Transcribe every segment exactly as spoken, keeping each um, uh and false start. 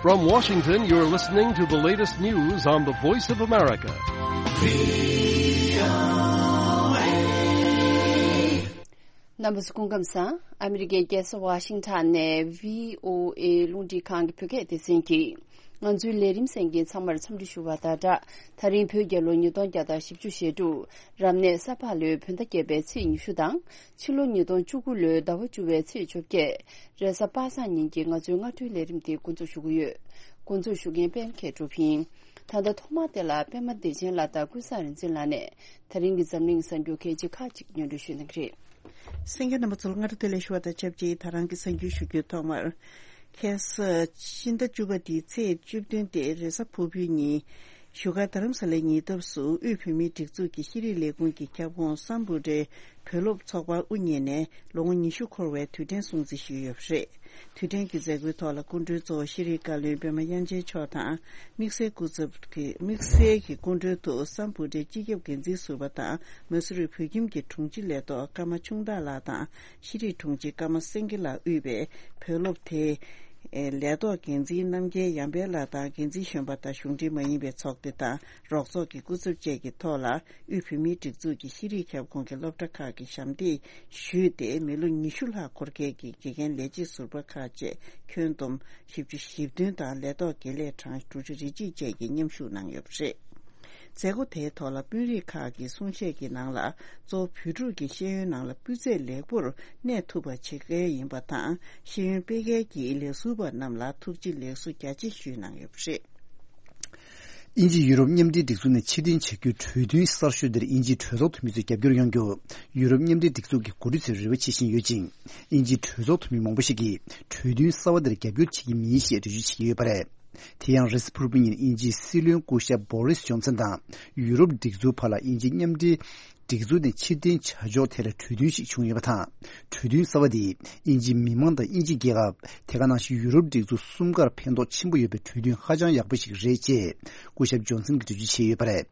From Washington, you're listening to the latest news on the Voice of America. རྣམ་པ་ཚོ་སྐུ་ཁམས་བཟང་། ཨ་མི་རི་ཀའི་རྒྱལ་ས་ཝ་ཤིང་ཊོན་ནས་བྷི་ཨོ་ཨེ་རླུང་འཕྲིན་ཁང་གི་བོད་སྐད་སྡེ་ཚན་གྱིས་ང་ཚོའི་ལས་རིམ་གསན་མཁན་ཚང་མར་འཚམས་འདྲི་ཞུ་བ་དང་སྦྲགས། ད་རིང་བོད་རྒྱལ་ལོ་ཉིས་སྟོང་བརྒྱ་དང་བཞི་བཅུ་ཞེ་དྲུག་རབ་གནས་ས་ཕག་ལོའི་བོད་ཟླ་བརྒྱད་པའི་ཚེས་ཉི་ཤུ་དང་། ཕྱི་ལོ་ཉིས་སྟོང་བཅུ་དགུ་ལོའི་ཟླ་བ་བཅུ་པའི་ཚེས་བཅོ་བརྒྱད། རེས་གཟའ་པ་སངས་ཉིན་གྱི་ང་ཚོའི་སྔ་དྲོའི་ལས་རིམ་དེ་འགོ་འཛུགས་ཞུ་གི་ཡོད། འགོ་འཛུགས་ཞུ་མཁན་པད་མ་མཁས་གྲུབ་ཡིན། ད་ལྟ་ཐོག་མར་དེ་ལ་པད་མ་བདེ་ཆེན་ལགས་དང་ཀུན་བཟང་རིག་འཛིན་ལགས་ནས་ད་རིང་གི་འཛམ་གླིང་གསར་འགྱུར་གལ་ཆེ་ཁག་ཅིག་སྙན་སྒྲོན་ཞུ་གནང་གི་རེད། གསན་མཁན་རྣམ་པ་ཚོར་སྔ་དྲོ་བདེ་ལེགས་ཞུ་བ་དང་ཆབས་ཅིག་ད་རང་གི་གསར་འགྱུར་ཞུ་རྒྱུའི་ཐོག་མར། ཁ་སང་ཕྱི་ཟླ་བཅུ་པ་འདིའི་ཚེས་བཅུ་བདུན་སྟེ་རེས་གཟའ་ཕུར་བུའི་ཉིན། བཞུགས་སྒར་རྡ་རམ་ས་ལའི་ཉེ་འདབས་སུ་དབུས་བོད་མིའི་སྒྲིག་འཛུགས་ཀྱི་ཤེས་རིག་ལས་ཁུངས་ཀྱི་ཁྱབ་ཁོངས་སམ་བྷོ་ཊའི་བོད་སློབ་ཚོགས་པ་དབུ་བརྙེས་ནས་ལོ་ངོ་ཉི་ཤུ་འཁོར་བའི་དུས་དྲན་སྲུང་བརྩི་ཞུས་ཡོད་པ་རེད། དུས་དྲན་གྱི་མཛད་སྒོའི་ཐོག་ལ་སྐུ་མགྲོན་གཙོ་བོ་ཤེས་རིག་བཀའ་བློན་པད་མ་དབྱངས་ཅན་མཆོག་དང་། དམིགས་བསལ་སྐུ་ཚབ་ཀྱི་དམིགས་བསལ་གྱི་སྐུ་མགྲོན་དུ་སམ་བྷོ་ཊའི་སྤྱི་ཁྱབ་འགན་འཛིན་ཟུར་པ་དང་མ་སུ་རི་བོད་ཁྱིམ་གྱི་དྲུང་ཆེ་ལས་ཐོག་ཀརྨ་ཆུང་བདག་ལགས་དང་། ཤེས་རིག་དྲུང་ཆེ་ཀརྨ་སེང་གེ་ལགས་དབུས་པའི་བོད་སློབ་དེ། ལས་ཐོག་འགན་འཛིན་རྣམ་རྒྱལ་ཡར་འཕེལ་ལགས་དང་འགན་འཛིན་གཞོན་པ་དང་གཞུང་འབྲེལ་མ་ཡིན་པའི་ཚོགས་སྡེ་དང་རོགས་ཚོགས་ཀྱི་སྐུ་ཚབ་བཅས་ཀྱི་ཐོག་ལ་དབུས་བོད་མིའི་སྒྲིག་འཛུགས་ཀྱི་ཤེས་རིག་ཁྱབ་ཁོངས་ཀྱི་སློབ་གྲྭ་ཁག་གི་ཞབས་འདེགས་ཞུས་ཏེ་མི་ལོ་ཉི་ཤུ་ལྷག་འཁོར་མཁན་གྱི་དགེ་རྒན་ལས་བྱེད་ཟུར་པ་ཁག་བཅས་ཁྱོན་བསྡོམས་བཞི་བཅུ་ཞེ་བདུན་དང་ལས་ཐོག་དགེ་ལས་གྲངས་དྲུག་ཅུ་རེ་གཅིག་བཅས་ཀྱིས་མཉམ་ཞུགས་གནང་ཡོད་པ་རེད། མཛད་སྒོ་དེའི་ཐོག་ལ་དཔོན་རིགས་ཁག་གི་གསུང་བཤད་ཀྱི་ནང་ལ་གཙོ་བོ་བོད་ཕྲུག་གི་ཤེས་ཡོན་ནང་ལ་སྤུས་ཚད་ལེགས་པོར་གནས་ཐུབ་པ་བྱེད་གལ་ཡིན་པ་དང་ཤེས་ཡོན་སྤེལ་མཁན་གྱི་ལས་ཟུར་པ་རྣམས་ལ་ཐུགས་རྗེ་ལེགས་གསོ་རྒྱ་ཆེ་ཞུས་གནང་ཡོད་པ་རེད། དབྱིན་ཇི་ཡུ་རོབ་མཉམ་འབྲེལ་སྒྲིག་འཛུགས་ནས་ཕྱིར་འཐེན་བྱ་རྒྱུའི་གྲོས་མཐུན་གསར་ཤོས་དེར་དབྱིན་ཇིའི་གྲོས་ཚོགས་འཐུས་མི་ཚོས་རྒྱབ་སྐྱོར་ཡོང་རྒྱུ་ཡུ་རོབ་མཉམ་འབྲེལ་སྒྲིག་འཛུགས་ཀྱི་འགོ་ཁྲིད་ཚོས་རེ་བ་བྱེད་བཞིན་ཡོད་ཅིང་། དབྱིན་ཇིའི་གྲོས་ཚོགས་འཐུས་མི་མང་པོ་ཞིག་གིས་གྲོས་མཐུན་གསར་པ་དེར་རྒྱབ་སྐྱོར་བྱེད་ཀྱི་མིན་ཞེས་འགྲེལ་བརྗོད་བྱེད་ཀྱི་ཡོད་པ་རེད། དེ་ཡང་རེས་གཟའ་ཕུར་བུ་ཉིན་དབྱིན་ཇིའི་སྲིད་བློན་སྐུ་ཞབས་བོ་རིས་ཇོན་སན་དང་ཡུ་རོབ་སྒྲིག་འཛུགས་བར་ལ་དབྱིན་ཇི་མཉམ་འབྲེལ་སྒྲིག་འཛུགས་ནས་ཕྱིར་འཐེན་བྱ་ཕྱོགས་ཐད་ལ་གྲོས་མཐུན་ཞིག་བྱུང་ཡོད་པ་དང་། གྲོས་མཐུན་གསར་པ་འདིས་དབྱིན་ཇིའི་མི་མང་དང་དབྱིན་ཇི་རྒྱལ་ཁབ་དེ་ག་ནང་བཞིན་ཡུ་རོབ་སྒྲིག་འཛུགས་གསུམ་ཀར་ཕན་ཐོགས་ཆེན་པོ་ཡོད་པའི་གྲོས་མཐུན་ཧ་ཅང་ཡག་པོ་ཞིག་རེད་ཅེས་སྐུ་ཞབས་ཇོན་སན་གྱིས་འགྲེལ་བརྗོད་བྱས་ཡོད་པ་རེད།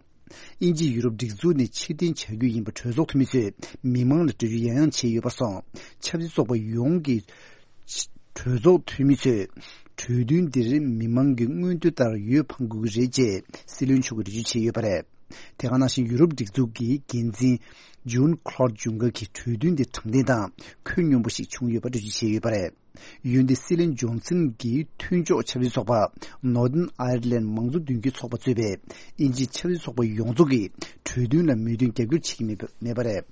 དབྱིན་ཇི་ཡུ་རོབ་སྒྲིག་འཛུགས་ནས་ཕྱིར་འཐེན་བྱ་རྒྱུ་ཡིན་པ་གྲོས་ཚོགས་འཐུས་མི་ཚོས་མི་མང་ལ་འགྲེལ་བརྗོད་ཡང་ཡང་བྱས་ཡོད་པར་སོང་། ཆབ་སྲིད་ཚོགས་པ་ཡོངས་ཀྱི་གྲོས་ཚོགས་འཐུས་མི་ཚོས་གྲོས་མཐུན་འདིར་མི་མང་གི་མངོན་འདོད་ལྟར་འོས་འཕང་དགོས་ཀྱི་རེད་ཅེས་སྲིད་བློན་མཆོག་གིས་འགྲེལ་བརྗོད་བྱས་ཡོད་པ་རེད། དེ་ག་ནང་བཞིན་ཡུ་རོབ་སྒྲིག་འཛུགས་ཀྱི་འགན་འཛིན་ཇུན་ཁ་ལོད་ཇུང་ཀར་གྱིས་གྲོས་མཐུན་འདི་དྲང་བདེན་དང་ཁོད་སྙོམས་པོ་ཞིག་བྱུང་ཡོད་པ་འགྲེལ་བརྗོད་བྱས་ཡོད་པ་རེད། འོན་ཏེ་སྲིད་བློན་ཇོན་སན་གྱིས་མཐུན་ཕྱོགས་ཆབ་སྲིད་ཚོགས་པ་Northern Ireland མང་གཙོ་མདུན་སྐྱོད་ཚོགས་པ་གཙོས་པའི་དབྱིན་ཇིའི་ཆབ་སྲིད་ཚོགས་པ་ཡོངས་རྫོགས་ཀྱིས་གྲོས་མཐུན་ལ་མོས་མཐུན་རྒྱབ་སྐྱོར་བྱེད་ཀྱི་མེད་པ་མེད་པ་རེད།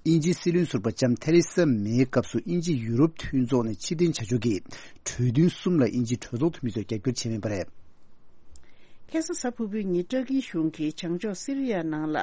དབྱིན་ཇིའི་སྲིད་བློན་ཟུར་པ་ལྕམ་ཐེ་རེ་ས་མེའི་སྐབས་སུ་དབྱིན་ཇི་ཡུ་རོབ་མཐུན་ཚོགས་ནས་ཕྱིར་འཐེན་བྱ་ཕྱོགས་ཀྱི་གྲོས་མཐུན་གསུམ་ལ་དབྱིན་ཇིའི་གྲོས་ཚོགས་འཐུས་མི་ཚོས་རྒྱབ་སྐྱོར་བྱས་མེད་པ་རེད། ཁ་སང་གཟའ་ཕུར་བུའི་ཉིན་ཏུར་ཀིའི་གཞུང་གིས་བྱང་ཕྱོགས་སི་རི་ཡ་ནང་ལ་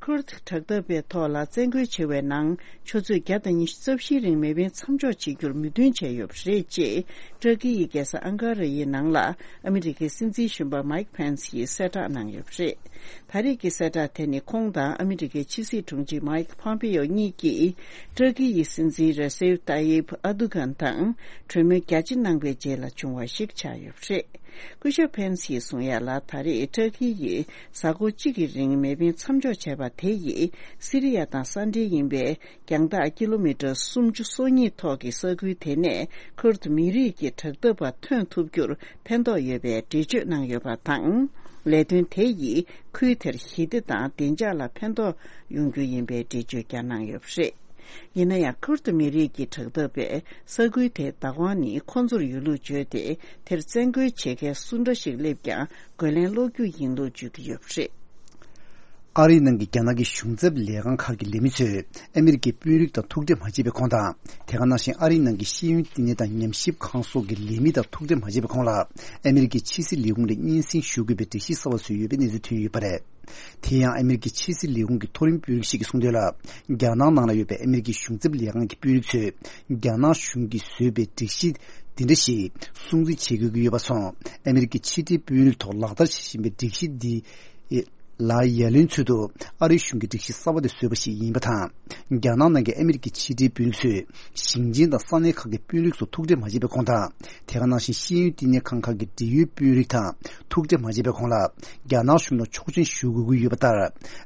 ཁུར་དྲག་འཐབ་པའི་ཐོག་ལ་བཙན་རྒོལ་བྱེད་པའི་ནང་ཆུ་ཚོད་བརྒྱ་དང་ཉི་ཤུ་རྩ་བཞིའི་རིང་མེ་འཕེན་མཚམས་འཇོག་བྱེད་རྒྱུར་མོས་མཐུན་བྱས་ཡོད་པ་རེད་ཅེས་ཏུར་ཀི་ཡི་རྒྱལ་ས་ཨང་ཀ་ར་ཡི་ནང་ལ་ཨ་མི་རི་ཀའི་སྲིད་འཛིན་གཞོན་པ་མའིག་ཕེན་སི་ཡིས་གསལ་བསྒྲགས་གནང་ཡོད་པ་རེད། ད་རེས་ཀྱི་གསལ་བསྒྲགས་དེ་ནི་ཁོང་དང་ཨ་མི་རི་ཀའི་ཕྱི་སྲིད་དྲུང་ཆེ་མའིག་ཕོམ་པེ་ཡོ་གཉིས་ཀྱིས་ཏུར་ཀི་ཡི་སྲིད་འཛིན་རེ་སེབ་ཏཱ་ཡིབ་ཨར་དུ་གྷན་དང་གྲོས་མོལ་རྒྱ་ཆེ་གནང་པའི་རྗེས་ལ་བྱུང་བ་ཞིག་ཆགས་ཡོད་པ་རེད། སྐུ་ཞབས་ཕེན་སིས་གསུངས་ཡ་ལ་ད་རེས་ཏུར་ཀི་ཡིས་གཟའ་འཁོར་གཅིག་གི་རིང་མེ་འཕེན་མཚམས་འཇོག་བྱས་པ་དེ་ཡིས་སི་རི་ཡ་དང་ས་འབྲེལ་ཡིན་པའི་རྒྱང་ཐག་ཀི་ལོ་མི་ཊར་སུམ་ཅུ་སོ་གཉིས་ཐོག་གི་ས་ཁུལ་དེ་ནས་ཁུར་དུ་མི་རིགས་ཀྱི་དྲག་འཐབ་པ་ཐོན་ཐུབ་རྒྱུར་ཕན་ཐོགས་ཡོད་པའི་འགྲེལ་བརྗོད་གནང་ཡོད་པ་དང་། ལས་དོན་དེ་ཡིས་ཁུལ་དེར་ཞི་བདེ་དང་བདེ་འཇགས་ལ་ཕན་ཐོགས་ཡོང་རྒྱུ་ཡིན་པའི་འགྲེལ་བརྗོད་ཀྱང་གནང་ཡོད་པ་རེད། ཡིན་ན་ཡང་ཁུར་དུ་མི་རིགས་ཀྱི་དྲག་འཐབ་པས་ས་ཁུལ་དེའི་བདག་དབང་ནི་ཁོང་ཚོར་ཡོད་ལུགས་བརྗོད་དེ་དེར་བཙན་རྒོལ་བྱེད་མཁན་སུ་འདྲ་ཞིག་སླེབས་ཀྱང་རྒོལ་ལན་སློག་རྒྱུ་ཡིན་ལུགས་བརྗོད་ཀྱི་ཡོད་པ་རེད། ཨ་རིའི་ནང་གི་རྒྱ་ནག་གི་གཞུང་ཚབ་ལས་ཁང་ཁག་གི་ལས་མི་ཚོས་ཨ་མི་རི་ཀའི་དཔོན་རིགས་དང་ཐུག་འཕྲད་མ་བྱས་པའི་གོང་དང་། དེ་ག་ནང་བཞིན་ཨ་རིའི་ནང་གི་ཤེས་ཡོན་བསྟི་གནས་དང་ཉམས་ཞིབ་ཁང་སོགས་ཀྱི་ལས་མི་དང་ཐུག་འཕྲད་མ་བྱས་པའི་གོང་ལ་ཨ་མི་རི་ཀའི་ཕྱི་སྲིད་ལས་ཁུངས་ལ་སྙན་སེང་ཞུ་དགོས་པའི་སྒྲིག་གཞི་གསར་པ་བཟོས་ཡོད་པའི་གནས་ཚུལ་ཐོན་ཡོད་པ་རེད། དེ་ཡང་ཨ་མི་རི་ཀའི་ཕྱི་སྲིད་ལས་ཁུངས་ཀྱི་མཐོ་རིམ་དཔོན་རིགས་ཤིག་གིས་གསུངས་དོན་ལ། རྒྱ་ནག་ནང་ལ་ཡོད་པའི་ཨ་མི་རི་ཀའི་གཞུང་ཚབ་ལས་ཁང་གི་དཔོན་རིགས་ཚོས་རྒྱ་ནག་གཞུང་གིས་བཟོས་པའི་སྒྲིག་གཞི་འདི་འདྲ་ཞིག་སྲུང་བརྩི་བྱེད་དགོས་ཀྱི་ཡོད་པ་སོང་། ཨ་མི་རི་ཀའི་ཕྱི་འབྲེལ་དཔོན་རིགས་ཐོག་ལག་བསྟར་བྱེད་བཞིན་པའི་སྒྲིག་གཞི་འདི། ལ་ཡ་ལན་ཚུལ་དུ་ཨ་རིའི་གཞུང་གིས་སྒྲིག་གཞི་གསར་པ་དེ་བཟོས་པ་ཞིག་ཡིན་པ་དང་། རྒྱ་ནག་ནང་གི་ཨ་མི་རི་ཀའི་ཕྱི་འབྲེལ་དཔོན་རིགས་ཚོས་ཞིང་ཆེན་དང་ས་གནས་ཁག་གི་དཔོན་རིགས་ཚོ་ཐུག་འཕྲད་མ་བྱས་པའི་གོང་དང་། དེ་ག་ནང་བཞིན་ཤེས་ཡོན་བསྟི་གནས་ཁང་ཁག་གི་འབྲེལ་ཡོད་དཔོན་རིགས་དང་ཐུག་འཕྲད་མ་བྱས་པའི་གོང་ལ། རྒྱ་ནག་གཞུང་ལ་ཆོག་མཆན་ཞུ་དགོས་ཀྱི་ཡོད་པ་ལྟར།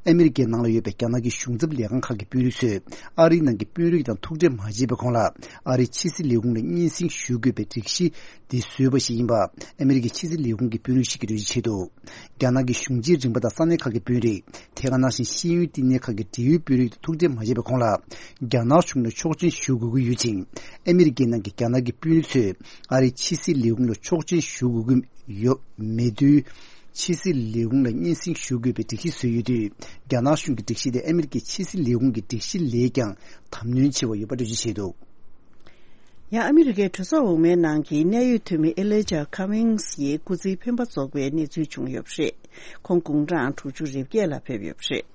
ཨ་མི་རི་ཀའི་ནང་ལ་ཡོད་པའི་རྒྱ་ནག་གི་གཞུང་ཚབ་ལས་ཁང་ཁག་གི་དཔོན་རིགས་ཚོས་ཨ་རིའི་ནང་གི་དཔོན་རིགས་དང་ཐུག་འཕྲད་མ་བྱས་པའི་གོང་ལ། ཨ་རིའི་ཕྱི་སྲིད་ལས་ཁུངས་ལ་སྙན་སེང་ཞུ་དགོས་པའི་སྒྲིག་གཞི་འདི་བཟོས་པ་ཞིག་ཡིན་པ། ཨ་མི་རི་ཀའི་ཕྱི་སྲིད་ལས་ཁུངས་ཀྱི་དཔོན་རིགས་ཤིག་གིས་འགྲེལ་བརྗོད་བྱས་འདུག་རྒྱ་ནག་གི་གཞུང་ཆེན་རིམ་པ་དང་ས་གནས་ཁག་གི་དཔོན་རིགས། དེ་ག་ནང་བཞིན་ཤེས་ཡོན་བསྟི་གནས་ཁག་གི་འབྲེལ་ཡོད་དཔོན་རིགས་དང་ཐུག་འཕྲད་མ་བྱས་པའི་གོང་ལ། རྒྱ་ནག་གཞུང་ལ་ཆོག་མཆན་ཞུ་དགོས་ཀྱི་ཡོད་ཅིང་། ཨ་མི་རི་ཀའི་ནང་གི་རྒྱ་ནག་གི་དཔོན་རིགས་ཚོས་ཨ་རིའི་ཕྱི་སྲིད་ལས་ཁུངས་ལ་ཆོག་མཆན་ཞུ་དགོས་ཀྱི་ཡོད་མེད་དུས། ཕྱི་སྲིད་ལས་ཁུངས་ལ་སྙན་སེང་ཞུ་དགོས་པའི་སྒྲིག་གཞི་བཟོས་ཡོད་དུས། རྒྱ་ནག་གཞུང་གི་སྒྲིག་གཞི་དེ་ཨ་མི་རི་ཀའི་ཕྱི་སྲིད་ལས་ཁུངས་ཀྱི་སྒྲིག་གཞི་ལས་ཀྱང་དམ་ནོན་ཆེ་བ་ཡོད་པ་འགྲེལ་བརྗོད་བྱས་འདུག་ཡང་ཨ་མི་རི་ཀའི་གྲོས་ཚོགས་འོག་མའི་ནང་གི་གནད་ཡོད་འཐུས་མི་ཨེ་ལི་ཇ་ཁ་མིང་སི་ཡི་སྐུ་ཚེའི་འཕེན་པ་རྫོགས་པའི་གནས་ཚུལ་བྱུང་ཡོད་པ་རེད། ཁོང་དགུང་གྲངས་དྲུག་ཅུ་རེ་བརྒྱད་ལ་ཕེབས་ཡོད་པ་རེད།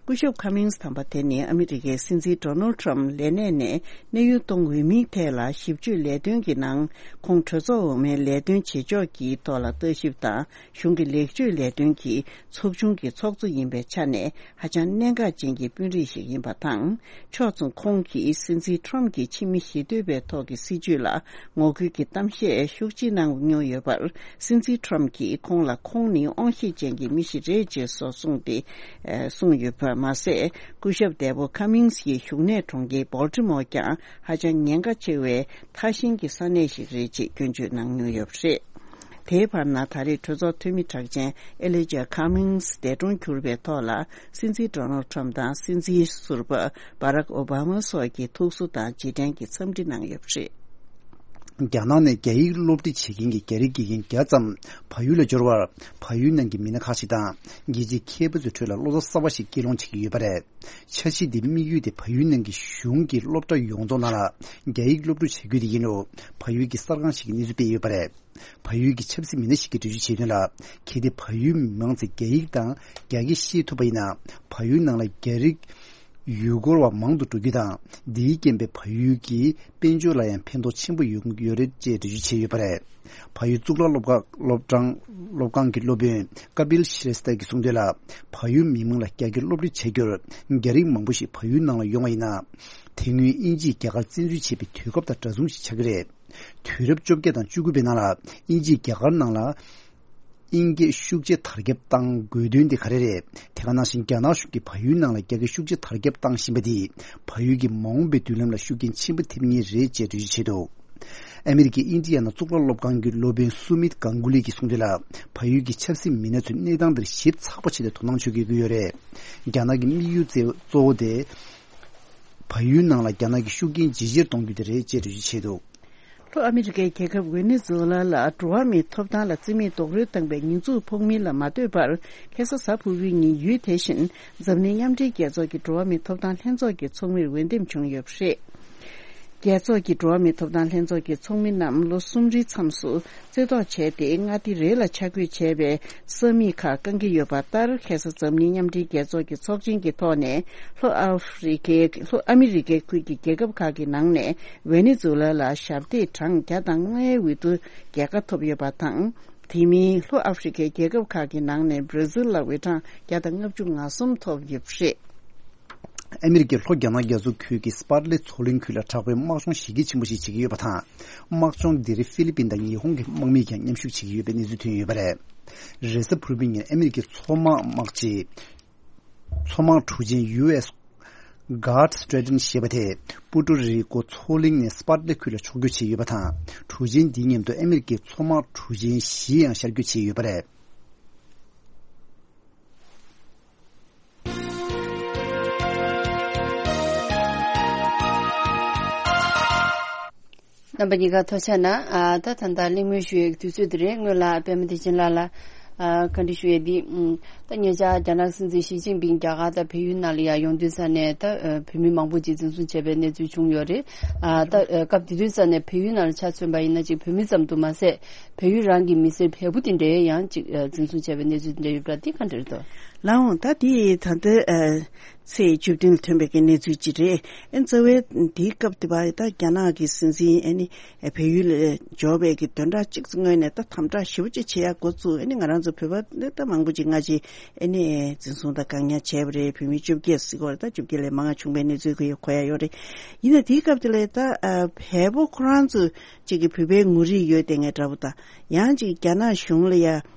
སྐུ་ཞབས་ཁ་མིང་སི་དམ་པ་དེ་ནི་ཨ་མི་རི་ཀའི་སྲིད་འཛིན་ཌོ་ནལ་ཊམ་ལས་གནས་ནས་གནས་དབྱུང་གཏོང་འོས་མིན་ཐད་ལ་ཞིབ་དཔྱོད་ལས་དོན་གྱི་ནང་ཁོང་གྲོས་ཚོགས་འོག་མའི་ལས་དོན་བྱེད་ཕྱོགས་ཀྱི་ཐོག་ལ་ལྟ་ཞིབ་དང་གཞུང་གི་ལེགས་བཅོས་ལས་དོན་གྱི་ཚོགས་ཆུང་གི་ཚོགས་གཙོ་ཡིན་པའི་ཆ་ནས་ཧ་ཅང་གནད་འགག་ཅན་གྱི་དཔོན་རིགས་ཤིག་ཡིན་པ་དང་། ཕྱོགས་མཚུངས་ཁོང་གིས་སྲིད་འཛིན་ཊམ་གྱི་ཕྱི་མི་ཞི་གཏོད་པའི་ཐོག་གི་སྲིད་བྱུས་ལ་ངོ་རྒོལ་གྱི་གཏམ་བཤད་ཤུགས་ཆེ་གནང་མྱོང་ཡོད་པར། སྲིད་འཛིན་ཊམ་གྱིས་ཁོང་ལ་ཁོང་ནི་དབང་ཤེད་ཅན་གྱི་མི་ཞིག་རེད་ཅེས་སོགས་གསུངས་ཏེ། ཨ། གསུངས་ཡོད་པ་མ་ཟད། སྐུ་ཞབས་འདས་པོ་ཁ་མིང་སི་ཡི་བཞུགས་གནས་གྲོང་ཁྱེར་སྦོལ་ཊི་མོར་ཀྱང་ཧ་ཅང་ཉེན་ཁ་ཆེ་བའི་ཐག་ཤིང་གི་ས་གནས་ཤིག་རེད་ཅེས་སྐྱོན་བརྗོད་གནང་མྱོང་ཡོད་པ་རེད། དེའི་བར་ན་ད་རེས་གྲོས་ཚོགས་འཐུས་མི་གྲགས་ཅན་ཨེ་ལི་ཇ་ཁ་མིང་སི་འདས་གྲོངས་གྱུར་པའི་ཐོག་ལ། སྲིད་འཛིན་ཌོ་ནལ་ཊམ་དང་སྲིད་འཛིན་ཟུར་པ་བྷ་རག་ཨོ་བྷ་མ་སོགས་ཀྱིས་ཐུགས་གསོ་དང་རྗེས་དྲན་གྱི་འཚམས་འདྲི་གནང་ཡོད་པ་རེད། རྒྱ་ནག་ནས་རྒྱ་ཡིག་སློབ་ཁྲིད་བྱེད་མཁན་གྱི་རྒྱ་རིགས་དགེ་རྒན་བརྒྱ་ཙམ་བལ་ཡུལ་ལ་འབྱོར་བར། བལ་ཡུལ་ནང་གི་མི་སྣ་ཁག་ཅིག་དང་རྒྱལ་སྤྱིའི་མཁས་པ་ཚོའི་ཁྲོད་ལ་བློ་རྩ་གསར་པ་ཞིག་སྐྱེད་སློང་བྱེད་ཀྱི་ཡོད་པ་རེད། འཆར་གཞི་འདིའི་དམིགས་ཡུལ་དེ་བལ་ཡུལ་ནང་གི་གཞུང་གི་སློབ་གྲྭ་ཡོངས་རྫོགས་ནང་ལ་རྒྱ་ཡིག་སློབ་ཕྲུག་བྱ་རྒྱུ་དེ་ཡིན་རུང་། བལ་ཡུལ་གྱི་གསར་ཁང་ཞིག་གིས་གནས་ཚུལ་སྤེལ་ཡོད་པ་རེད། བལ་ཡུལ་གྱི་ཆབ་སྲིད་མི་སྣ་ཞིག་གིས་འགྲེལ་བརྗོད་བྱས་དོན་ལ། གལ་ཏེ་བལ་ཡུལ་མི་མང་ཚོས་རྒྱ་ཡིག་དང་རྒྱ་སྐད་ཤེས་ཐུབ་པ་ཡིན་ན། བལ་ཡུལ་ནང་ལ་རྒྱ་རིགས་ཡུལ་སྐོར་བ་མང་དུ་འགྲོ་རྒྱུ་དང་། འདིའི་རྐྱེན་པས་བལ་ཡུལ་གྱི་དཔལ་འབྱོར་ལ་ཡང་ཕན་ཐོགས་ཆེན་པོ་ཡོང་གི་ཡོད་རེད་ཅེས་འགྲེལ་བརྗོད་བྱས་ཡོད་པ་རེད། བལ་ཡུལ་གཙུག་ལག་སློབ་ཁག་སློབ་གྲྭ་སློབ་ཁང་གི་སློབ་དཔོན་ཀ་པིལ་ཤི་རེ་སྟ་གིས་གསུངས་དོན་ལ། བལ་ཡུལ་མི་མང་ལ་རྒྱ་སྐད་སློབ་ཁྲིད་བྱ་རྒྱུར་རྒྱ་རིགས་མང་པོ་ཞིག་བལ་ཡུལ་ནང་ལ་ཡོང་བ་ཡིན་ན། དེ་སྔོན་དབྱིན་ཇིས་རྒྱ་གར་བཙན་འཛུལ་བྱས་པའི་དུས་སྐབས་དང་འདྲ་མཚུངས་ཤིག་ཆགས་ཀྱི་རེད། དུས་རབས་བཅོ་བརྒྱད་དང་བཅུ་དགུ་པའི་ནང་ལ་དབྱིན་ཇིས་རྒྱ་གར་ནང་ལ་དབྱིན་སྐད་ཤུགས་ཆེ་དར་ཁྱབ་བཏང་དགོས་དོན་དེ་ག་རེ་རེད། དེ་ག་ནང་བཞིན་རྒྱ་ནག་གཞུང་གིས་བལ་ཡུལ་ནང་ལ་རྒྱ་སྐད་ཤུགས་ཆེ་དར་ཁྱབ་བཏང་བཞིན་པ་དེས་བལ་ཡུལ་གྱི་མ་འོངས་པའི་མདུན་ལམ་ལ་ཤུགས་རྐྱེན་ཆེན་པོ་ཐེབས་ངེས་རེད་ཅེས་འགྲེལ་བརྗོད་བྱས་འདུག་ཨ་མི་རི་ཀའི་ཨིན་ཌི་ཡ་ན་གཙུག་ལག་སློབ་ཁང་གི་སློབ་དཔོན་སུ་མིད་གང་གུ་ལི་གིས་གསུངས་དོན་ལ། བལ་ཡུལ་གྱི་ཆབ་སྲིད་མི་སྣ་ཚོས་གནས་སྟངས་འདིར་ཞིབ་ཚགས་པོ་བྱས་ཏེ་དོ་སྣང་བྱེད་དགོས་ཀྱི་ཡོད་རེད། རྒྱ་ནག་གི་དམིགས་ཡུལ་གཙོ་བོ་དེ། བལ་ཡུལ་ནང་ལ་རྒྱ་ནག་གི་ཤུགས་རྐྱེན་ཇེ་ཆེར་གཏོང་རྒྱུ་དེ་རེད་ཅེས་འགྲེལ་བརྗོད་བྱས་འདུག་ལྷོ་ཨ་མི་རི་ཀའི་རྒྱལ་ཁབ་ཝེ་ནེ་ཛུ་ལ་ལ་འགྲོ་བ་མིའི་ཐོབ་ཐང་ལ་བརྩི་མེད་རྡོག་རོལ་བཏང་པའི་ཉེས་འཛུགས་ཕོག་མིན་ལ་མ་ལྟོས་པར། ཁ་སང་གཟའ་ཕུར་བུའི་ཉིན་ཡུལ་དེ་བཞིན་འཛམ་གླིང་མཉམ་འབྲེལ་རྒྱལ་ཚོགས་ཀྱི་འགྲོ་བ་མིའི་ཐོབ་ཐང་ལྷན་ཚོགས་ཀྱི་ཚོགས་མིར་འོས་འདེམས་བྱུང་ཡོད་པ་རེད། རྒྱལ་ཚོགས་ཀྱི་འགྲོ་བ་མིའི་ཐོབ་ཐང་ལྷན་ཚོགས་ཀྱི་ཚོགས་མི་རྣམས་ལོ་གསུམ་རེའི་མཚམས་སུ་རྩེ་བཏོག་བྱས་ཏེ། མངའ་སྡེ་རེ་ལ་ཆ་བགོས་བྱས་པའི་ས་མིག་ཁག་བསྐང་གི་ཡོད་པ་ལྟར། ཁ་སང་འཛམ་གླིང་མཉམ་འབྲེལ་རྒྱལ་ཚོགས་ཀྱི་ཚོགས་ཆེན་གྱི་ཐོག་ནས། ལྷོ་ཨ་ཧྥེ་རི་ཁའི་ལྷོ་ཨ་མི་རི་ཀའི་ཁུལ་གྱི་རྒྱལ་ཁབ་ཁག་གི་ནང་ནས་ཝེ་ནེ་ཛུ་ལ་ལ་ཞབས་འདེགས་གྲངས་བརྒྱ་དང་ལྔའི་འོས་བསྡུ་རྒྱལ་ཁ་ཐོབ་ཡོད་པ་དང་། དེ་མིན་ལྷོ་ཨ་ཧྥེ་རི་ཁའི་རྒྱལ་ཁབ་ཁག་གི་ནང་ནས་བྷར་ཛིལ་ལ་འོས་གྲངས་བརྒྱ་དང་ལྔ་བཅུ་ང་གསུམ་ཐོབ་ཡོད་པ་རེད། ཨ་མི་རི་ཀའི་ལྷོ་རྒྱ་ནག་རྒྱ་མཚོ་ཁུལ་གྱི་སྤར་ལེ་མཚོ་གླིང་ཁུལ་ལ་དྲག་པོའི་དམག་སྦྱོང་གཞི་རྒྱ་ཆེན་པོ་ཞིག་བྱེད་ཀྱི་ཡོད་པ་དང་། དམག་སྦྱོང་འདིར་ཧྥི་ལི་པིན་དང་ཉི་ཧོང་གི་དམག་མིས་ཀྱང་མཉམ་ཞུགས་བྱེད་ཀྱི་ཡོད་པའི་གནས་ཚུལ་ཐོན་ཡོད་པ་རེད། རེས་གཟའ་ཕུར་བུའི་ཉིན་ཨ་མི་རི་ཀའི་མཚོ་དམག་དམག་སྤྱི། མཚོ་དམག་གྲུ་ཆེན་ཡུ་ཨེས་གྷར་སི་ཊི་རེ་ཊན་ཞེས་པ་དེས་པུ་ཏོ་རི་ཀོ་མཚོ་གླིང་ནས་སྤར་ལེ་ཁུལ་ལ་ཕྱོགས་བསྐྱོད་བྱས་ཡོད་པ་དང་། གྲུ་ཆེན་འདིའི་མཉམ་དུ་ཨ་མི་རི་ཀའི་མཚོ་དམག་གྲུ་ཆེན་བཞི་ཡང་ཤར་བསྐྱོད་བྱས་ཡོད་པ་རེད། རྣམ་པ་གཉིས་ཀ་ཐུགས་རྗེ་གནང་། ཨ། ད་ད་ལྟ་གླེང་མོལ་ཞུ་ཡའི་དུས་ཚོད་འདི་རེད། སྔོན་ལ་པད་མ་བདེ་ཆེན་ལགས་ལ། ཨ། བཀའ་འདྲི་ཞུ་ཡས་འདི། ཨ། ད་ཉེ་ཆར་རྒྱ་ནག་སྲིད་འཛིན་ཞི་ཅིན་ཕིང་རྒྱ་གར་དང་བལ་ཡུལ་ནང་ལ་ཡར་ཡོང་དུས་ཙ་ནས། ད་བོད་མི་མང་པོ་ཅིག་འཛིན་བཟུང་བྱས་པའི་གནས་ཚུལ་བྱུང་ཡོད་རེད། ཨ། ད་སྐབས་དེ་དུས་ཙ་ནས་བལ་ཡུལ་ནང་ལ་ཆ་མཚོན་པ་ཡིན་ན། ཅིག་བོད་མི་ཙམ་དུ་མ་ཟད། བལ་ཡུལ་རང་གི་མི་སེར་བལ་པོ་དེ་འདྲའི་ཡང་ཅིག་འཛིན་བཟུང་བྱས་པའི་གནས་ཚུལ་དེ་འདྲ་ཡོད་པ་འདི་ག་འདྲ་རེད་དོ། ལགས་འོང་། ད་དེ་ད་ལྟ་ཨ་ཚེས་བཅུ་བདུན་ལ་ཐོན་པའི་གི་གནས་ཚུལ་ཅིག་རེད། ཨ་ནི་རྩ་བའི་དེའི་སྐབས་དེ་བར་ད་རྒྱ་ནག་གི་སྲིད་འཛིན་ཨ་ནི་བལ་ཡུལ་ལ་འབྱོར་བའི་གི་བདུན་ཕྲག་གཅིག་སྔོན་ནས་ད་དམ་དྲག་ཞེ་པོ་ཅིག་བྱེད་ཡ་འགོ་བཙུགས། ཨ་ནི་ང་རང་ཚོ་བོད་པ་ནི་ད་མང་པོ་ཅིག་སྔ་ཕྱི་ཨ་ནི་འཛིན་བཟུང་དང་བཀག་ཉར་བྱས་པ་རེད། བོད་མི་བཅོ་བརྒྱད་ཟེར་གྱི་ཡོད་རེད། ད་བཅོ་བརྒྱད་ལས་མང་བ་བྱུང་བའི་གནས་ཚུལ་གྱི་གོ་ཡ་ཡོད་རེད། ཡིན་ན་དེའི་སྐབས་དེ་ལ་ད་ཨ་བལ་པོ་ཁོ་རང་ཚོ་ཅིག་གི་བོད་པའི་ངོ་རིས་ཡོད་དེ་ངས་འདྲ་པོ་དང་། ཡང་ཅིག་རྒྱ་ནག་གཞུང་ལ་ཡ་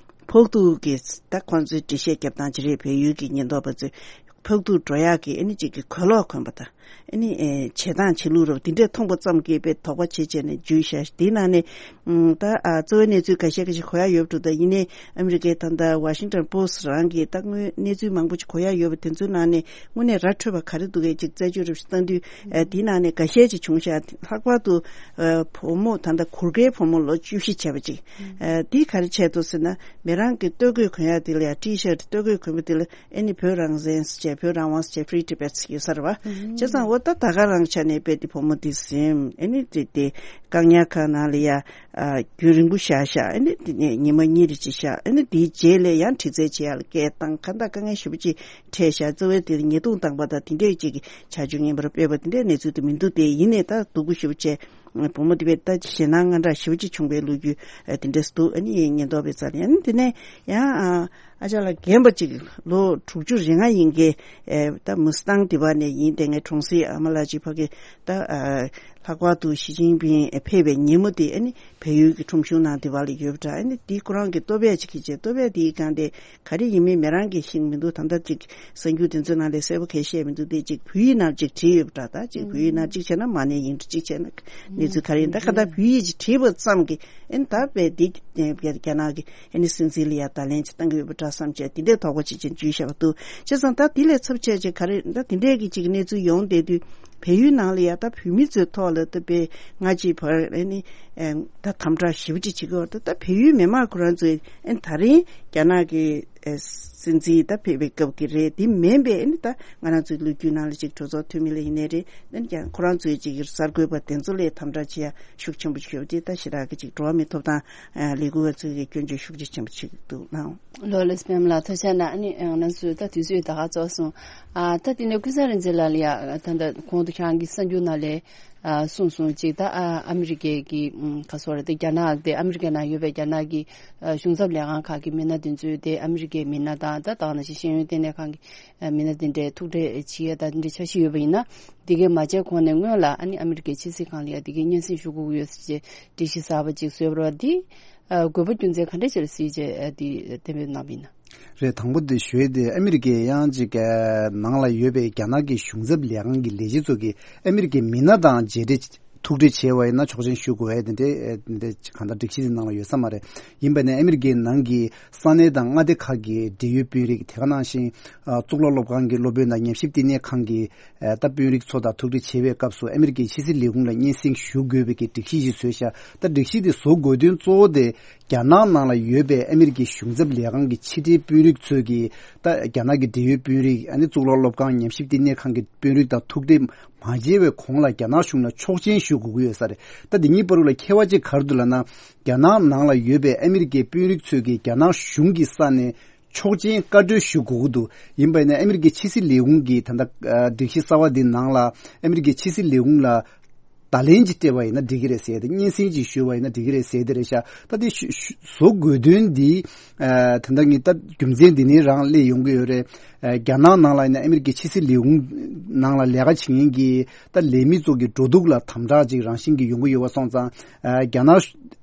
ཕོག་ཐུག་གི་ད་ཁོང་ཚོའི་འགྲེལ་བཤད་རྒྱབ་སྟངས་ཅིག་རེད། བལ་ཡུལ་གྱི་ཉེན་རྟོག་པ་ཚོས་ཕོག་ཐུག་འགྲོ་ཡག་གི་ཨ་ནི་ཅིག་གི་གོས་ལོག་གོན་པ་དང་། ཨ་ནི་ཨེ་བྱེད་སྟངས་བྱེད་ལུགས་རབ་དེ་འདྲས་མཐོང་པ་ཙམ་གྱིས་དཔེ་དོགས་པ་བྱེད་བྱས་ནས་འཇུས་བཞག་དེའི་ནང་ནས་ཨུམ་ད་ཨ་གཙོ་བོའི་གནས་ཚུལ་ཁ་ཤས་ཁ་ཤས་གོ་ཡག་ཡོད་འགྲོ། ད་ཡིན་ནའི་ཨ་མི་རི་ཀའི་ད་ལྟ་Washington Post་རང་གིས་ད་དངོས་གནས་ཚུལ་མང་པོ་ཅིག་གོ་ཡག་ཡོད་པ་དེ་ཚོའི་ནང་ནས་དངོས་གནས་ར་འཕྲོད་པ་ག་རེ་འདུག་གས་ཅིག་རྩད་གཅོད་རབ་ཞིག་བཏང་དུས། ཨ་དེའི་ནང་ནས་འགའ་ཤས་ཅིག་བྱུང་ཤག་ལྷག་པར་དུ་ཨ་བུ་མོ་ད་ལྟ་གུར་དཀར་བུ་མོ་ལོ་བཅུ་བཞི་བྱས་པ་ཅིག་ཨ་དེ་ག་རེ་བྱས་འདུག་ཟེར་ན། མི་རང་གི་སྟོད་གོས་གོན་ཡག་དེ་ལ་ཡ་T-shirt སྟོད་གོས་གོན་པ་དེ་ལ་ཨ་ནི་བོད་རང་བཙན་ཟེར་བྱས། བོད་རང་དབང་ཟེར་བྱས། Free Tibet ཟེར་ཡོད་ས་རེད་བ། བྱས་ཙང་འོ་ད་ད་ག་རང་ཆ་ནས་དཔེ་དེ་བུ་མོ་དེ་ཟིན། ཨ་ནི་དེ་དེ་བཀག་ཉར་ཁང་ནང་ལ་ཡ་ཨ་རྒྱུན་རིང་པོ་བཞག་ཤག་ཨ་ནི་དེ་ནས་ཉི་མ་གཉིས་རེ་ཅིག་བཞག་ཨ་ནི་དེའི་རྗེས་ལ་ཡང་དྲི་རྩད་བྱེད་ཡག་ལ་སྐད་བཏང་། གང་ལྟར་དཀའ་ངལ་ཞེ་པོ་ཅིག་འཕྲད་ཤག་རྩ་བའི་དེ་ཉེས་རྡུང་བཏང་པ་དང་དེ་འདྲས་ཅིག་གི་བྱ་སྤྱོད་ངན་པར་སྤེལ་བ་དེ་འདྲའི་གནས་ཚུལ་དེ་མི་འདུག་སྟེ། ཡིན་ནའི་ད་སྡུག་པོ་ཞེ་པོ་བྱས། བུ་མོ་དེ་བས་ད་ཞེད་སྣང་དངངས་སྐྲག་ཞེ་པོ་ཅིག་བྱུང་བའི་ལོ་རྒྱུས་ཨ་དེ་འདྲས་འདུག་ཨ་ནི་ཉེན་རྟོག་པས་རྩ་ལ་ཡ། ཨ་ནི་དེ་ནས་ཡང་ཨ་ཨ་ཅག་ལ་རྒན་པ་ཅིག་ལོ་དྲུག་ཅུ་རེ་ལྔ་ཡིན་གྱི་ཨ་ད་མུ་སི་ཏང་དེ་བ་ནས་ཡིན། དེ་ངའི་གྲོང་གསེབ་ཨ་མ་ལགས་ཅིག་ཕ་གི་ད་ཨ་ལྷག་པར་དུ་ཞི་ཅིན་ཕིང་ཕེབས་པའི་ཉིན་མོ་དེ་ཨ་ནི་བལ་ཡུལ་གྱི་ཁྲོམ་གཞུང་ནང་དེ་བ་ལ་ཡོད་པ་འདྲ། ཨ་ནི་དེ་ཁོ་རང་གི་ལྟོ་ཕད་ཅིག་གིས་བྱས། ལྟོ་ཕད་དེའི་སྒང་དེ་ག་རེ་ཡིན་མིན་མི་རང་གིས་ཤེས་མི་འདུག་ད་ལྟ་ཅིག་གསར་འགྱུར་དེ་ཚོའི་ནང་ལས་གསལ་པོ་གང་ཡང་བཤད་མི་འདུག་དེ་ཅིག་བོད་ཡིག་ནང་ཅིག་བྲིས་ཡོད་པ་འདྲ། ད་ཅིག་བོད་ཡིག་ནང་ཅིག་བྱས་ན་མ་ཎི་ཡིན་འདྲ། ཅིག་བྱས་ན་གནས་ཚུལ་ག་རེ་ཡིན། ད་ག་ད་བོད་ཡིག་ཅིག་བྲིས་པ་ཙམ་གྱིས་ཨ་ནི་ད་དཔེ་འདི་རྒྱ་ནག་གི་ཨ་ནི་སྲིད་འཛིན་ལ་ཡ་བརྡ་ལན་ཅིག་བཏང་གི་ཡོད་པ་འདྲ་བསམ་བྱས། དེ་འདྲའི་དོགས་པ་ཅིག་ཅིག་འཇུས་བཞག་པ་འདུག་བྱས་ཙང་ད་དེ་ལས་ཚབས་ཆེ་ཅིག་ག་རེ་ད་དེ་འདྲའི་གི་ཅིག་གནས་ཚུལ་ཡོང་བསྡད་དུས། བལ་ཡུལ་ནང་ལ་ཡ་ད་བོད་མི་ཚོའི་ཐོག་ལ་ད་དཔེ་སྔ་ཕྱི་བར་ཨ་ནི་ཨེ་ད་དམ་དྲག་ཞེ་པོ་ཅིག་བྱེད་ཀྱི་ཡོད། ད་ད་བལ་ཡུལ་མི་མང་ཁོ་རང་ཚོས་ཨ་ནི་ད་རིང་རྒྱ་ནག་གི་ཨེ་སྲིད་འཛིན་ད་ཕེབས་པའི་སྐབས་ཀྱི་རེད། དེ་མིན་པའི་ཨ་ནི་ད་ང་རང་ཚོའི་ལོ་རྒྱུས་ནང་ལ་ཅིག་གྲོས་ཚོགས་འཐུས་མི་ལ་ཡིན་ནའི་རེད། ཨ་ནི་ཀྱང་ཁོ་རང་ཚོའི་ཅིག་གསར་འགོད་པ་དེ་ཚོ་ལས་དམ་དྲག་བྱེད་ཡ་ཤུགས་ཆེན་པོ་ཞིག་ཡོད་པ་དེ་ད་ཞེ་དྲག་གི་ཅིག་འགྲོ་བ་མིའི་ཐོབ་ཐང་ཨ་ལས་འགུལ་བ་ཚོས་ཀྱི་སྐྱོན་བརྗོད་ཤུགས་ཆེ་ཆེན་པོ་བྱེད་ཀྱི་འདུག་ལགས། ལོ་ལེགས་པད་མ་ལགས། ཐུགས་རྗེ་གནང་། ཨ་ནི་ང་ཚོས་ད་དུས་ཚོད་ད་ག་རྫོགས་སོང་། ཨ་ད་དེ་ནས་ཀུན་བཟང་རིག་འཛིན་ལགས་ལ་ཡ་ད་ད་གོང་དུ་ཁྱེད་རང་གི་གསར་འགྱུར་ནང་ལས་ཨ་གསུངས་སོང་ཅིག་ད་ཨ་ཨ་མི་རི་ཀའི་གི་ཨམ་ག་སོ་ར་དེ་རྒྱ་ནག་དེ་ཨ་མི་རི་ཀའི་ནང་ཡོད་པའི་རྒྱ་ནག་གི་ཨ་གཞུང་ཚབ་ལས་ཁང་ཁག་གི་མི་སྣ་དེ་ཚོས་དེ་ཨ་མི་རི་ཀའི་མི་སྣ་དང་ད་ད་ག་ནང་བཞིན་ཤེས་ཡོན་ལྟེ་གནས་ཁང་གི་ཨ་མི་སྣ་དེ་འདྲའི་ཐུག་འཕྲད་བྱེད་ཡ་ད་དེ་འདྲའི་འཆར་གཞི་ཡོད་པ་ཡིན་ན། དེ་གའི་མ་བྱས་གོང་ནས་སྔོན་ལ་ཨ་ནི་ཨ་མི་རི་ཀའི་ཕྱི་སྲིད་ཁང་ལ་ཡ་དེ་གའི་སྙན་སེང་ཞུ་དགོས་ཀྱི་ཡོད་ཟེར་བྱས་སྒྲིག་གཞི་གསར་པ་ཅིག་བཟོས་པ་རེད་བ། དེ་ཨ་དགོས་པ་རྒྱུ་མཚན་ག་འདྲ་ཅིག་ལ་གཟིགས་བྱས་ཨ་དེ་གཏན་འབེབས་གནང་བ་ཡིན་ན། རེད། དང་པོ་དེ་ཞུ་ཡས་དེ་ཨ་མི་རི་ཀའི་ཡང་ཅིག་ཨ་ནང་ལ་ཡོད་པའི་རྒྱ་ནག་གི་གཞུང་ཚབ་ལས་ཁང་གི་ལས་བྱེད་ཚོ་གིས་ཨ་མི་རི་ཀའི་མི་སྣ་དང་མཇལ་འཕྲད་ཐུག་འཕྲད་བྱས་པ་ཡིན་ན་ཆོག་མཆན་ཞུ་དགོས་ཡས་དེ་འདྲའི་ཨ་དེ་འདྲའི་གང་ལྟར་སྒྲིག་གཞི་དེ་ནང་ལ་ཡོད་ས་མ་རེད། ཡིན་པ་ནས་ཨ་མི་རི་ཀའི་ནང་གི་ས་གནས་དང་མངའ་སྡེ་ཁག་གི་འབྲེལ་ཡོད་དཔོན་རིགས། དེ་ག་ནང་བཞིན་ཨ་གཙུག་ལག་སློབ་ཁང་གི་སློབ་དཔོན་དང་ཉམས་ཞིབ་ལྟེ་གནས་ཁང་གི་ཨ་ད་དཔོན་རིགས་ཚོ་དང་ཐུག་འཕྲད་བྱེད་པའི་སྐབས་སུ་ཨ་མི་རི་ཀའི་ཕྱི་སྲིད་ལས་ཁུངས་ལ་སྙན་སེང་ཞུ་དགོས་པའི་གི་སྒྲིག་གཞི་ཞིག་བཟོས་ཤག་ད་སྒྲིག་གཞི་དེ་བཟོ་དགོས་དོན་གཙོ་བོ་དེ་རྒྱ་ནག་ནང་ལ་ཡོད་པའི་ཨ་མི་རི་ཀའི་གཞུང་ཚབ་ལས་ཁང་གི་ཕྱི་འབྲེལ་དཔོན་རིགས་ཚོས་ཀྱིས་ད་རྒྱ་ནག་གི་འབྲེལ་ཡོད་དཔོན་རིགས། ཨ་ནི་གཙུག་ལག་སློབ་ཁང་། ཉམས་ཞིབ་ལྟེ་གནས་ཁང་གི་དཔོན་རིགས་དང་ཐུག་འཕྲད་མ་བྱས་པའི་གོང་ལ་རྒྱ་ནག་གཞུང་ལ་ཆོག་མཆན་ཞུ་དགོས་ཀྱི་ཡོད་ས་རེད། ད་འདི་གཉིས་བར་དུ་ལ་ཁྱད་པར་ཅིག་ག་རེ་འདུག་ལབ་ན། རྒྱ་ནག་ནང་ལ་ཡོད་པའི་ཨ་མི་རི་ཀའི་དཔོན་རིགས་ཚོས་ཀྱིས་རྒྱ་ནག་གཞུང་གི་ས་ནས་ཆོག་མཆན་བཀའ་འཁྲོལ་ཞུ་དགོས་ཀྱི་འདུག་ཡིན་པ་ཡིན་ན་ཨ་མི་རི་ཀའི་ཕྱི་སྲིད་ལས་ཁུངས་ཀྱིས་ད་ལྟ་ཨ་སྒྲིག་གཞི་གསར་བ་འདི་ནང་ལ་ཨ་མི་རི་ཀའི་ཕྱི་སྲིད་ལས་ཁུངས་ལ་བརྡ་ལན་ཅིག་སྤྲད་པ་ཡིན་ན་འགྲིག་གི་རེད་ཟེར་ཏེ། སྙན་སེང་ཅིག་ཞུས་པ་ཡིན་ན་འགྲིག་གི་རེད་ཟེར་དེ་རེད་ཤག་ད་དེ་ཞུ་ཞུ་བཟོ་དགོས་དོན་འདི་ཨ་ད་ལྟ་ངས་ད་རྒྱུ་མཚན་འདི་ནས་རང་སླེབས་ཡོང་གི་ཡོད་རེད། ཨ་རྒྱ་ནག་ནང་ལ་ཡིན་ན་ཨ་མི་རི་ཀའི་ཕྱི་སྲིད་ལས་ཁུངས་ནང་ལ་ལས་ཀ་བྱེད་མཁན་གྱི་ད་ལས་མི་ཚོ་གི་འགྲོ་འདུག་ལ་དམ་དྲག་ཅིག་རང་བཞིན་གྱིས་ཡོང་གི་ཡོད་པ་སོང་ཙང་། ཨ་རྒྱ་ནག་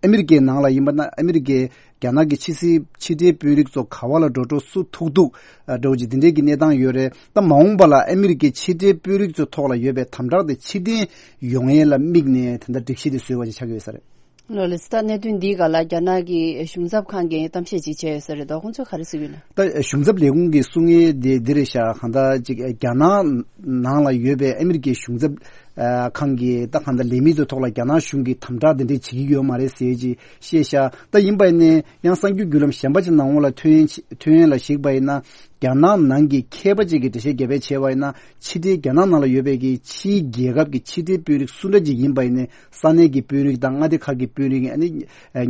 ཨ་མི་རི་ཀའི་ནང་ལ་ཡིན་པ་ན་ཨ་མི་རི་ཀའི་རྒྱ་ནག་གི་ཕྱི་སྲིད་ཕྱི་འབྲེལ་དཔོན་རིགས་ཚོ་ག་བ་ལ་འགྲོ་འགྲོ། སུ་ཐུག་ཐུག་ཨ་འདྲ་བོ་ཅིག་འདི་འདྲའི་གི་གནས་སྟངས་ཡོད་རེད། ད་མ་འོངས་པ་ལ་ཨ་མི་རི་ཀའི་ཕྱི་འབྲེལ་དཔོན་རིགས་ཚོའི་ཐོག་ལ་ཡོད་པའི་དམ་དྲག་དེ་ཕྱིར་འཐེན་ཡོང་ཡས་ལ་དམིགས་ནས་དེ་འདྲ་སྒྲིག་གཞི་དེ་བཟོས་པ་ཞིག་ཆགས་ཀྱི་ཡོད་ས་རེད། ལོ་ལེགས། ད་གནད་དོན་འདིའི་སྒང་ལ་རྒྱ་ནག་གི་གཞུང་ཚབ་ཁང་གིས་གཏམ་བཤད་ཅིག་བྱས་ཡོད་ས་རེད་དོ། ཁོང་ཚོས་ག་རེ་གསུངས་ཡོད་ན། ད་གཞུང་ཚབ་ལས་ཁུངས་ཀྱིས་གསུང་ཡས་དེ་འདི་རེད་ཤག་གང་ལྟར་ཅིག་རྒྱ་ནག་ནང་ལ་ཡོད་པའི་ཨ་མི་རི་ཀའི་གཞུང་ཚབ་ ཨ་ཁང་གི་ད་གང་ལྟར་ལས་མི་ཚོའི་ཐོག་ལ་རྒྱ་ནག་གཞུང་གིས་དམ་དྲག་དེ་འདྲས་བྱེད་ཀྱི་ཡོད་མ་རེད་ཟེར་ཅིག་བཤད་ཤག་ད་ཡིན་པ་ཡིན་ནའི་ཡང་གསར་འགྱུར་བརྒྱུད་ལམ་གཞན་པ་ཅིག་ནང་ལོགས་ལ་ཐོན་ཡས་ཐོན་ཡས་ལ་གཞིགས་པ་ཡིན་ན། རྒྱ་ནག་ནང་གི་མཁས་པ་ཅིག་གིས་འགྲེལ་བཤད་རྒྱབ་པ་བྱས་པ་ཡིན་ན། ཕྱི་འབྲེལ་རྒྱ་ནག་ནང་ལ་ཡོད་པའི་གི་ཕྱིའི་རྒྱལ་ཁབ་ཀྱི་ཕྱི་འབྲེལ་དཔོན་རིགས་སུ་འདྲ་ཅིག་ཡིན་པ་ཡིན་ནའི་ས་གནས་ཀྱི་དཔོན་རིགས་དང་མངའ་སྡེ་ཁག་གི་དཔོན་རིགས། ཨ་ནི་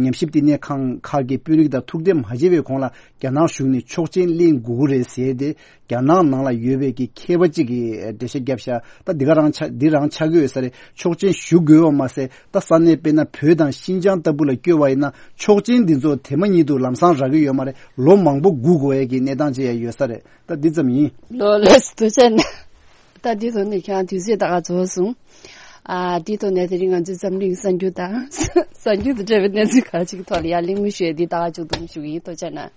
ཉམས་ཞིབ་བསྟི་གནས་ཁང་ཁག་གི་དཔོན་རིགས་དང་ཐུག་འཕྲད་མ་བྱས་པའི་གོང་ལ་རྒྱ་ནག་གཞུང་ནས་ཆོག་མཆན་ལེན་དགོས་ཀྱི་རེད་ཟེར་ཏེ། རྒྱ་ནག་ནང་ལ་ཡོད་པའི་གི་མཁས་པ་གཅིག་གིས་འགྲེལ་བཤད་བརྒྱབ་ཤག་ད་འདི་ག་རང་ཆགས་འདི་རང་ཆགས་ཀྱི་ཡོད་ས་རེད། ཆོག་མཆན་ཞུ་དགོས་པ་མ་ཟད། ད་ས་གནས་དཔེར་ན་བོད་དང་ཤིན་ཅང་ལྟ་བུ་ལ་བསྐྱོད་པ་ཡིན་ན་ཆོག་མཆན་འདི་ཚོ་དེ་མ་ཉིད་དུ་ལམ་སང་རག་གི་ཡོད་མ་རེད། ལོ་མང་པོ་སྒུག་དགོས་ཡས་ཀྱི་གནས་སྟངས་ཅིག་ཡང་ཡོད་ས་རེད། ད་འདི་ཙམ་ཡིན། ལོ་ལེགས་སུ་ཐུགས་རྗེ་གནང་། ད་འདི་ཐོག་ནས་ཁྱེད་རང་དུས་ཚོད་ད་ག་རྫོགས་སོང་། ཨ་འདི་ཐོག་ནས་དེ་རིང་ང་ཚོའི་འཛམ་གླིང་གསར་འགྱུར་དང་གསར་འགྱུར་དང་འབྲེལ་བའི་གནས་ཚུལ་ཁག་ཅིག་ཐོག་ལ་ཡར་གླེང་མོལ་ཞུ་ཡས་འདི་ད་ག་མཇུག་བསྡོམས་ཞུ་གི་ཡིན། ཐུགས་རྗེ་གནང་།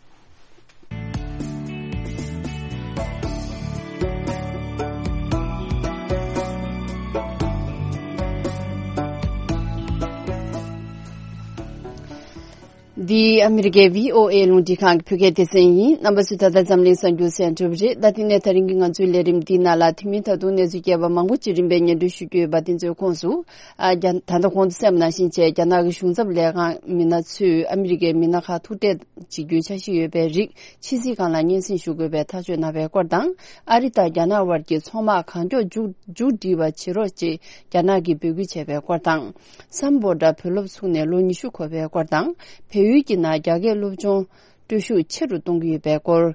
འདི་ཨ་མི་རི་ཀའི་བྷི་ཨོ་ཨེ་རླུང་འཕྲིན་ཁང་གི་བོད་སྐད་སྡེ་ཚན་ཡིན། རྣམ་པ་ཚོས་ད་ལྟ་འཛམ་གླིང་གསར་འགྱུར་གསན་གྲུབ་རེད། ད་དེ་ནས་ད་རིང་གི་ང་ཚོའི་ལས་རིམ་འདིའི་ནང་ལ་དེ་མིན་ད་དུང་གནས་ཚུལ་རྒྱས་པ་མང་པོ་ཅིག་རིམ་པས་སྙན་སྒྲོན་ཞུ་རྒྱུ་ཡོད་པ་དེ་ཚོའི་ཁོངས་སུ། ཨ་རྒྱ་ད་ལྟ་གོང་དུ་གསན་པ་ནང་བཞིན་བྱས་རྒྱ་ནག་གི་གཞུང་ཚབ་ལས་ཁང་མི་སྣ་ཚོས་ཨ་མི་རི་ཀའི་མི་སྣ་ཁག་ཐུག་འཕྲད་བྱེད་རྒྱུའི་འཆར་གཞི་ཡོད་པའི་རིགས་ཕྱི་སྲིད་ཁང་ལ་སྙན་སེང་ཞུ་དགོས་པའི་ཐག་གཅོད་གནང་བའི་སྐོར་དང་། ཨ་རི་དང་རྒྱ་ནག་དབར་གྱི་ཚོང་དམག་གང་མགྱོགས་མཇུག་མཇུག་སྒྲིལ་བ་བྱེད་རོགས་ཅེས་རྒྱ་ནག་གིས་འབོད་སྐུལ་བྱས་པའི་སྐོར་དང་། སམ་བྷོ་ཊ་བོད་སློབ་ཚུགས་ནས་ལོ་ཉི་ཤུ་འཁོར་བའི་སྐོར་དང་། བལ་ཡུལ་གྱི་ནང་རྒྱ་སྐད་སློབ་སྦྱོང་སྤྲོད་ཤུགས་ཆེ་རུ་གཏོང་གི་ཡོད་པའི་སྐོར།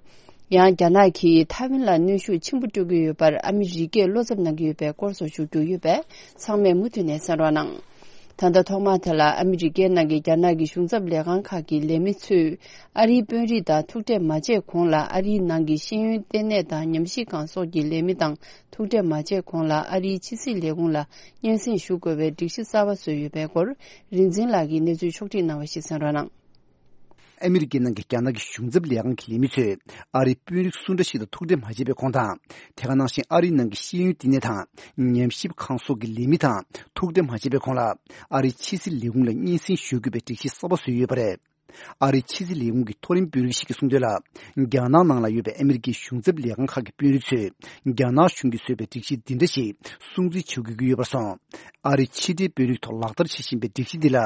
ཡང་རྒྱ་ནག་གིས་ཐའེ་ཝན་ལ་གནོན་ཤུགས་ཆེན་པོ་སྤྲོད་ཀྱི་ཡོད་པར་ཨ་མི་རི་ཀས་བློ་འཚབ་གནང་གི་ཡོད་པའི་སྐོར་སོགས་ཞུ་རྒྱུ་ཡོད་པས་ཚང་མས་མུ་མཐུད་ནས་གསན་རོགས་གནང་། ད་ལྟ་ཐོག་མར་དེ་ལ་ཨ་མི་རི་ཀའི་ནང་གི་རྒྱ་ནག་གི་གཞུང་ཚབ་ལས་ཁང་ཁག་གི་ལས་མི་ཚོས་ཨ་རིའི་དཔོན་རིགས་དང་ཐུག་འཕྲད་མ་བྱས་གོང་ལ་ཨ་རིའི་ནང་གི་ཤེས་ཡོན་ལྟེ་གནས་དང་ཉམས་ཞིབ་ཁང་སོགས་ཀྱི་ལས་མི་དང་ཐུག་འཕྲད་མ་བྱས་གོང་ལ་ཨ་རིའི་ཕྱི་སྲིད་ལས་ཁུངས་ལ་སྙན་སེང་ཞུ་དགོས་པའི་སྒྲིག་གཞི་གསར་པ་བཟོས་ཡོད་པའི་སྐོར། རིག་འཛིན་ལགས་ཀྱིས་གནས་ཚུལ་ཕྱོགས་སྒྲིག་གནང་བ་ཞིག་གསན་རོགས་གནང་། ཨ་མི་རི་ཀའི་ནང་གི་རྒྱ་ནག་གི་གཞུང་ཚབ་ལས་ཁང་གི་ལས་མི་ཚོས་ཨ་རིའི་དཔོན་རིགས་སུ་འདྲ་ཞིག་དང་ཐུག་འཕྲད་མ་བྱས་པའི་གོང་དང་། དེ་ག་ནང་བཞིན་ཨ་རིའི་ནང་གི་ཤེས་ཡོན་བསྟི་གནས་དང་ཉམས་ཞིབ་ཁང་སོགས་ཀྱི་ལས་མི་དང་ཐུག་འཕྲད་མ་བྱས་པའི་གོང་ལ་ཨ་རིའི་ཕྱི་སྲིད་ལས་ཁུངས་ལ་སྙན་སེང་ཞུ་དགོས་པའི་སྒྲིག་གཞི་གསར་པ་བཟོས་ཡོད་པ་རེད། ཨ་རིའི་ཕྱི་སྲིད་ལས་ཁུངས་ཀྱི་མཐོ་རིམ་དཔོན་རིགས་ཤིག་གིས་གསུངས་དོན་ལ། རྒྱ་ནག་ནང་ལ་ཡོད་པའི་ཨ་མི་རི་ཀའི་གཞུང་ཚབ་ལས་ཁང་ཁག་གི་དཔོན་རིགས་ཚོས་རྒྱ་ནག་གཞུང་གིས་བཟོས་པའི་སྒྲིག་གཞི་འདི་འདྲ་ཞིག་སྲུང་བརྩི་བྱེད་དགོས་ཀྱི་ཡོད་པར་སོང་། ཨ་རིའི་ཕྱི་འབྲེལ་དཔོན་རིགས་ཐོག་ལག་བསྟར་བྱེད་བཞིན་པའི་སྒྲིག་གཞི་འདི་ལ་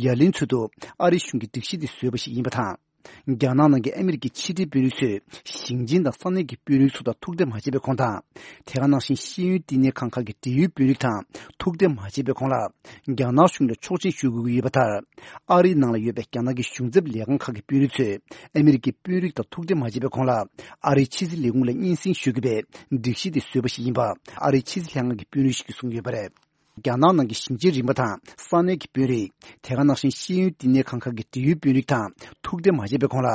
ཡ་ལན་འཚོལ་དུ་ཨ་རིའི་གཞུང་གིས་སྒྲིག་གཞི་འདི་བཟོས་པ་ཞིག་ཡིན་པ་དང་། རྒྱ་ནག་ནང་གི་ཨ་མི་རི་ཀའི་ཕྱི་འབྲེལ་དཔོན་རིགས་ཚོས་ཞིང་ཆེན་དང་ས་གནས་ཀྱི་དཔོན་རིགས་ཚོ་དང་ཐུག་འཕྲད་མ་བྱས་པའི་གོང་དང་། དེ་ག་ནང་བཞིན་ཤེས་ཡོན་བསྟི་གནས་ཁང་ཁག་གི་འབྲེལ་ཡོད་དཔོན་རིགས་དང་ཐུག་འཕྲད་མ་བྱས་པའི་གོང་ལ། རྒྱ་ནག་གཞུང་ལ་ཆོག་མཆན་ཞུ་དགོས་ཀྱི་ཡོད་པ་ལྟར། ཨ་རིའི་ནང་ལ་ཡོད་པའི་རྒྱ་ནག་གི་གཞུང་ཚབ་ལས་ཁང་ཁག་གི་དཔོན་རིགས་ཚོས་ཨ་མི་རི་ཀའི་དཔོན་རིགས་དང་ཐུག་འཕྲད་མ་བྱས་པའི་གོང་ལ། ཨ་རིའི་ཕྱི་སྲིད་ལས་ཁུངས་ལ་སྙན་སེང་ཞུ་དགོས་པའི་སྒྲིག་གཞི་དེ་བཟོས་པ་ཞིག་ཡིན་པ་ཨ་རིའི་ཕྱི་སྲིད་ལྷན་ཁང་གི་དཔོན་རིགས་ཤིག་གིས་གསུངས་ཡོད་པ་རེད། རྒྱ་ནག་ནང་གི་ཞིང་ཆེན་རིམ་པ་དང་ས་གནས་ཀྱི་དཔོན་རིགས། དེ་ག་ནང་བཞིན་ཤེས་ཡོན་བསྟི་གནས་ཁང་ཁག་གི་འབྲེལ་ཡོད་དཔོན་རིགས་དང་ཐུག་འཕྲད་མ་བྱས་པའི་གོང་ལ།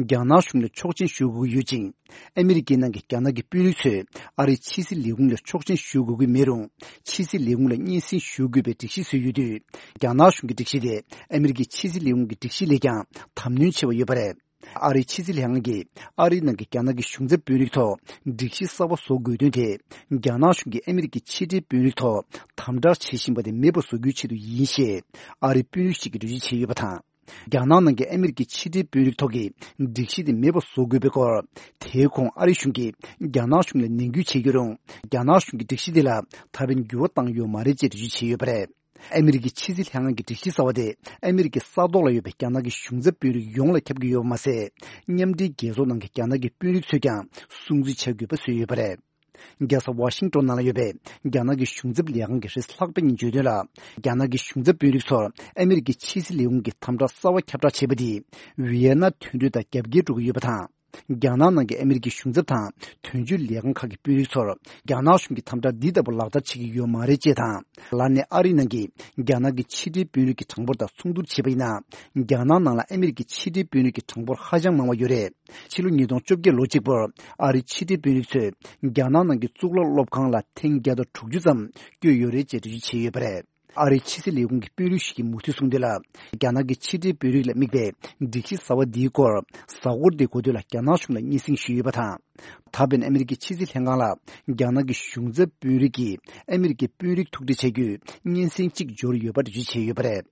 རྒྱ་ནག་གཞུང་ལ་ཆོག་མཆན་ཞུ་དགོས་ཀྱི་ཡོད་ཅིང་། ཨ་མི་རི་ཀའི་ནང་གི་རྒྱ་ནག་གི་དཔོན་རིགས་ཚོས་ཨ་རིའི་ཕྱི་སྲིད་ལས་ཁུངས་ལ་ཆོག་མཆན་ཞུ་དགོས་ཀྱི་མེད་རུང་། ཕྱི་སྲིད་ལས་ཁུངས་ལ་སྙན་སེང་ཞུ་དགོས་པའི་སྒྲིག་གཞི་བཟོས་ཡོད་དུས། རྒྱ་ནག་གཞུང་གི་སྒྲིག་གཞི་དེ་ཨ་མི་རི་ཀའི་ཕྱི་སྲིད་ལས་ཁུངས་ཀྱི་སྒྲིག་གཞི་ལས་ཀྱང་དམ་ནུས་ཆེ་བ་ཡོད་པ་རེད། ཨ་རིའི་ཕྱི་སྲིད་ལྷན་ཁང་གིས་ཨ་རིའི་ནང་གི་རྒྱ་ནག་གི་གཞུང་ཚབ་དཔོན་རིགས་ཐོག་སྒྲིག་གཞི་གསར་པ་བཟོ་དགོས་དོན་དེ། རྒྱ་ནག་གཞུང་གིས་ཨ་མི་རི་ཀའི་ཕྱི་འབྲེལ་དཔོན་རིགས་ཐོག་དམ་དྲག་བྱེད་བཞིན་པ་དེ་མེད་པ་བཟོ་རྒྱུའི་ཆེད་དུ་ཡིན་ཞེས་ཨ་རིའི་དཔོན་རིགས་ཤིག་གིས་འགྲེལ་བརྗོད་བྱས་ཡོད་པ་དང་། རྒྱ་ནག་ནང་གི་ཨ་མི་རི་ཀའི་ཕྱི་འབྲེལ་དཔོན་རིགས་ཐོག་གི་སྒྲིག་གཞི་དེ་མེད་པ་བཟོ་དགོས་པའི་སྐོར། དེའི་གོང་ཨ་རིའི་གཞུང་གིས་རྒྱ་ནག་གཞུང་ལ་ནན་སྐུལ་བྱས་ཡོད་རུང་། རྒྱ་ནག་གཞུང་གིས་སྒྲིག་གཞི་དེ་ལ་ད་ཕན་འགྱུར་བ་བཏང་ཡོད་མ་རེད་ཅེས་འགྲེལ་བརྗོད་བྱས་ཡོད་པ་རེད། ཨ་མི་རི་ཀའི་ཕྱི་སྲིད་ལྷན་ཁང་གི་སྒྲིག་གཞི་གསར་བ་དེ་ཨ་མི་རི་ཀའི་ས་ཐོག་ལ་ཡོད་པའི་རྒྱ་ནག་གི་གཞུང་ཚབ་དཔོན་རིགས་ཡོངས་ལ་ཁྱབ་ཀྱི་ཡོད་པ་མ་ཟད། མཉམ་འབྲེལ་རྒྱལ་ཚོགས་ནང་གི་རྒྱ་ནག་གི་དཔོན་རིགས་ཚོས་ཀྱང་སྲུང་བརྩི་བྱ་དགོས་པ་བཟོས་ཡོད་པ་རེད། རྒྱལ་ས་ཝ་ཤིང་ཏོན་ནང་ལ་ཡོད་པའི་རྒྱ་ནག་གི་གཞུང་ཚབ་ལས་ཁང་གི་རེས་ལྷག་པ་ཉིད་བརྗོད་དོན་ལ། རྒྱ་ནག་གི་གཞུང་ཚབ་དཔོན་རིགས་ཚོར་ཨ་མི་རི་ཀའི་ཕྱི་སྲིད་ལས་ཁུངས་ཀྱི་དམ་དྲག་གསར་བ་ཁྱབ་བསྒྲགས་བྱས་པ་དེས། ཝི་ཡེ་ན་མཐུན་གྲོས་དང་རྒྱབ་འགལ་འགྲོ་གི་ཡོད་པ་དང་། རྒྱ་ནག་ནང་གི་ཨ་མི་རི་ཀའི་གཞུང་ཚབ་དང་དོན་གཅོད་ལས་ཁང་ཁག་གི་དཔོན་རིགས་ཚོར། རྒྱ་ནག་གཞུང་གིས་དམ་དྲག་འདི་ལྟ་བུ་ལག་བསྟར་བྱེད་ཀྱི་ཡོད་མ་རེད་ཅེས་དང་། ལར་ནས་ཨ་རིའི་ནང་གི་རྒྱ་ནག་གི་ཕྱི་འབྲེལ་དཔོན་རིགས་ཀྱི་གྲངས་འབོར་དང་མཚུངས་བསྡུར་བྱས་པ་ཡིན་ན། རྒྱ་ནག་ནང་ལ་ཨ་མི་རི་ཀའི་ཕྱི་འབྲེལ་དཔོན་རིགས་ཀྱི་གྲངས་འབོར་ཧ་ཅང་མང་བ་ཡོད་རེད། ཕྱི་ལོ་ཉིས་སྟོང་བཅོ་བརྒྱད་ལོ་གཅིག་པུར་ཨ་རིའི་ཕྱི་འབྲེལ་དཔོན་རིགས་ཚོས་རྒྱ་ནག་ནང་གི་གཙུག་ལག་སློབ་ཁང་ལ་ཐེངས་བརྒྱ་དང་དྲུག་ཅུ་ཙམ་བསྐྱོད་ཡོད་རེད་ཅེས་འགྲེལ་བརྗོད་བྱས་ཡོད་པ་རེད། ཨ་རིའི་ཕྱི་སྲིད་ལས་ཁུངས་ཀྱི་དཔོན་རིགས་ཤིག་གིས་མུ་མཐུད་གསུངས་དོན་ལ། རྒྱ་ནག་གི་ཕྱི་འབྲེལ་དཔོན་རིགས་ལ་དམིགས་པའི་སྒྲིག་གཞི་གསར་བ་འདིའི་སྐོར་གཟའ་འཁོར་འདིའི་འགོ་སྟོད་ལ་རྒྱ་ནག་གཞུང་ལ་སྙན་སེང་ཞུས་ཡོད་པ་དང་། ད་ཕན་ཨ་མི་རི་ཀའི་ཕྱི་སྲིད་ལྷན་ཁང་ལ་རྒྱ་ནག་གི་གཞུང་ཚབ་དཔོན་རིགས་ཀྱིས་ཨ་མི་རི་ཀའི་དཔོན་རིགས་ཐུག་འཕྲད་བྱ་རྒྱུའི་སྙན་སེང་གཅིག་འབྱོར་ཡོད་པ་འགྲེལ་བརྗོད་བྱས་ཡོད་པ་རེད།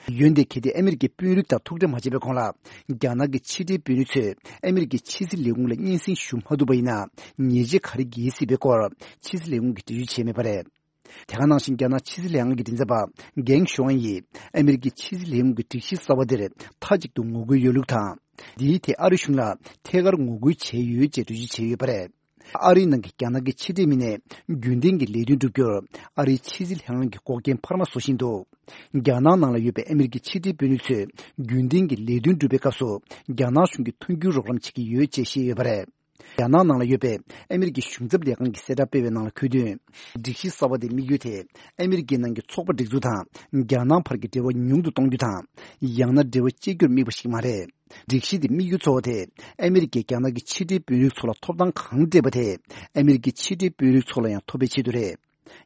འོན་ཏེ་གལ་ཏེ་ཨ་མི་རི་ཀའི་དཔོན་རིགས་དང་ཐུག་འཕྲད་མ་བྱས་པའི་གོང་ལ། རྒྱ་ནག་གི་ཕྱི་འབྲེལ་དཔོན་རིགས་ཚོས་ཨ་མི་རི་ཀའི་ཕྱི་སྲིད་ལས་ཁུངས་ལ་སྙན་སེང་ཞུ་མ་ཐུབ་པ་ཡིན་ན། ཉེས་ཆད་ག་རེ་འགེལ་སྲིད་པའི་སྐོར་ཕྱི་སྲིད་ལས་ཁུངས་ཀྱིས་འགྲེལ་བརྗོད་བྱས་མེད་པ་རེད། དེ་ག་ནང་བཞིན་རྒྱ་ནག་ཕྱི་སྲིད་ལྷན་ཁང་གི་མགྲིན་ཚབ་པ་གེང་ཞུ་ཨན་ཡིས་ཨ་མི་རི་ཀའི་ཕྱི་སྲིད་ལས་ཁུངས་ཀྱི་སྒྲིག་གཞི་གསར་བ་དེར་མཐའ་གཅིག་ཏུ་ངོ་རྒོལ་ཡོད་ལུགས་དང་། འདིའི་ཐད་ཨ་རི་གཞུང་ལ་ཐད་ཀར་ངོ་རྒོལ་བྱས་ཡོད་ཅེས་འགྲེལ་བརྗོད་བྱས་ཡོད་པ་རེད། ཨ་རིའི་ནང་གི་རྒྱ་ནག་གི་ཕྱི་འབྲེལ་མི་སྣས་རྒྱུན་ལྡན་གྱི་ལས་དོན་བསྒྲུབ་རྒྱུར་ཨ་རིའི་ཕྱི་སྲིད་ལྷན་ཁང་གི་འགོག་རྐྱེན་འཕར་མ་བཟོ་བཞིན་འདུག་རྒྱ་ནག་ནང་ལ་ཡོད་པའི་ཨ་མི་རི་ཀའི་ཕྱི་འབྲེལ་དཔོན་རིགས་ཚོས་རྒྱུན་ལྡན་གྱི་ལས་དོན་སྒྲུབ་པའི་སྐབས་སུ་རྒྱ་ནག་གཞུང་གིས་མཐུན་འགྱུར་རོགས་རམ་བྱེད་ཀྱི་ཡོད་ཅེས་བཤད་ཡོད་པ་རེད། རྒྱ་ནག་ནང་ལ་ཡོད་པའི་ཨ་མི་རི་ཀའི་གཞུང་ཚབ་ལས་ཁང་གིས་གསལ་བསྒྲགས་སྤེལ་བའི་ནང་ལ་འཁོད་དོན། སྒྲིག་གཞི་གསར་བ་དེའི་དམིགས་ཡུལ་དེ་ཨ་མི་རི་ཀའི་ནང་གི་ཚོགས་པ་སྒྲིག་འཛུགས་དང་རྒྱ་ནག་བར་གྱི་འབྲེལ་བ་ཉུང་དུ་གཏོང་རྒྱུ་དང་། ཡང་ན་འབྲེལ་བ་བཅད་རྒྱུར་དམིགས་པ་ཞིག་མ་རེད། སྒྲིག་གཞི་དེའི་དམིགས་ཡུལ་གཙོ་བོ་དེ་ཨ་མི་རི་ཀས་རྒྱ་ནག་གི་ཕྱི་འབྲེལ་དཔོན་རིགས་ཚོ་ལ་ཐོབ་ཐང་གང་སྤྲད་པ་དེ་ཨ་མི་རི་ཀའི་ཕྱི་འབྲེལ་དཔོན་རིགས་ཚོ་ལ་ཡང་ཐོབ་པའི་ཆེད་དུ་རེད།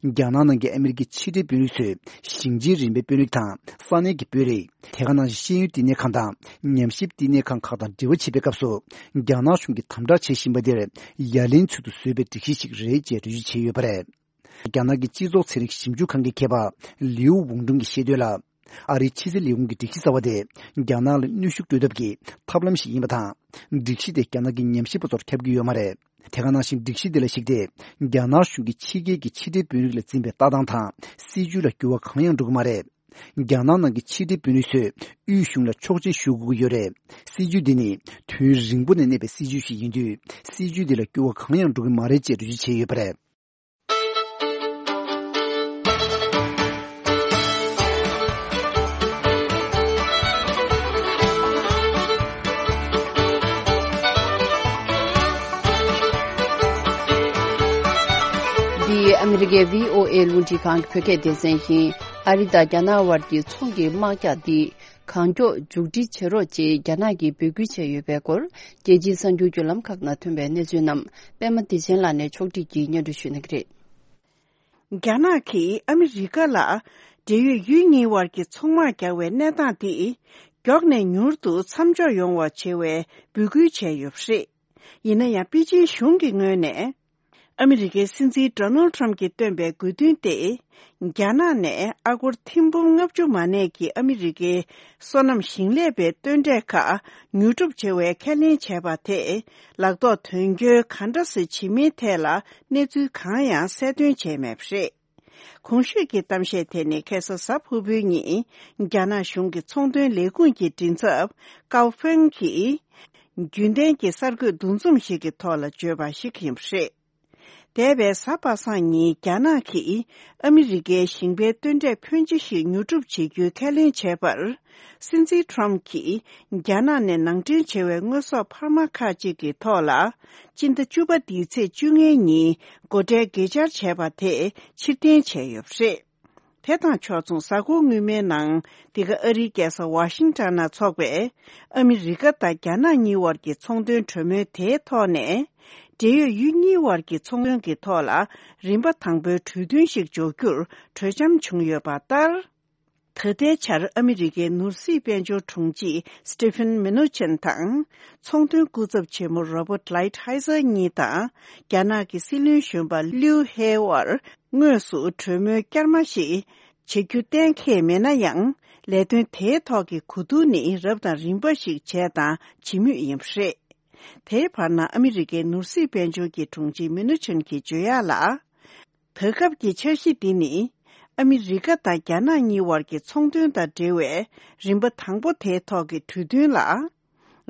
རྒྱ་ནག་ནང་གི་ཨ་མི་རི་ཀའི་ཕྱི་འབྲེལ་དཔོན་རིགས་ཚོས་ཞིང་ཆེན་རིམ་པའི་དཔོན་རིགས་དང་ས་གནས་ཀྱི་དཔོན་རིགས། དེ་ག་ནང་བཞིན་ཤེས་ཡོན་བསྟི་གནས་ཁང་དང་ཉམས་ཞིབ་བསྟི་གནས་ཁང་ཁག་དང་འབྲེལ་བ་བྱེད་པའི་སྐབས་སུ་རྒྱ་ནག་གཞུང་གིས་དམ་དྲག་བྱེད་བཞིན་པ་དེར་ཡ་ལན་ཚུལ་དུ་བཟོས་པའི་སྒྲིག་གཞི་ཞིག་རེད་ཅེས་འགྲེལ་བརྗོད་བྱས་ཡོད་པ་རེད། རྒྱ་ནག་གི་སྤྱི་ཚོགས་ཚན་རིག་ཞིབ་འཇུག་ཁང་གི་མཁས་པ་ལིའུ་ཝུང་ཀྲུང་གིས་བཤད་དོན་ལ། ཨ་རིའི་ཕྱི་སྲིད་ལས་ཁུངས་ཀྱི་སྒྲིག་གཞི་གསར་བ་དེ་རྒྱ་ནག་ལ་གནོན་ཤུགས་སྤྲོད་ཐབས་ཀྱི་ཐབས་ལམ་ཞིག་ཡིན་པ་དང་། སྒྲིག་གཞི་དེ་རྒྱ་ནག་གི་ཉམས་ཞིབ་པ་ཚོར་ཁྱབ་ཀྱི་ཡོད་མ་རེད། དེ་ག་ནང་བཞིན་སྒྲིག་གཞི་འདི་ལ་གཞིགས་ཏེ་རྒྱ་ནག་གཞུང་གིས་ཕྱི་རྒྱལ་གྱི་ཕྱི་འབྲེལ་དཔོན་རིགས་ལ་འཛིན་པའི་ལྟ་སྟངས་དང་སྲིད་བྱུས་ལ་འགྱུར་བ་གང་ཡང་འགྲོ་གི་མ་རེད། རྒྱ་ནག་ནང་གི་ཕྱི་འབྲེལ་དཔོན་རིགས་ཚོས་དབུས་གཞུང་ལ་ཆོག་མཆན་ཞུ་དགོས་ཀྱི་ཡོད་རེད། སྲིད་བྱུས་འདི་ནི་དུས་རིང་པོ་ནས་གནས་པའི་སྲིད་བྱུས་ཤིག་ཡིན་དུས་སྲིད་བྱུས་འདི་ལ་འགྱུར་བ་གང་ཡང་འགྲོ་གི་མ་རེད་ཅེས་འགྲེལ་བརྗོད་བྱས་ཡོད་པ་རེད། འདི་ཨ་མི་རི་ཀའི་བྷི་ཨོ་ཨེ་རླུང་འཕྲིན་ཁང་གི་བོད་སྐད་སྡེ་ཚན་ཡིན། ཨ་རི་དང་རྒྱ་ནག་དབར་གྱི་ཚོང་གི་དམག་རྒྱག་འདི་གང་མགྱོགས་མཇུག་སྒྲིལ་བྱེད་རོགས་ཅེས་རྒྱ་ནག་གིས་འབོད་སྐུལ་བྱས་ཡོད་པའི་སྐོར། རྒྱལ་སྤྱིའི་གསར་འགྱུར་བརྒྱུད་ལམ་ཁག་ནང་ཐོན་པའི་གནས་ཚུལ་རྣམས་པད་མ་བདེ་ཆེན་ལགས་ནས་ཕྱོགས་སྒྲིག་གིས་སྙན་སྒྲོན་ཞུ་གནང་གི་རེད། རྒྱ་ནག་གིས་ཨ་མི་རི་ཀ་ལ་འབྲེལ་ཡོད་ཡུལ་གཉིས་དབར་གྱི་ཚོང་དམག་རྒྱག་པའི་གནས་སྟངས་འདི་མགྱོགས་ནས་མྱུར་དུ་མཚམས་འཇོག་ཡོང་བ་བྱེད་པའི་འབོད་སྐུལ་བྱས་ཡོད་པ་རེད། ཡིན་ན་ཡང་པེ་ཅིན་གཞུང་གི་ངོས་ནས་ཨ་མི་རི་ཀའི་སྲིད་འཛིན་ཌོ་ནལ་ཊམ་གྱིས་བཏོན་པའི་དགོས་འདུན་ཏེ། རྒྱ་ནག་ནས་ཨ་སྒོར་ཐེར་འབུམ་ལྔ་བཅུ་མ་གནས་ཀྱི་ཨ་མི་རི་ཀའི་སོ་ནམ་ཞིང་ལས་པའི་སྟོན་འབྲས་ཁག་ཉོ་སྒྲུབ་བྱེད་པའི་ཁས་ལེན་བྱས་པ་དེས་ལག་ཐོགས་དོན་འཁྱོལ་ག་འདྲ་སེ་བྱེད་མིན་ཐད་ལ་གནས་ཚུལ་གང་ཡང་གསལ་སྟོན་བྱས་མེད་པ་རེད། གོང་ཞུས་ཀྱི་གཏམ་བཤད་དེ་ནི་ཁ་སང་གཟའ་ཕུར་བུའི་ཉིན་རྒྱ་ནག་གཞུང་གི་ཚོང་དོན་ལས་ཁུངས་ཀྱི་མགྲིན་ཚབ་ཀའོ་ཧྥེང་གིས། རྒྱུན་ལྡན་གྱི་གསར་འགོད་འདུ་འཛོམས་ཤིག་གི་ཐོག་ལ་བརྗོད་པ་ཞིག་ཡིན་པ་རེད། འདས་པའི་གཟའ་པ་སངས་ཉིན་རྒྱ་ནག་གིས་ཨ་མི་རི་ཀའི་ཞིང་པའི་སྟོན་འབྲས་ཕོན་ཆེ་ཞིག་ཉོ་སྒྲུབ་བྱེད་རྒྱུའི་ཁས་ལེན་བྱས་པར། སྲིད་འཛིན་ཊམ་གྱིས་རྒྱ་ནག་ནས་ནང་འདྲེན་བྱས་པའི་དངོས་ཟོག་འཕར་མ་ཁག་ཅིག་གི་ཐོག་ལ། སྤྱི་ཟླ་བཅུ་པ་འདིའི་ཚེས་བཅོ་ལྔའི་ཉིན་སྒོ་ཁྲལ་བརྗེ་བཅར་བྱས་པ་དེ་ཕྱིར་འཐེན་བྱས་ཡོད་པ་རེད། དེ་དང་ཕྱོགས་མཚུངས་གཟའ་འཁོར་སྔོན་མའི་ནང་འདི་ག་ཨ་རིའི་རྒྱལ་ས་ཝ་ཤིང་ཊོན་ན་འཚོགས་པའི་ཨ་མི་རི་ཀ་དང་རྒྱ་ནག་གཉིས་དབར་གྱི་ཚོང་དོན་གྲོས་མོལ་དེའི་ཐོག་ནས། འབྲེལ་ཡོད་ཡུལ་གཉིས་དབར་གྱི་ཚོང་དོན་གྱི་ཐོག་ལ་རིམ་པ་དང་པོའི་གྲོས་མཐུན་ཞིག་འཇོག་རྒྱུར་གྲོས་འཆམ་བྱུང་ཡོད་པ་ལྟར། ད་ལྟའི་ཆར་ཨ་མི་རི་ཀའི་ནོར་སྲིད་དཔལ་འབྱོར་དྲུང་ཆེ་སི་ཊི་ཕིན་མི་ནུ་ཆིན་དང་། ཚོང་དོན་སྐུ་ཚབ་ཆེན་མོ་རོ་བར་ཊ་ལའིཊ་ཧའི་ཛར་གཉིས་དང་། རྒྱ་ནག་གི་སྲིད་བློན་གཞོན་པ་ལིའུ་ཧེ་དབར་དངོས་སུ་གྲོས་མོལ་བསྐྱར་མ་ཞིག་བྱེད་རྒྱུ་གཏན་འཁེལ་མེད་ན་ཡང་། ལས་དོན་དེའི་ཐོག་གི་གོ་བསྡུར་ནི་རབ་དང་རིམ་པ་ཞིག་བྱས་དང་བྱེད་མུས་ཡིན་པ་རེད། དེའི་བར་ན་ཨ་མི་རི་ཀའི་ནོར་སྲིད་དཔལ་འབྱོར་གྱི་དྲུང་ཆེ་མི་ནུ་ཆིན་གྱིས་བརྗོད་ཡག་ལ། ད་སྐབས་ཀྱི་འཆར་གཞི་འདི་ནི། ཨ་མི་རི་ཀ་དང་རྒྱ་ནག་གཉིས་དབར་གྱི་ཚོང་དོན་དང་འབྲེལ་བའི་རིམ་པ་དང་པོ་དེའི་ཐོག་གི་གྲོས་མཐུན་ལ།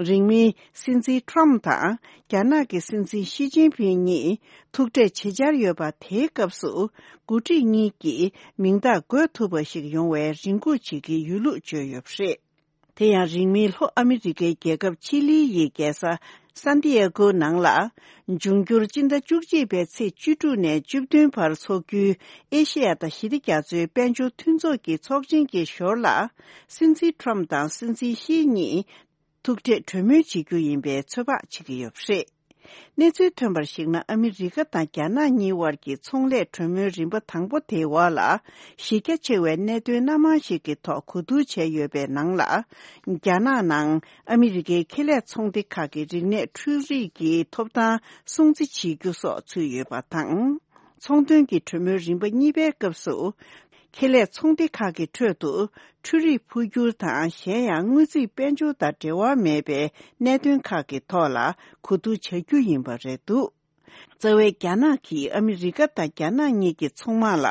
རིང་མིན་སྲིད་འཛིན་ཊམ་དང་རྒྱ་ནག་གི་སྲིད་འཛིན་ཞི་ཅིན་ཕིན་གཉིས་ཐུག་འཕྲད་བྱེད་འཆར་ཡོད་པ་དེའི་སྐབས་སུ། འགོ་ཁྲིད་གཉིས་ཀྱིས་མིང་རྟགས་འགོད་ཐུབ་པ་ཞིག་ཡོང་བའི་རེ་སྒུག་བྱེད་ཀྱི་ཡོད་ལུགས་བརྗོད་ཡོད་པ་རེད། དེ་ཡང་རིང་མིན་ལྷོ་ཨ་མི་རི་ཀའི་རྒྱལ་ཁབ་ཆི་ལི་ཡི་རྒྱལ་ས་སན་ཏི་ཨེ་གོ་ནང་ལ། འབྱུང་འགྱུར་སྤྱི་ཟླ་བཅུ་གཅིག་པའི་ཚེས་བཅུ་དྲུག་ནས་བཅུ་བདུན་བར་འཚོགས་རྒྱུའི་ཨེ་ཤེ་ཡ་དང་ཞི་བདེ་རྒྱ་མཚོའི་དཔལ་འབྱོར་མཐུན་ཚོགས་ཀྱི་ཚོགས་ཆེན་གྱི་ཞོར་ལ། སྲིད་འཛིན་ཊམ་དང་སྲིད་འཛིན་ཤི་གཉིས་ཐུག་འཕྲད་གྲོས་མོལ་བྱེད་རྒྱུ་ཡིན་པའི་ཚོད་དཔག་བྱེད་ཀྱི་ཡོད་པ་རེད། གནས་ཚུལ་ཐོན་པར་གཞིགས་ན། ཨ་མི་རི་ཀ་དང་རྒྱ་ནག་གཉིས་དབར་གྱི་ཚོང་ལས་གྲོས་མོལ་རིམ་པ་དང་པོ་དེའི་འོག་ལ། གཞི་རྒྱ་ཆེ་བའི་གནད་དོན་སྣ་མང་ཞིག་གི་ཐོག་གོ་བསྡུར་བྱས་ཡོད་པའི་ནང་ལ། རྒྱ་ནག་ནང་ཨ་མི་རི་ཀའི་ཁེ་ལས་ཚོང་སྡེ་ཁག་གི་རིག་གནས་འཕྲུལ་རིག་གི་ཐོབ་ཐང་སྲུང་བརྩི་བྱེད་རྒྱུ་སོགས་ཚུད་ཡོད་པ་དང་། ཚོང་དོན་གྱི་གྲོས་མོལ་རིམ་པ་གཉིས་པའི་སྐབས་སུ། ཁེ་ལས་ཚོང་སྡེ་ཁག་གི་ཁྲོད་དུ་འཕྲུལ་རིག་འཕོ་འགྱུར་དང་གཞན་ཡང་དངུལ་རྩིས་དཔལ་འབྱོར་དང་འབྲེལ་བ་མེད་པའི་གནད་དོན་ཁག་གི་ཐོག་ལ་གོ་བསྡུར་བྱ་རྒྱུ་ཡིན་པ་རེད་འདུག་རྩ་བའི་རྒྱ་ནག་གིས་ཨ་མི་རི་ཀ་དང་རྒྱ་ནག་གཉིས་ཀྱི་ཚོང་དམག་ལ་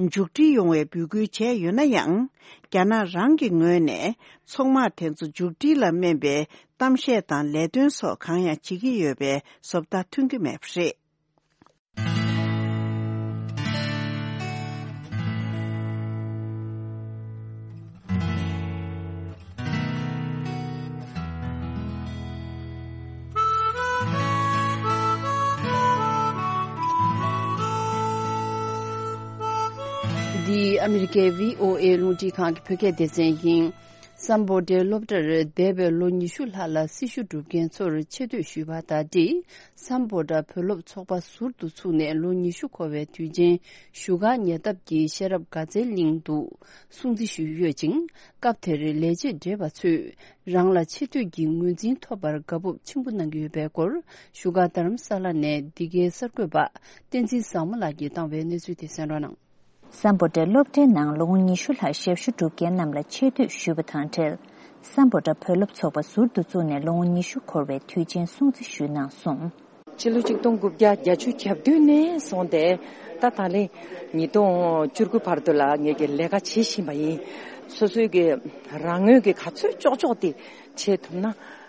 མཇུག་སྒྲིལ་ཡོང་བའི་འབོད་སྐུལ་བྱས་ཡོད་ན་ཡང་། རྒྱ་ནག་རང་གི་ངོས་ནས་ཚོང་དམག་དེ་ཚོ་མཇུག་སྒྲིལ་ལ་སྨན་པའི་གཏམ་བཤད་དང་ལས་དོན་སོགས་གང་ཡང་བྱེད་ཀྱི་ཡོད་པའི་བཟོ་ལྟ་ཐོན་གྱི་མེད་པ་རེད། འདི་ཨ་མི་རི་ཀའི་བྷི་ཨོ་ཨེ་རླུང་འཕྲིན་ཁང་གི་བོད་སྐད་སྡེ་ཚན་ཡིན། སམ་བྷོ་ཊའི་སློབ་གྲྭར་འདས་པའི་ལོ་ཉི་ཤུ་ལྷག་ལ་སྲི་ཞུ་སྒྲུབ་མཁན་ཚོར་ཆེ་བསྟོད་ཞུས་པ་དང་འབྲེལ། སམ་བྷོ་ཊ་བོད་སློབ་ཚོགས་པ་ཟུར་དུ་བཙུགས་ནས་ལོ་ཉི་ཤུ་འཁོར་བའི་དུས་ཆེན་བཞུགས་སྒར་ཉེ་འདབས་ཀྱི་ཤེས་རབ་དགའ་ཚལ་གླིང་དུ་སྲུང་བརྩི་ཞུས་ཡོད་ཅིང་། སྐབས་དེར་ལས་བྱེད་བགྲེས་པ་ཚོས་རང་ལ་ཆེ་བསྟོད་ཀྱི་ངོས་འཛིན་ཐོབ་པར་དགའ་སྤོབས་ཆེན་པོ་གནང་གི་ཡོད་པའི་སྐོར། བཞུགས་སྒར་རྡ་རམ་ས་ལ་ནས་འདི་གའི་གསར་འགོད་པ་བསྟན་འཛིན་བཟང་མོ་ལགས་ཀྱིས་བཏང་བའི་གནས་ཚུལ་དེ་གསན་རོགས་གནང་། སམ་བྷོ་ཊའི་སློབ་གྲྭའི་ནང་ལོ་ངོ་ཉི་ཤུ་ལྷག་ཞབས་ཞུ་སྒྲུབ་མཁན་རྣམས་ལ་ཆེ་བསྟོད་ཞུས་པ་དང་འབྲེལ། སམ་བྷོ་ཊ་བོད་སློབ་ཚོགས་པ་ཟུར་དུ་བཙུགས་ནས་ལོ་ངོ་ཉི་ཤུ་འཁོར་བའི་དུས་ཆེན་སྲུང་བརྩི་ཞུས་གནང་སོང་། ཕྱི་ལོ་ཆིག་སྟོང་དགུ་བརྒྱ་བརྒྱད་ཅུ་གྱ་བདུན་ནས་བཟུང་སྟེ་ད་ད་ལན་ཉིས་སྟོང་བཅུ་དགུ་བར་དུ་ལ་ངེད་ཀྱི་ལས་ཀ་བྱེད་བཞིན་པ་ཡིན། སོ་སོའི་གི་རང་ངོས་ཀྱི་ག་ཚོད་ལྕོགས་ལྕོགས་དེ་བྱེད་ཐུབ་ན།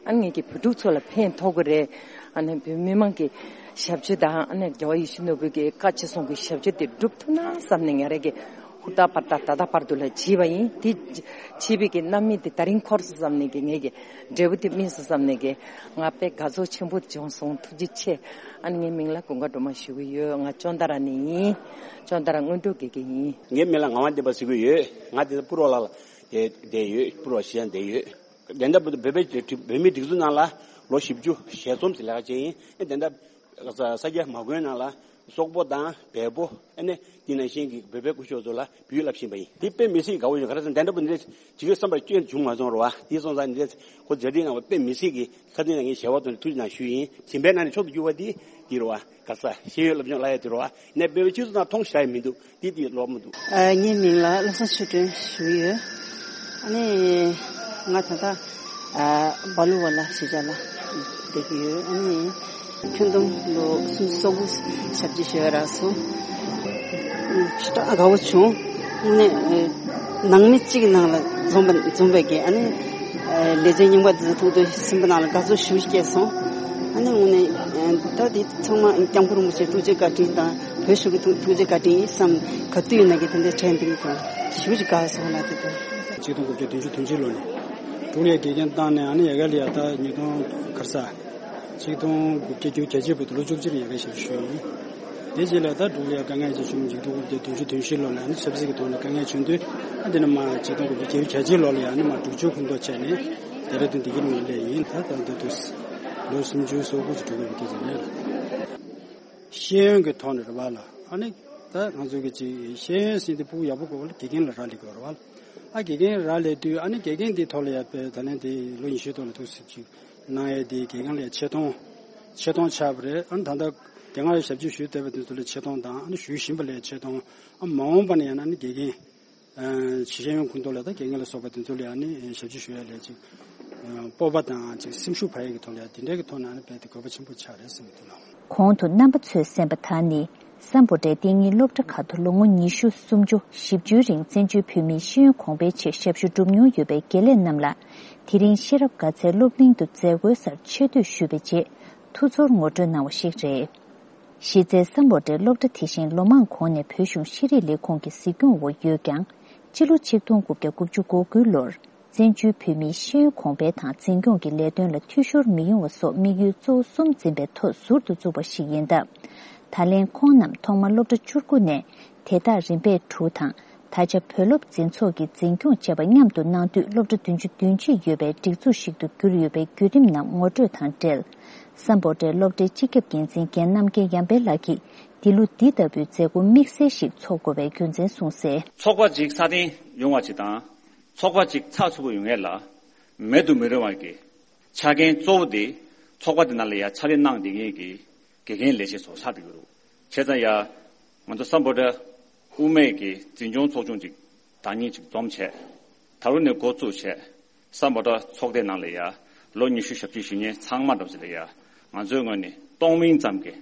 ཨ་ནི་ངེད་ཀྱི་བོད་ཕྲུག་ཚོ་ལ་ཕན་ཐོགས་ཀྱི་རེད། ཨ་ནི་བོད་མི་མང་གི་ཞབས་ཕྱི་དང་ཨ་ནི་རྒྱལ་བ་ཡིད་བཞིན་ནོར་བུའི་གི་བཀའ་ཅི་གསུང་གི་ཞབས་ཕྱི་དེ་སྒྲུབ་ཐུབ་ན་བསམ་ནས་ང་རང་གི་ཧུར་ཐག་པར་ཐག་ད་ལྟ་བར་དུ་ལ་བྱས་པ་ཡིན། དེ་བྱས་པའི་གི་རྣམ་སྨིན་དེ་ད་རིང་འཁོར་སོང་བསམ་ནས་གི་ངེད་ཀྱི་འབྲས་བུ་དེ་སྨིན་སོང་བསམ་ནས་གི་ང་དཔེ་དགའ་ཚོར་ཆེན་པོ་བྱུང་སོང་། ཐུགས་རྗེ་ཆེ། ཨ་ནི་ངའི་མིང་ལ་ཀུན་དགའ་སྒྲོལ་མ་ཞུ་གི་ཡོད། ང་ཅོན་ཏ་ར་ནས་ཡིན། ཅོན་ཏ་ར་སྔོན་འགྲོ་དགེ་རྒན་ཡིན། ངའི་མིང་ལ་ངག་དབང་བསྟན་པ་ཟེར་གི་ཡོད། ང་དེ་སྤུར་བ་ལ་བསྡད་ཡོད། སྤུར་བ་གཞིས་ཆགས་བསྡད་ཡོད། དེ་འདྲ་བོད་པའི་བོད་མིའི་སྒྲིག་འཛུགས་ནང་ལ་ལོ་བཞི་བཅུ་ཞལ་འཛོམས་སུ་ལས་ཀ་བྱས་ཡིན། དེ་འདྲ་ས་སྐྱ་མ་དགོན་ནང་ལ་སོག་པོ་དང་བལ་པོ་ཨ་ནི་དེ་ནང་བཞིན་གྱི་བོད་པའི་སྐུ་ཞབས་ཚོ་ལ་བོད་ཡིག་བསླབ་བཞིན་པ་ཡིན། དེ་དཔེ་མི་སྲིད་དགའ་བོ་ཡོད། ག་རེ་ཟེར་ན་དེ་འདྲ་བོ་འདི་ཇི་གའི་བསམ་པར་སྐྱོན་བྱུང་མ་སོང་རོ་བ། དེ་སོང་ཙང་འདི་ཁོ་མཛད་འཕྲིན་གནང་བ་དཔེ་མི་སྲིད་ཀྱི་ཁ་རྩང་ནས་ངས་ཞལ་བ་དང་ཐུགས་རྗེ་གནང་ཞུ་ཡིན། གཞན་པའི་ནང་ནས་མཆོག་ཏུ་གྱུར་པ་འདི་འདི་རོ་བ། ག་ས་ཤེས་ཡོན་སློབ་སྦྱོང་བླ་ཡ་དེ་རོ་བ། ནས་བོད་པའི་སྤྱི་ཚོགས་ནང་མཐོང་ཤ་ཡི་མི་འདུག་འདི་དེ་ལོག་མི་འདུག་ཨ། ངའི་མིང་ལ་བློ་བཟང་ཆོས་སྒྲོན་ཞུ་ཡོད། ཨ་ནི་ང་ད་ལྟ་ཨ་སྦ་ལུ་བ་ལ་གཞིས་ཆགས་ལ་བསྡད་ཀྱི་ཡོད། ཨ་ནི་ཁྱོན་བསྡོམས་ལོ་སུམ་ཅུ་སོ་དགུ་ཞབས་ཕྱི་ཞུ་ཡ་རག་སོང་། ཞེ་དྲག་དགའ་བོ་བྱུང་། ཨ་ནི་ནང་མི་གཅིག་གི་ནང་ལ་འཛོམས་པ་འཛོམས་པའི་གི་ཨ་ནི་ལས་བྱེད་རྙིང་པ་འདི་ཚོ་ཐུག་དུས་སེམས་པ་ནང་ལ་དགའ་ཚོར་ཞེ་པོ་སྐྱེས་སོང་། ཨ་ནི་དངོས་གནས་ད་འདི་ཚང་མ་སྐྱབས་མགོན་རིན་པོ་ཆེ་ཐུགས་རྗེ་བཀའ་དྲིན་དང་བོད་གཞུང་གི་ཐུགས་ཐུགས་རྗེ་བཀའ་དྲིན་ཡིན་བསམ། ག་དུས་ཡིན་ན་གི་དེ་འདྲའི་དྲན་འདུག་དང་ཞེ་པོ་ཅིག་དགའ་སོང་ལ་དེ་དང་། ཆིག་སྟོང་དགུ་བརྒྱ་བདུན་ཅུ་དོན་གཅིག་ལོ་ནས་འབྲུག་ལ་དགེ་རྒན་བཏང་ནས་ཨ་ནི་ཡ་ག་ལ་ཡ་ད་ཉིས་སྟོང་ག་རེ་ཟ། ཆིག་སྟོང་དགུ་བརྒྱ་བརྒྱད་ཅུ་གྱ་གཅིག་བར་དུ་ལོ་བཅུ་གཅིག་ཡ་ག་ཞབས་ཞུ་ཞུས་ཡིན། དེ་རྗེས་ལ་ད་འབྲུག་ལ་ཡ་དཀའ་ངལ་ཅིག་བྱུང་། ཆིག་སྟོང་དགུ་བརྒྱ་བདུན་ཅུ་དོན་བཞི་ལོ་ལ་ཨ་ནི་ཆབ་སྲིད་ཀྱི་ཐོག་ནས་དཀའ་ངལ་བྱུང་དུས་ཨ་དེ་ནས་མ་ཆིག་སྟོང་དགུ་བརྒྱ་བརྒྱད་ཅུ་གྱ་གཅིག་ལོ་ལ་ཡ་ཨ་ནི་མ་འབྲུག་ཆུ་ཁོངས་གཏོགས་བྱས་ནས་ཌེ་ར་ཌུན་དེ་གའི་ནང་སླེབས་ཡིན། ད་ད་ད་དུ་ལོ་སུམ་ཅུ་སོ་དགུ་ཅིག་འགྲོ་གི་ཡོད་པའི་སྐད་ཆ་རེད། ཤེས་ཡོན་གྱི་ཐོག་ནས་རེད་བ་ལ། ཨ་ནི་ད་ང་ཚོ་གི་ཅིག་ཤེས་ཡོན་ཟེར་དེ་ཕྲུ་གུ་ཡག་པོ་དགོས་པ་ལ་དགེ་རྒན་ལ་རག་ལས་དགོས་རེད་བ་ལ། ཨ་དགེ་རྒན་རག་ལས་དུས་ཨ་ནི་དགེ་རྒན་དེའི་ཐོག་ལ་ཡ་དཔེ་ད་ལན་དེ་ལོ་ཉི་ཤུའི་ཐོག་ལ་ཐུགས་སྲིད་ཅིག་གནང་ཡས་དེ་དགེ་རྒན་ལ་ཡ་ཆེ་མཐོང་། ཆེ་མཐོང་ཆགས་པ་རེད། ཨ་ནི་ད་ལྟ་དེ་སྔ་ཞབས་ཕྱི་ཞུས་བསྡད་པ་དེ་ཚོ་ལ་ཆེ་མཐོང་དང་ཨ་ནི་ཞུ་བཞིན་པ་ལ་ཡ་ཆེ་མཐོང་། ཨ་མ་འོངས་པ་ན་ཡང་ན་ཨ་ནི་དགེ་རྒན། ཨ་ཤེས་ཡོན་ཁོངས་གཏོགས་ལ་ད་དགེ་རྒན་ལ་སོགས་པ་དེ་ཚོ་ལ་ཡང་ནི་ཞབས་ཕྱི་ཞུ་ཡ་ལས་ཅིག་ཨ་སྤོབས་པ་དང་ཅིག་སེམས་ཤུགས་འཕར་ཡ་གི་ཐོག་ལ་ཡང་དེ་འདྲའི་གི་ཐོག་ནས་ཨ་ནི་རྦད་དེ་དགོས་པ་ཆེན་པོ་ཆགས་རེད་བསམ་གྱི་འདུག་ལགས། གོང་དུ་རྣམ་པ་ཚོས་གསན་པ་དག་ནི་སམ་བྷོ་ཊའི་གཏན་ཉིན་སློབ་གྲྭ་ཁག་ཏུ་ལོ་ངོ་ཉི་ཤུ་སུམ་ཅུ་བཞི་བཅུའི་རིང་བཙན་བྱོལ་བོད་མིའི་ཤེས་ཡོན་གོང་འཕེལ་ཆེད་ཞབས་ཞུ་བསྒྲུབས་མྱོང་ཡོད་པའི་དགེ་ལས་རྣམས་ལ་དེ་རིང་ཤེས་རབ་དགའ་ཚལ་སློབ་གླིང་དུ་མཛད་སྒོའི་སར་ཆེ་བསྟོད་ཞུས་པའི་རྗེས་ཐུགས་ཚོར་ངོ་སྤྲོད་གནང་བ་ཞིག་རེད། གཞི་རྩའི་སམ་བྷོ་ཊའི་སློབ་གྲྭ་དེ་བཞིན་ལོ་མང་གོང་ནས་བོད་གཞུང་ཤེས་རིག་ལས་ཁུངས་ཀྱི་གཟིགས་སྐྱོང་འོག་ཡོད་ཀྱང་། སྤྱི་ལོ་ཆིག་སྟོང་དགུ་བརྒྱ་དགུ་བཅུ་གོ་དགུ་ལོར་བཙན་བྱོལ་བོད་མིའི་ཤེས་ཡོན་གོང་འཕེལ་དང་འཛིན་སྐྱོང་གི་ལས་དོན་ལ་འཐུས་ཤོར་མི་ཡོང་བ་སོགས་དམིགས་ཡུལ་གཙོ་བོ་གསུམ་འཛིན་པའི་ཐོག་ཟུར་དུ་བཙུགས་པ་ཞིག་ཡིན་སྟབས། ད་ལན་ཁོང་རྣམས་ཐོག་མར་སློབ་གྲྭ་བཅུ་དགུ་ནས་དེ་དག་རིམ་པས་དྲུག་དང་། ད་ཆ་བོད་སློབ་འཛིན་ཚོགས་ཀྱིས་འཛིན་སྐྱོང་བྱས་པ་མཉམ་དུ་གནང་དུས་སློབ་གྲྭ་བདུན་ཅུ་དོན་གཅིག་ཡོད་པའི་སྒྲིག་འཛུགས་ཤིག་ཏུ་གྱུར་ཡོད་པའི་བརྒྱུད་རིམ་རྣམས་ངོ་སྤྲོད་དང་འབྲེལ། སམ་བྷོ་ཊའི་སློབ་གྲྭའི་སྤྱི་ཁྱབ་འགན་འཛིན་རྒན་རྣམ་རྒྱལ་ཡར་འཕེལ་ལགས་ཀྱིས་འདི་ལོ་འདི་ལྟ་བུའི་མཛད་སྒོ་དམིགས་བསལ་ཞིག་འཚོགས་དགོས་པའི་རྒྱུ་མཚན་གསུངས་གསལ། ཚོགས་པ་ཅིག་སྲ་བརྟན་ཡོང་བ་ཅིག་དང་། ཚོགས་པ་ཅིག་ཚགས་ཚུད་པོ་ཡོང་ཡས་ལ་མེད་དུ་མི་རུང་བ་གི་ཆ་རྐྱེན་གཙོ་བོ་དེ་ཚོགས་པ་དེ་ནང་ལ་ཡ་ཕྱག་ལས་གནང་བསྡད་མཁན་གྱི་དགེ་རྒན་ལས་བྱེད་ཚོ་ཆགས་བསྡད་ཀྱི་རེད། བྱས་ཙང་ཡ་ང་ཚོ་སམ་བྷོ་ཊ་དབུ་མའི་གི་འཛིན་སྐྱོང་ཚོགས་ཆུང་ཅིག་བདག་ཉིད་ཅིག་འཛོམས་བྱས། ད་རུང་ནས་འགོ་བཙུགས་བྱས། སམ་བྷོ་ཊ་ཚོགས་སྡེ་ནང་ལ་ཡ་ལོ་ཉི་ཤུ་ཞབས་ཕྱི་ཞུ་མཁན་ཚང་མ་འདྲ་བོ་ཅིག་ལ་ཡ་ང་ཚོའི་ངོས་ནས་སྟོང་མིན་ཙམ་གྱི་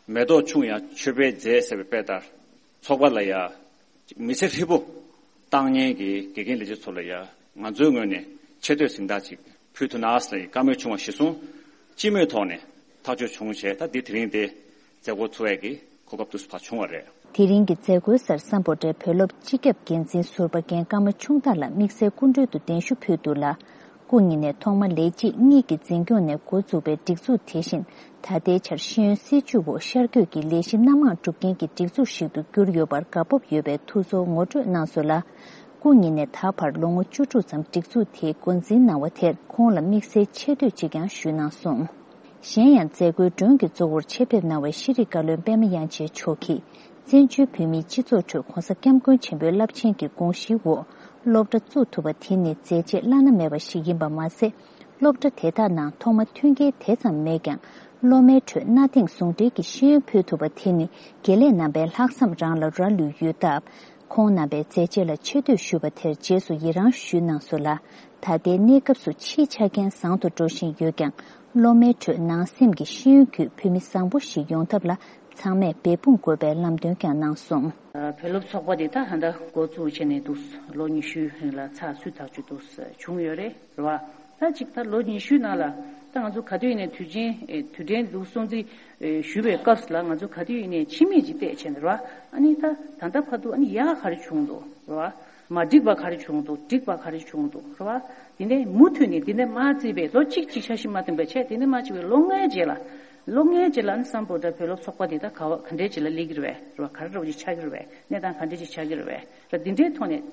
མེ་ཏོག་ཆུང་ཡང་མཆོད་པའི་རྫས་ཟེར་བའི་དཔེ་ལྟར། ཚོགས་པ་ལ་ཡ་མི་ཚེ་ཧྲིལ་པོ་བཏང་མཁན་གྱི་དགེ་རྒན་ལས་བྱེད་ཚོ་ལ་ཡ་ང་ཚོའི་ངོས་ནས་ཆེ་བསྟོད་གཟེངས་རྟགས་ཅིག་ཕུལ་ཐུབ་ན་ཟེར་བཀའ་མོལ་བྱུང་བ་གཞིར་བཟུང་སྤྱི་མོས་ཐོག་ནས་ཐག་གཅོད་བྱུང་བྱས། ད་འདི་དེ་རིང་འདི་མཛད་སྒོ་ཚོགས་ཡས་ཀྱི་གོ་སྐབས་འདུག་སེ་ཕར་བྱུང་བ་རེད། དེ་རིང་གི་མཛད་སྒོའི་སར་སམ་བྷོ་ཊའི་བོད་སློབ་སྤྱི་ཁྱབ་འགན་འཛིན་ཟུར་པ་རྒན་ཀརྨ་ཆུང་བདག་ལགས་དམིགས་བསལ་སྐུ་མགྲོན་དུ་གདན་ཞུ་ཕུལ་འདུག་ལ། སྐུ་ཉིད་ནས་ཐོག་མ་ལས་བྱེད་གཉིས་ཀྱི་འཛིན་སྐྱོང་ནས་འགོ་བཙུགས་པའི་སྒྲིག་འཛུགས་དེ་བཞིན་ད་ལྟའི་ཆར་ཤེས་ཡོན་སྲིད་བྱུས་འོག་ཤར་བསྐྱོད་ཀྱི་ལས་གཞི་སྣ་མང་སྒྲུབ་མཁན་གྱི་སྒྲིག་འཛུགས་ཤིག་ཏུ་གྱུར་ཡོད་པར་དགའ་སྤོབས་ཡོད་པའི་ཐུགས་ཚོར་ངོ་སྤྲོད་གནང་སོང་ལ། སྐུ་ཉིད་ནས་ད་བར་ལོ་ངོ་བཅུ་དྲུག་ཙམ་སྒྲིག་འཛུགས་དེའི་འགོ་འཛིན་གནང་བ་དེར་ཁོང་ལ་དམིགས་བསལ་ཆེ་བསྟོད་ཅིག་ཀྱང་ཞུས་གནང་སོང་། གཞན་ཡང་མཛད་སྒོའི་མགྲོན་གྱི་གཙོ་བོར་ཆེད་ཕེབས་གནང་བའི་ཤེས་རིག་བཀའ་བློན་པད་མ་དབྱངས་ཅན་མཆོག་གིས་བཙན་བྱོལ་བོད་མིའི་སྤྱི་ཚོགས་ཁྲོད་༸གོང་ས་༸སྐྱབས་མགོན་ཆེན་པོའི་རླབས་ཆེན་གྱི་དགོངས་གཞིའི་འོག་སློབ་གྲྭ་བཙུགས་ཐུབ་པ་དེ་ནི་མཛད་རྗེས་བླ་ན་མེད་པ་ཞིག་ཡིན་པ་མ་ཟད། སློབ་གྲྭ་དེ་དག་ནང་ཐོག་མ་མཐུན་རྐྱེན་དེ་ཙམ་མེད་ཀྱང་སློབ་མའི་ཁྲོད་གནའ་དེང་ཟུང་འབྲེལ་གྱི་ཤེས་ཡོན་ཕུལ་ཐུབ་པ་དེ་ནི་དགེ་ལས་རྣམ་པའི་ལྷག་བསམ་རང་ལ་རག་ལུས་ཡོད་སྟབས། ཁོང་རྣམ་པའི་མཛད་རྗེས་ལ་ཆེ་བསྟོད་ཞུས་པ་དེར་རྗེས་སུ་ཡི་རང་ཞུས་གནང་སོང་ལ། ད་ལྟའི་གནས་སྐབས་སུ་ཕྱིའི་ཆ་རྐྱེན་བཟང་དུ་འགྲོ་བཞིན་ཡོད་ཀྱང་། སློབ་མའི་ཁྲོད་ནང་སེམས་ཀྱི་ཤེས་ཡོན་བརྒྱུད་བོད་མི་བཟང་པོ་ཞིག་ཡོང་ཐབས་ལ་ཚང་མས་འབད་འབུངས་དགོས་པའི་ལམ་སྟོན་ཀྱང་གནང་སོང་། བོད་སློབ་ཚོགས་པ་འདི་ད་ད་ལྟ་འགོ་བཙུགས་བྱས་ནས་འདུག་ལོ་ཉི་ཤུའི་རིང་ལ་ཚགས་ཚུད་ཐག་ཆོད་འདུག་བྱུང་ཡོད་རེད། རེད་བ། ད་ཅིག་ད་ལོ་ཉི་ཤུའི་ནང་ལ་ད་ང་ཚོ་ག་དུས་ཡིན་ནའི་དུས་ཆེན་ཨེ་དུས་དྲན་འདུག་སྲུང་བརྩི་ཨེ་ཞུ་བའི་སྐབས་སུ་ལ་ང་ཚོ་ག་དུས་ཡིན་ནའི་ཕྱི་མིག་ཅིག་བལྟས་བྱས་ནས་རེད་བ། ཨ་ནི་ད་ད་ལྟ་བར་དུ་ཨ་ནི་ཡག་ག་རེ་བྱུང་འདུག་རེད་བ། མ་འགྲིག་པ་ག་རེ་བྱུང་འདུག་འགྲིག་པ་ག་རེ་བྱུང་འདུག་རེད་བ། དེ་ནས་མུ་མཐུད་ནས་དེ་ནས་མ་བརྩིས་པའི་ལོ་གཅིག་གཅིག་འཆར་གཞི་མ་བཏིང་བའི་ཆེད་དེ་ནས་མ་བྱས་པའི་ལོ་ལྔའི་རྗེས་ལ། ལོ་ལྔའི་རྗེས་ལ་ཨ་ནི་སམ་བྷོ་ཊ་བོད་སློབ་ཚོགས་པ་འདི་ད་ག་བ་ག་འདྲའི་ཅིག་ལ་སླེབས་ཀྱི་རེད་བས་རེད་བ། ག་རེ་འདྲ་བོ་ཅིག་ཆགས་ཀྱི་རེད་བས། གནས་སྟངས་ག་འདྲ་ཅིག་ཆགས་ཀྱི་རེད་བས་ར། འདི་འདྲའི་ཐོག་ནས།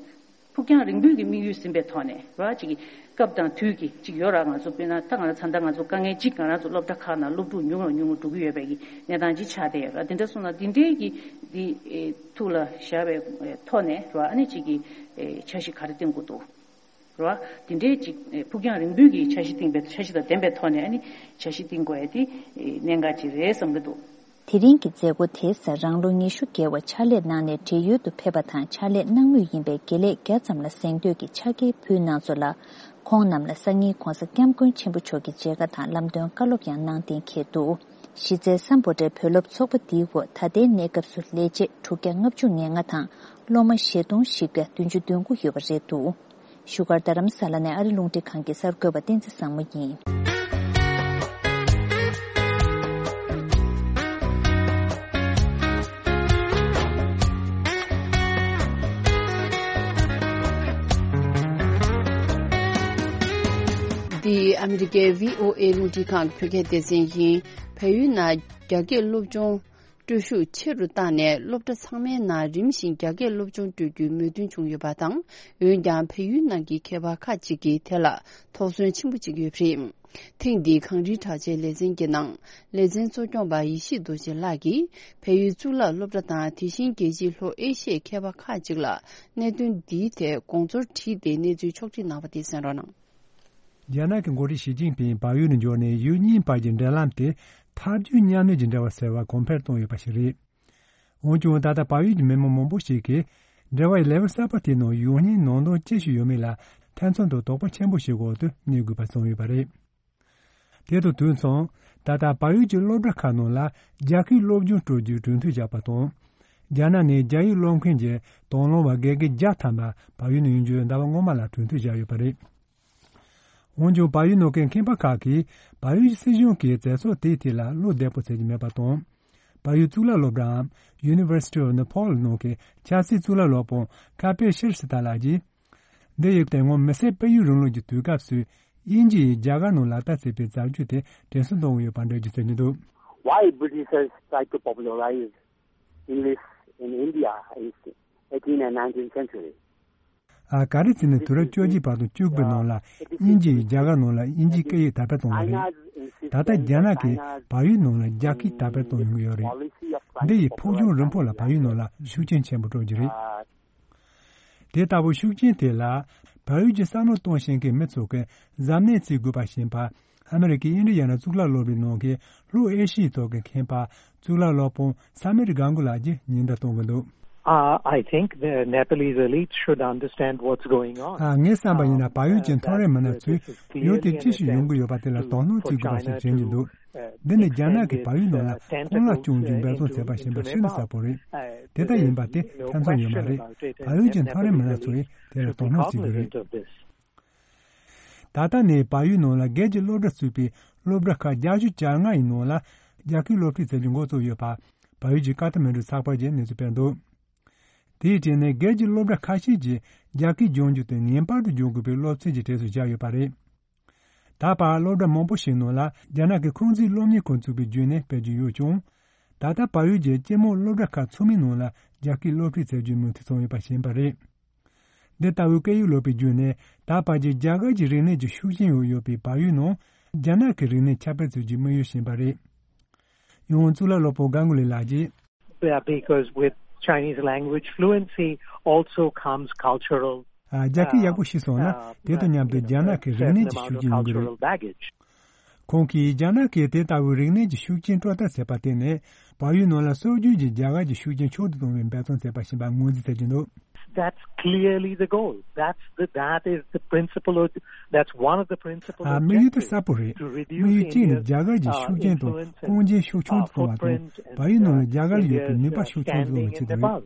ཕུགས་རྒྱང་རིང་པོའི་གི་དམིགས་ཡུལ་ཟིན་པའི་ཐོག་ནས་ར་ཅིག་གི་སྐབས་དང་དུས་ཀྱི་ཅིག་ཡོད་ར། ང་ཚོ་དཔེར་ན་ད་ང་རང་ཚ་མདའ་ང་ཚོ་དཀའ་ངལ་ཅིག་ང་རང་ཚོ་སློབ་གྲྭ་ཁག་ནང་སློབ་ཕྲུག་ཉུང་རུ་ཉུང་རུ་འགྲོ་གི་ཡོད་པའི་གི་གནས་སྟངས་ཅིག་ཆགས་བསྡད་ཡོད་ར། དེ་འདྲ་སོང་ན་འདི་འདྲའི་གི་འདི་ཨེ་ཐུགས་ལ་བཞག་པའི་ཨེ་ཐོག་ནས་ར་ཨ་ནི་ཅིག་གི་ཨེ་འཆར་གཞི་ག་རེ་བཏིང་དགོས་འདུག་ར། འདི་འདྲའི་ཅིག་ཨེ་ཕུགས་རྒྱང་རིང་པོའི་གི་འཆར་གཞི་བཏིང་པའི་འཆར་གཞི་དང་ལྡན་པའི་ཐོག་ནས་ཨ་ནི་འཆར་གཞི་བཏིང་དགོས་ཡ་དེ་ཨེ་གནད་འགག་ཅིག་རེད་བསམ་གི་འདུག་དེ་རིང་གི་མཛད་སྒོ་དེའི་སར་རང་ལོ་ཉི་ཤུ་བརྒལ་བ་ཕྱག་ལས་གནང་ནས་བགྲེས་ཡོལ་དུ་ཕེབས་པ་དང་ཕྱག་ལས་གནང་མུས་ཡིན་པའི་དགེ་ལས་བརྒྱ་ཙམ་ལ་གཟེངས་བསྟོད་ཀྱི་ཕྱག་འཁྱེར་ཕུལ་གནང་སོང་ལ། ཁོང་རྣམས་ལ་སང་ཉིན་༸གོང་ས་༸སྐྱབས་མགོན་ཆེན་པོ་མཆོག་གི་མཇལ་ཁ་དང་ལམ་སྟོན་བཀའ་སློབ་ཡང་གནང་གཏན་འཁེལ་འདུག་གཞི་རྩའི་སམ་བྷོ་ཊའི་བོད་སློབ་ཚོགས་པ་འདིའི་འོག་ད་ལྟའི་གནས་སྐབས་སུ་ལས་བྱེད་དྲུག་བརྒྱ་ལྔ་བཅུ་ང་ལྔ་དང་སློབ་མ་བཞི་སྟོང་བཞི་བརྒྱ་བདུན་ཅུ་དོན་དགུ་ཡོད་པ་རེད་འདུག་བཞུགས་སྒར་རྡ་རམ་ས་ལ་ནས་ཨ་རི་རླུང་འཕྲིན་ཁང་གི་གསར་འགོད་པ་བསྟན་འཛིན་བཟང་མོ་ཡིན། འདི་ཨ་མི་རི་ཀའི་བྷི་ཨོ་ཨེ་རླུང་འཕྲིན་ཁང་གི་བོད་སྐད་སྡེ་ཚན་ཡིན། བལ་ཡུལ་ནང་རྒྱ་སྐད་སློབ་སྦྱོང་སྤྲོད་ཤུགས་ཆེ་རུ་བཏང་ནས་སློབ་གྲྭ་ཚང་མའི་ནང་རིམ་བཞིན་རྒྱ་སྐད་སློབ་སྦྱོང་སྤྲོད་རྒྱུའི་མོས་མཐུན་བྱུང་ཡོད་པ་དང་། འོན་ཀྱང་བལ་ཡུལ་ནང་གི་མཁས་པ་ཁག་ཅིག་གིས་དེ་ལ་དོགས་ཟོན་ཆེན་པོ་བྱེད་ཀྱི་ཡོད་པ་རེད། ཐེངས་འདིའི་གངས་རིའི་གྲགས་ཅན་ལེ་ཚན་གྱི་ནང་ལེ་ཚན་གཙོ་སྐྱོང་པ་ཡེ་ཤེས་རྡོ་རྗེ་ལགས་ཀྱིས་བལ་ཡུལ་གཙུག་ལག་སློབ་གྲྭ་དང་དེ་བཞིན་རྒྱལ་སྤྱིའི་ལྷོ་ཨེ་ཤི་ཡའི་མཁས་པ་ཁག་ཅིག་ལ་གནད་དོན་འདིའི་ཐད་དགོངས་ཚུལ་དྲིས་ཏེ་གནས་ཚུལ་ཕྱོགས་སྒྲིག་གནང་བ་དེ་གསན་རོགས་གནང་། རྒྱ་ནག་གི་འགོ་ཁྲིད་ཞི་ཅིན་ཕིང་བལ་ཡུལ་ནས་འབྱོར་ནས་ཡུལ་གཉིས་བར་གྱི་འབྲེལ་ལམ་དེ་ཐབས་ཇུས་མཉམ་གནོད་ཀྱི་འབྲེལ་བ་ཟེར་བ་གོང་འཕེལ་བཏང་ཡོད་པ་ཞིག་རེད། འོན་ཀྱང་ད་ལྟ་བལ་ཡུལ་གྱི་མི་མང་མང་པོ་ཞིག་གིས་འབྲེལ་བ་ཡི་ལེའུ་གསར་པ་དེའི་ནང་ཡོང་སྙིང་ནང་དོན་ཅི་ཞིག་ཡོད་མེད་ལ་ཐེ་ཚོམ་དང་དོགས་པ་ཆེན་པོ་ཞིག་འོག་ཏུ་གནས་དགོས་པ་བྱུང་ཡོད་པ་རེད། དེ་དང་དུས་མཚུངས་ད་ལྟ་བལ་ཡུལ་གྱི་སློབ་གྲྭ་ཁག་ནང་ལ་རྒྱ་སྐད་སློབ་སྦྱོང་སྤྲོད་རྒྱུའི་གྲོས་མཐུན་བཞག་པ་དང་། རྒྱ་ནག་ནས་རྒྱ་ཡིག་སློབ་མཁན་གྱི་དང་བླངས་པ་དགེ་རྒན་བརྒྱ་ཐམ་པ་བལ་ཡུལ་ནང་ཡོང་རྒྱུའི་ཟླ་བ་སྔོན་མ་ལ་གྲོས་མཐུན་བཞག་ཡོད་པ་རེད། འོན་ཀྱང་བལ་ཡུལ་ནང་གི་མཁས་པ་ཁག་གིས་བལ་ཡུལ་གྱི་སྲིད་གཞུང་གིས་མཛད་ཚུལ་དེའི་ཐད་ལ་བློ་བདེ་པོ་བྱེད་ཀྱི་མེད་པ་དང་། བལ་ཡུལ་གཙུག་ལག་སློབ་གྲྭའམ་University of Nepal ནང་གི་ཆབ་སྲིད་གཙུག་ལག་སློབ་དཔོན་ཁ་པེ་ཤེར་སི་ཏཱ་ལགས་ཀྱིས། འདི་ཡི་དེ་སྔོན་མི་སེར་སྤེལ་ཡུལ་རིང་ལུགས་ཀྱི་དུས་སྐབས་སུ་དབྱིན་ཇི་ཡིས་རྒྱ་གར་ནང་ལག་བསྟར་བྱས་པའི་རྩ་རྒྱུགས་དེ་དྲན་གསོ་གཏོང་གི་ཡོད་པ་འགྲེལ་བརྗོད་བྱས་ནས་འདུག Why Britishers tried to popularize English in India is eighteen and nineteenth century. ཨ། ག་རེ་བྱས་ནས་དུས་རབས་བཅོ་བརྒྱད་པ་དང་བཅུ་དགུ་པའི་ནང་ལ་དབྱིན་ཇི་ཡིས་རྒྱ་གར་ནང་ལ་དབྱིན་ཇིའི་སྐད་ཡིག་དར་སྤེལ་བཏང་བ་རེད། ད་ལྟ་རྒྱ་ནག་གིས་བལ་ཡུལ་ནང་ལ་རྒྱ་སྐད་དར་སྤེལ་གཏོང་ཡོང་གི་ཡོད་རེད། འདི་ཡིས་ཕུགས་རྒྱང་རིང་པོ་ལ་བལ་ཡུལ་ནང་ལ་ཤུགས་རྐྱེན་ཆེན་པོ་སྤྲོད་རྒྱུ་རེད། དེ་ལྟ་བུའི་ཤུགས་རྐྱེན་དེ་ལ་བལ་ཡུལ་གྱི་བསམ་བློ་གཏོང་ཤེས་མཁན་མི་ཚོ་གིས་གཟབ་ནན་བྱེད་དགོས་པ་ཞེས་པ་ཨ་མི་རི་ཀའི་ཨིན་ཌི་ཡ་ན་གཙུག་ལག་སློབ་གྲྭའི་ནང་གི་ལྷོ་ཨེ་ཤི་ཡའི་ཐོག་གི་མཁས་པ་གཙུག་ལག་སློབ་དཔོན་ས་མིར་གྷན་གྷུ་ལགས་ཀྱིས་ཉེན་བརྡ་གཏོང་གི་འདུག Uh, I think the Nepalese elite should understand what's going on. ཨ། ངའི་བསམ་པ་ཡིན་ན། བལ་ཡུལ་གྱི་མཐོ་རིམ་མི་སྣ་ཚོས་ཡུལ་དེར་ཅི་ཞིག་ཡོང་གི་ཡོད་པ་དེ་ལ་དོ་སྣང་བྱེད་དགོས་པ་ཞིག་དྲན་གྱི་འདུག་འདི་ནི་རྒྱ་ནག་གིས་བལ་ཡུལ་ནང་ལ་དཔུང་ལ་སྐྱོང་རྒྱུའི་འབད་བརྩོན་བྱས་པ་ཞིག་ཡིན་པ་ཤིན་ཏུ་གསལ་པོ་རེད། དེ་ལྟར་ཡིན་པ་དེ་ཐེ་ཚོམ་ཡོད་མ་རེད། བལ་ཡུལ་གྱི་མཐོ་རིམ་མི་སྣ་ཚོས་དེ་ལ་དོ་སྣང་བྱེད་དགོས་རེད། ད་ལྟ་ནས་བལ་ཡུལ་ནང་ལ་སྒེར་གྱི་སློབ་གྲྭ་བཙུགས་པའི་སློབ་གྲྭ་ཁག་བརྒྱད་ཅུ་གྱ་ལྔ་ཡི་ནང་ལ་རྒྱ་སྐད་སློབ་ཁྲིད་བྱེད་རྒྱུ་འགོ་བཙུགས་ཡོད་པ། བལ་ཡུལ་གྱི་ཀ་ཐ་མན་གྲུ་ཚགས་པར་གྱིས་གནས་ཚུལ་སྤེལ་འདུག་དེའི་གྲས་ནས་སྒེར་གྱི་སློབ་གྲྭ་ཁ་ཤས་ཀྱིས་རྒྱ་སྐད་སྦྱོང་རྒྱུ་དེ་ངེས་པར་དུ་སྦྱོང་དགོས་པའི་སློབ་ཚན་གྱི་གྲས་སུ་བཞག་ཡོད་པ་རེད། ད་བར་སློབ་གྲྭ་མང་པོ་ཞིག་ནང་ལ་རྒྱ་ནག་གི་ཁུང་ཙི་སློབ་གཉེར་ཁང་བཙུགས་པའི་བརྒྱུད་ནས་སྤེལ་རྒྱུ་ཡོད་ཀྱང་། ད་ལྟ་བལ་ཡུལ་གྱི་སྤྱི་དམངས་སློབ་གྲྭ་ཁག་ཚང་མའི་ནང་ལ་རྒྱ་སྐད་སློབ་ཁྲིད་བྱ་རྒྱུའི་མུ་མཐུད་བྱུང་ཡོད་པ་ཞིག་ཡིན་པ་རེད། འདི་ལྟ་བུའི་སྐད་ཡིག་སློབ་པའི་བརྒྱུད་ནས་ད་བར་གྱི་རྒྱ་གར་གྱི་རིག་གནས་ཀྱི་ཤུགས་རྐྱེན་འོག་ཡོད་པའི་བལ་ཡུལ་ནང་རྒྱ་ནག་གི་རིག་གནས་ཁྱབ་སྤེལ་བྱ་རྒྱུའི་དམིགས་ཡུལ་ཞིག་ཡིན་པ་རེད། ཡང་གཙུག་ལག་སློབ་དཔོན་གྷན་གུ་ལི་ལགས་ཀྱིས། Yeah, because with Chinese language fluency also comes cultural, ཨ། རྒྱ་སྐད་ཡག་པོ་ཤེས་སོང་ན། དེ་དང་མཉམ་དུ་རྒྱ་ནག་གི་རིག་གནས་ཀྱི་ཤུགས་རྐྱེན་ཡོང་གི་རེད། Cultural baggage. ཁོང་གིས་རྒྱ་ནག་གིས་དེ་ལྟ་བུའི་རིག་གནས་ཀྱི་ཤུགས་རྐྱེན་སྤྲོད་ཐབས་བྱས་པ་དེ་ནི། བལ་ཡུལ་ནང་ལ་སྲོལ་རྒྱུན་གྱི་རྒྱ་གར་གྱི་ཤུགས་རྐྱེན་མཆོག་ཏུ་གཏོང་བའི་འབད་བརྩོན་བྱས་པ་ཞིག་ཡིན་པ་ངོས་འཛིན་བྱེད་ཀྱི་འདུག That's clearly the goal. That's the, that is the principal, that's one of the principal objectives. ཨ། དམིགས་ཡུལ་དེ་གསལ་པོ་རེད། དམིགས་ཡུལ་གཅིག་ནི་རྒྱ་གར་གྱི་ཤུགས་རྐྱེན་དང་ཨ། ཨ། ཁུངས་སྐྱེལ་ཤུགས་ཆུང་དུ་གཏོང་བ་དང་། བལ་ཡུལ་ནང་ལ་རྒྱ་གར་ལ་ཡོད་པའི་ནུས་པ་ཤུགས་ཆུང་དུ་གཏོང་བའི་ཆེད་དུ་རེད།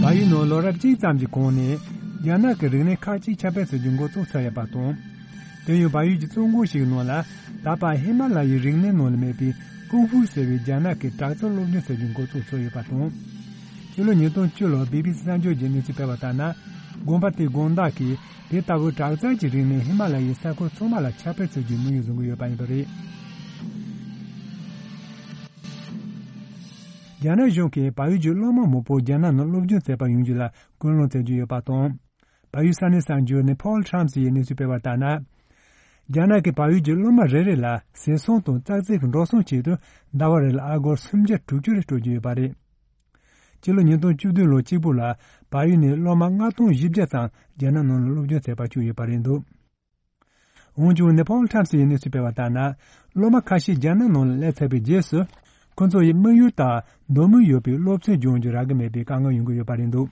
བལ་ཡུལ་ནང་ལོ་རབས་གཅིག་ཙམ་གྱི་གོང་ནས་རྒྱ་ནག་གི་རིག་གནས་ཁག་ཅིག་ཁྱབ་སྤེལ་བྱ་རྒྱུ་འགོ་བཙུགས་ཚར་ཡོད་པ་དང་། དེ་ཡང་བལ་ཡུལ་གྱི་བཙོན་ཁང་ཞིག་ནང་ལ་ད་བར་ཧི་མ་ལ་ཡའི་རིག་གནས་ནང་ལ་མེད་པའི་ཀུང་ཧྥུ་ཟེར་བའི་རྒྱ་ནག་གི་དྲག་རྩལ་སློབ་སྦྱོང་བྱ་རྒྱུ་འགོ་བཙུགས་ཚར་ཡོད་པ་དང་། ཕྱི་ལོ་ཉིས་སྟོང་བཅུ་ལོར་བི་བི་སི་གསར་འགྱུར་གྱིས་གནས་ཚུལ་སྤེལ་བ་ལྟར་ན། དགོན་པ་དེའི་དགོན་བདག་གིས་དེ་ལྟ་བུའི་དྲག་རྩལ་གྱི་རིག་གནས་ཧི་མ་ལ་ཡའི་ས་ཁུལ་ཚང་མ་ལ་ཁྱབ་སྤེལ་བྱ་རྒྱུའི་དམིགས་ཡུལ་བཟུང་གི་ཡོད་པ་ཡིན་པ་རེད། རྒྱ་ནག་གཞུང་གིས་བལ་ཡུལ་གྱི་སློབ་མ་མང་པོ་རྒྱ་ནག་ནང་སློབ་སྦྱོང་བྱེད་པར་ཡོང་རྒྱུ་ལ་སྐུལ་སློང་བྱ་རྒྱུ་ཡོད་པ་དང་། བལ་ཡུལ་ས་གནས་གསར་འགྱུར་Nepal Times ཡིས་གནས་ཚུལ་སྤེལ་བ་ལྟར་ན། རྒྱ་ནག་གིས་བལ་ཡུལ་གྱི་སློབ་མ་རེ་རེ་ལ་ཟས་སོང་དང་ཙག་ཙིག་གི་འགྲོ་སོང་ཆེད་དུ་ཟླ་བ་རེ་ལ་ཨ་སྒོར་སུམ་བརྒྱ་དྲུག་ཅུ་རེ་སྤྲོད་ཀྱི་ཡོད་པ་རེད། སྤྱི་ལོ་ཉིས་སྟོང་བཅུ་བདུན་ལོ་གཅིག་པུ་ལ་བལ་ཡུལ་ནས་སློབ་མ་ལྔ་སྟོང་བཞི་བརྒྱ་ཙམ་རྒྱ་ནག་ནང་ལ་སློབ་སྦྱོང་བྱེད་པར་བཅུག་ཡོད་པ་རེད་འདུག་འོན་ཀྱང་Nepal Times ཡིས་གནས་ཚུལ་སྤེལ་བ་ལྟར་ན། སློབ་མ་ཁ་ཤས་རྒྱ་ནག་ནང་ལ་སླེབས་ཚར་བའི་རྗེས་སུ། ཁོ་ཚོ་ཡི་དམིགས་ཡུལ་ལྟར་འདོད་མོས་ཡོད་པའི་སློབ་ཚན་སྦྱོང་རྒྱུ་རག་གི་མེད་པའི་དཀའ་ངལ་ཡོང་གི་ཡོད་པ་རེད་འདུག་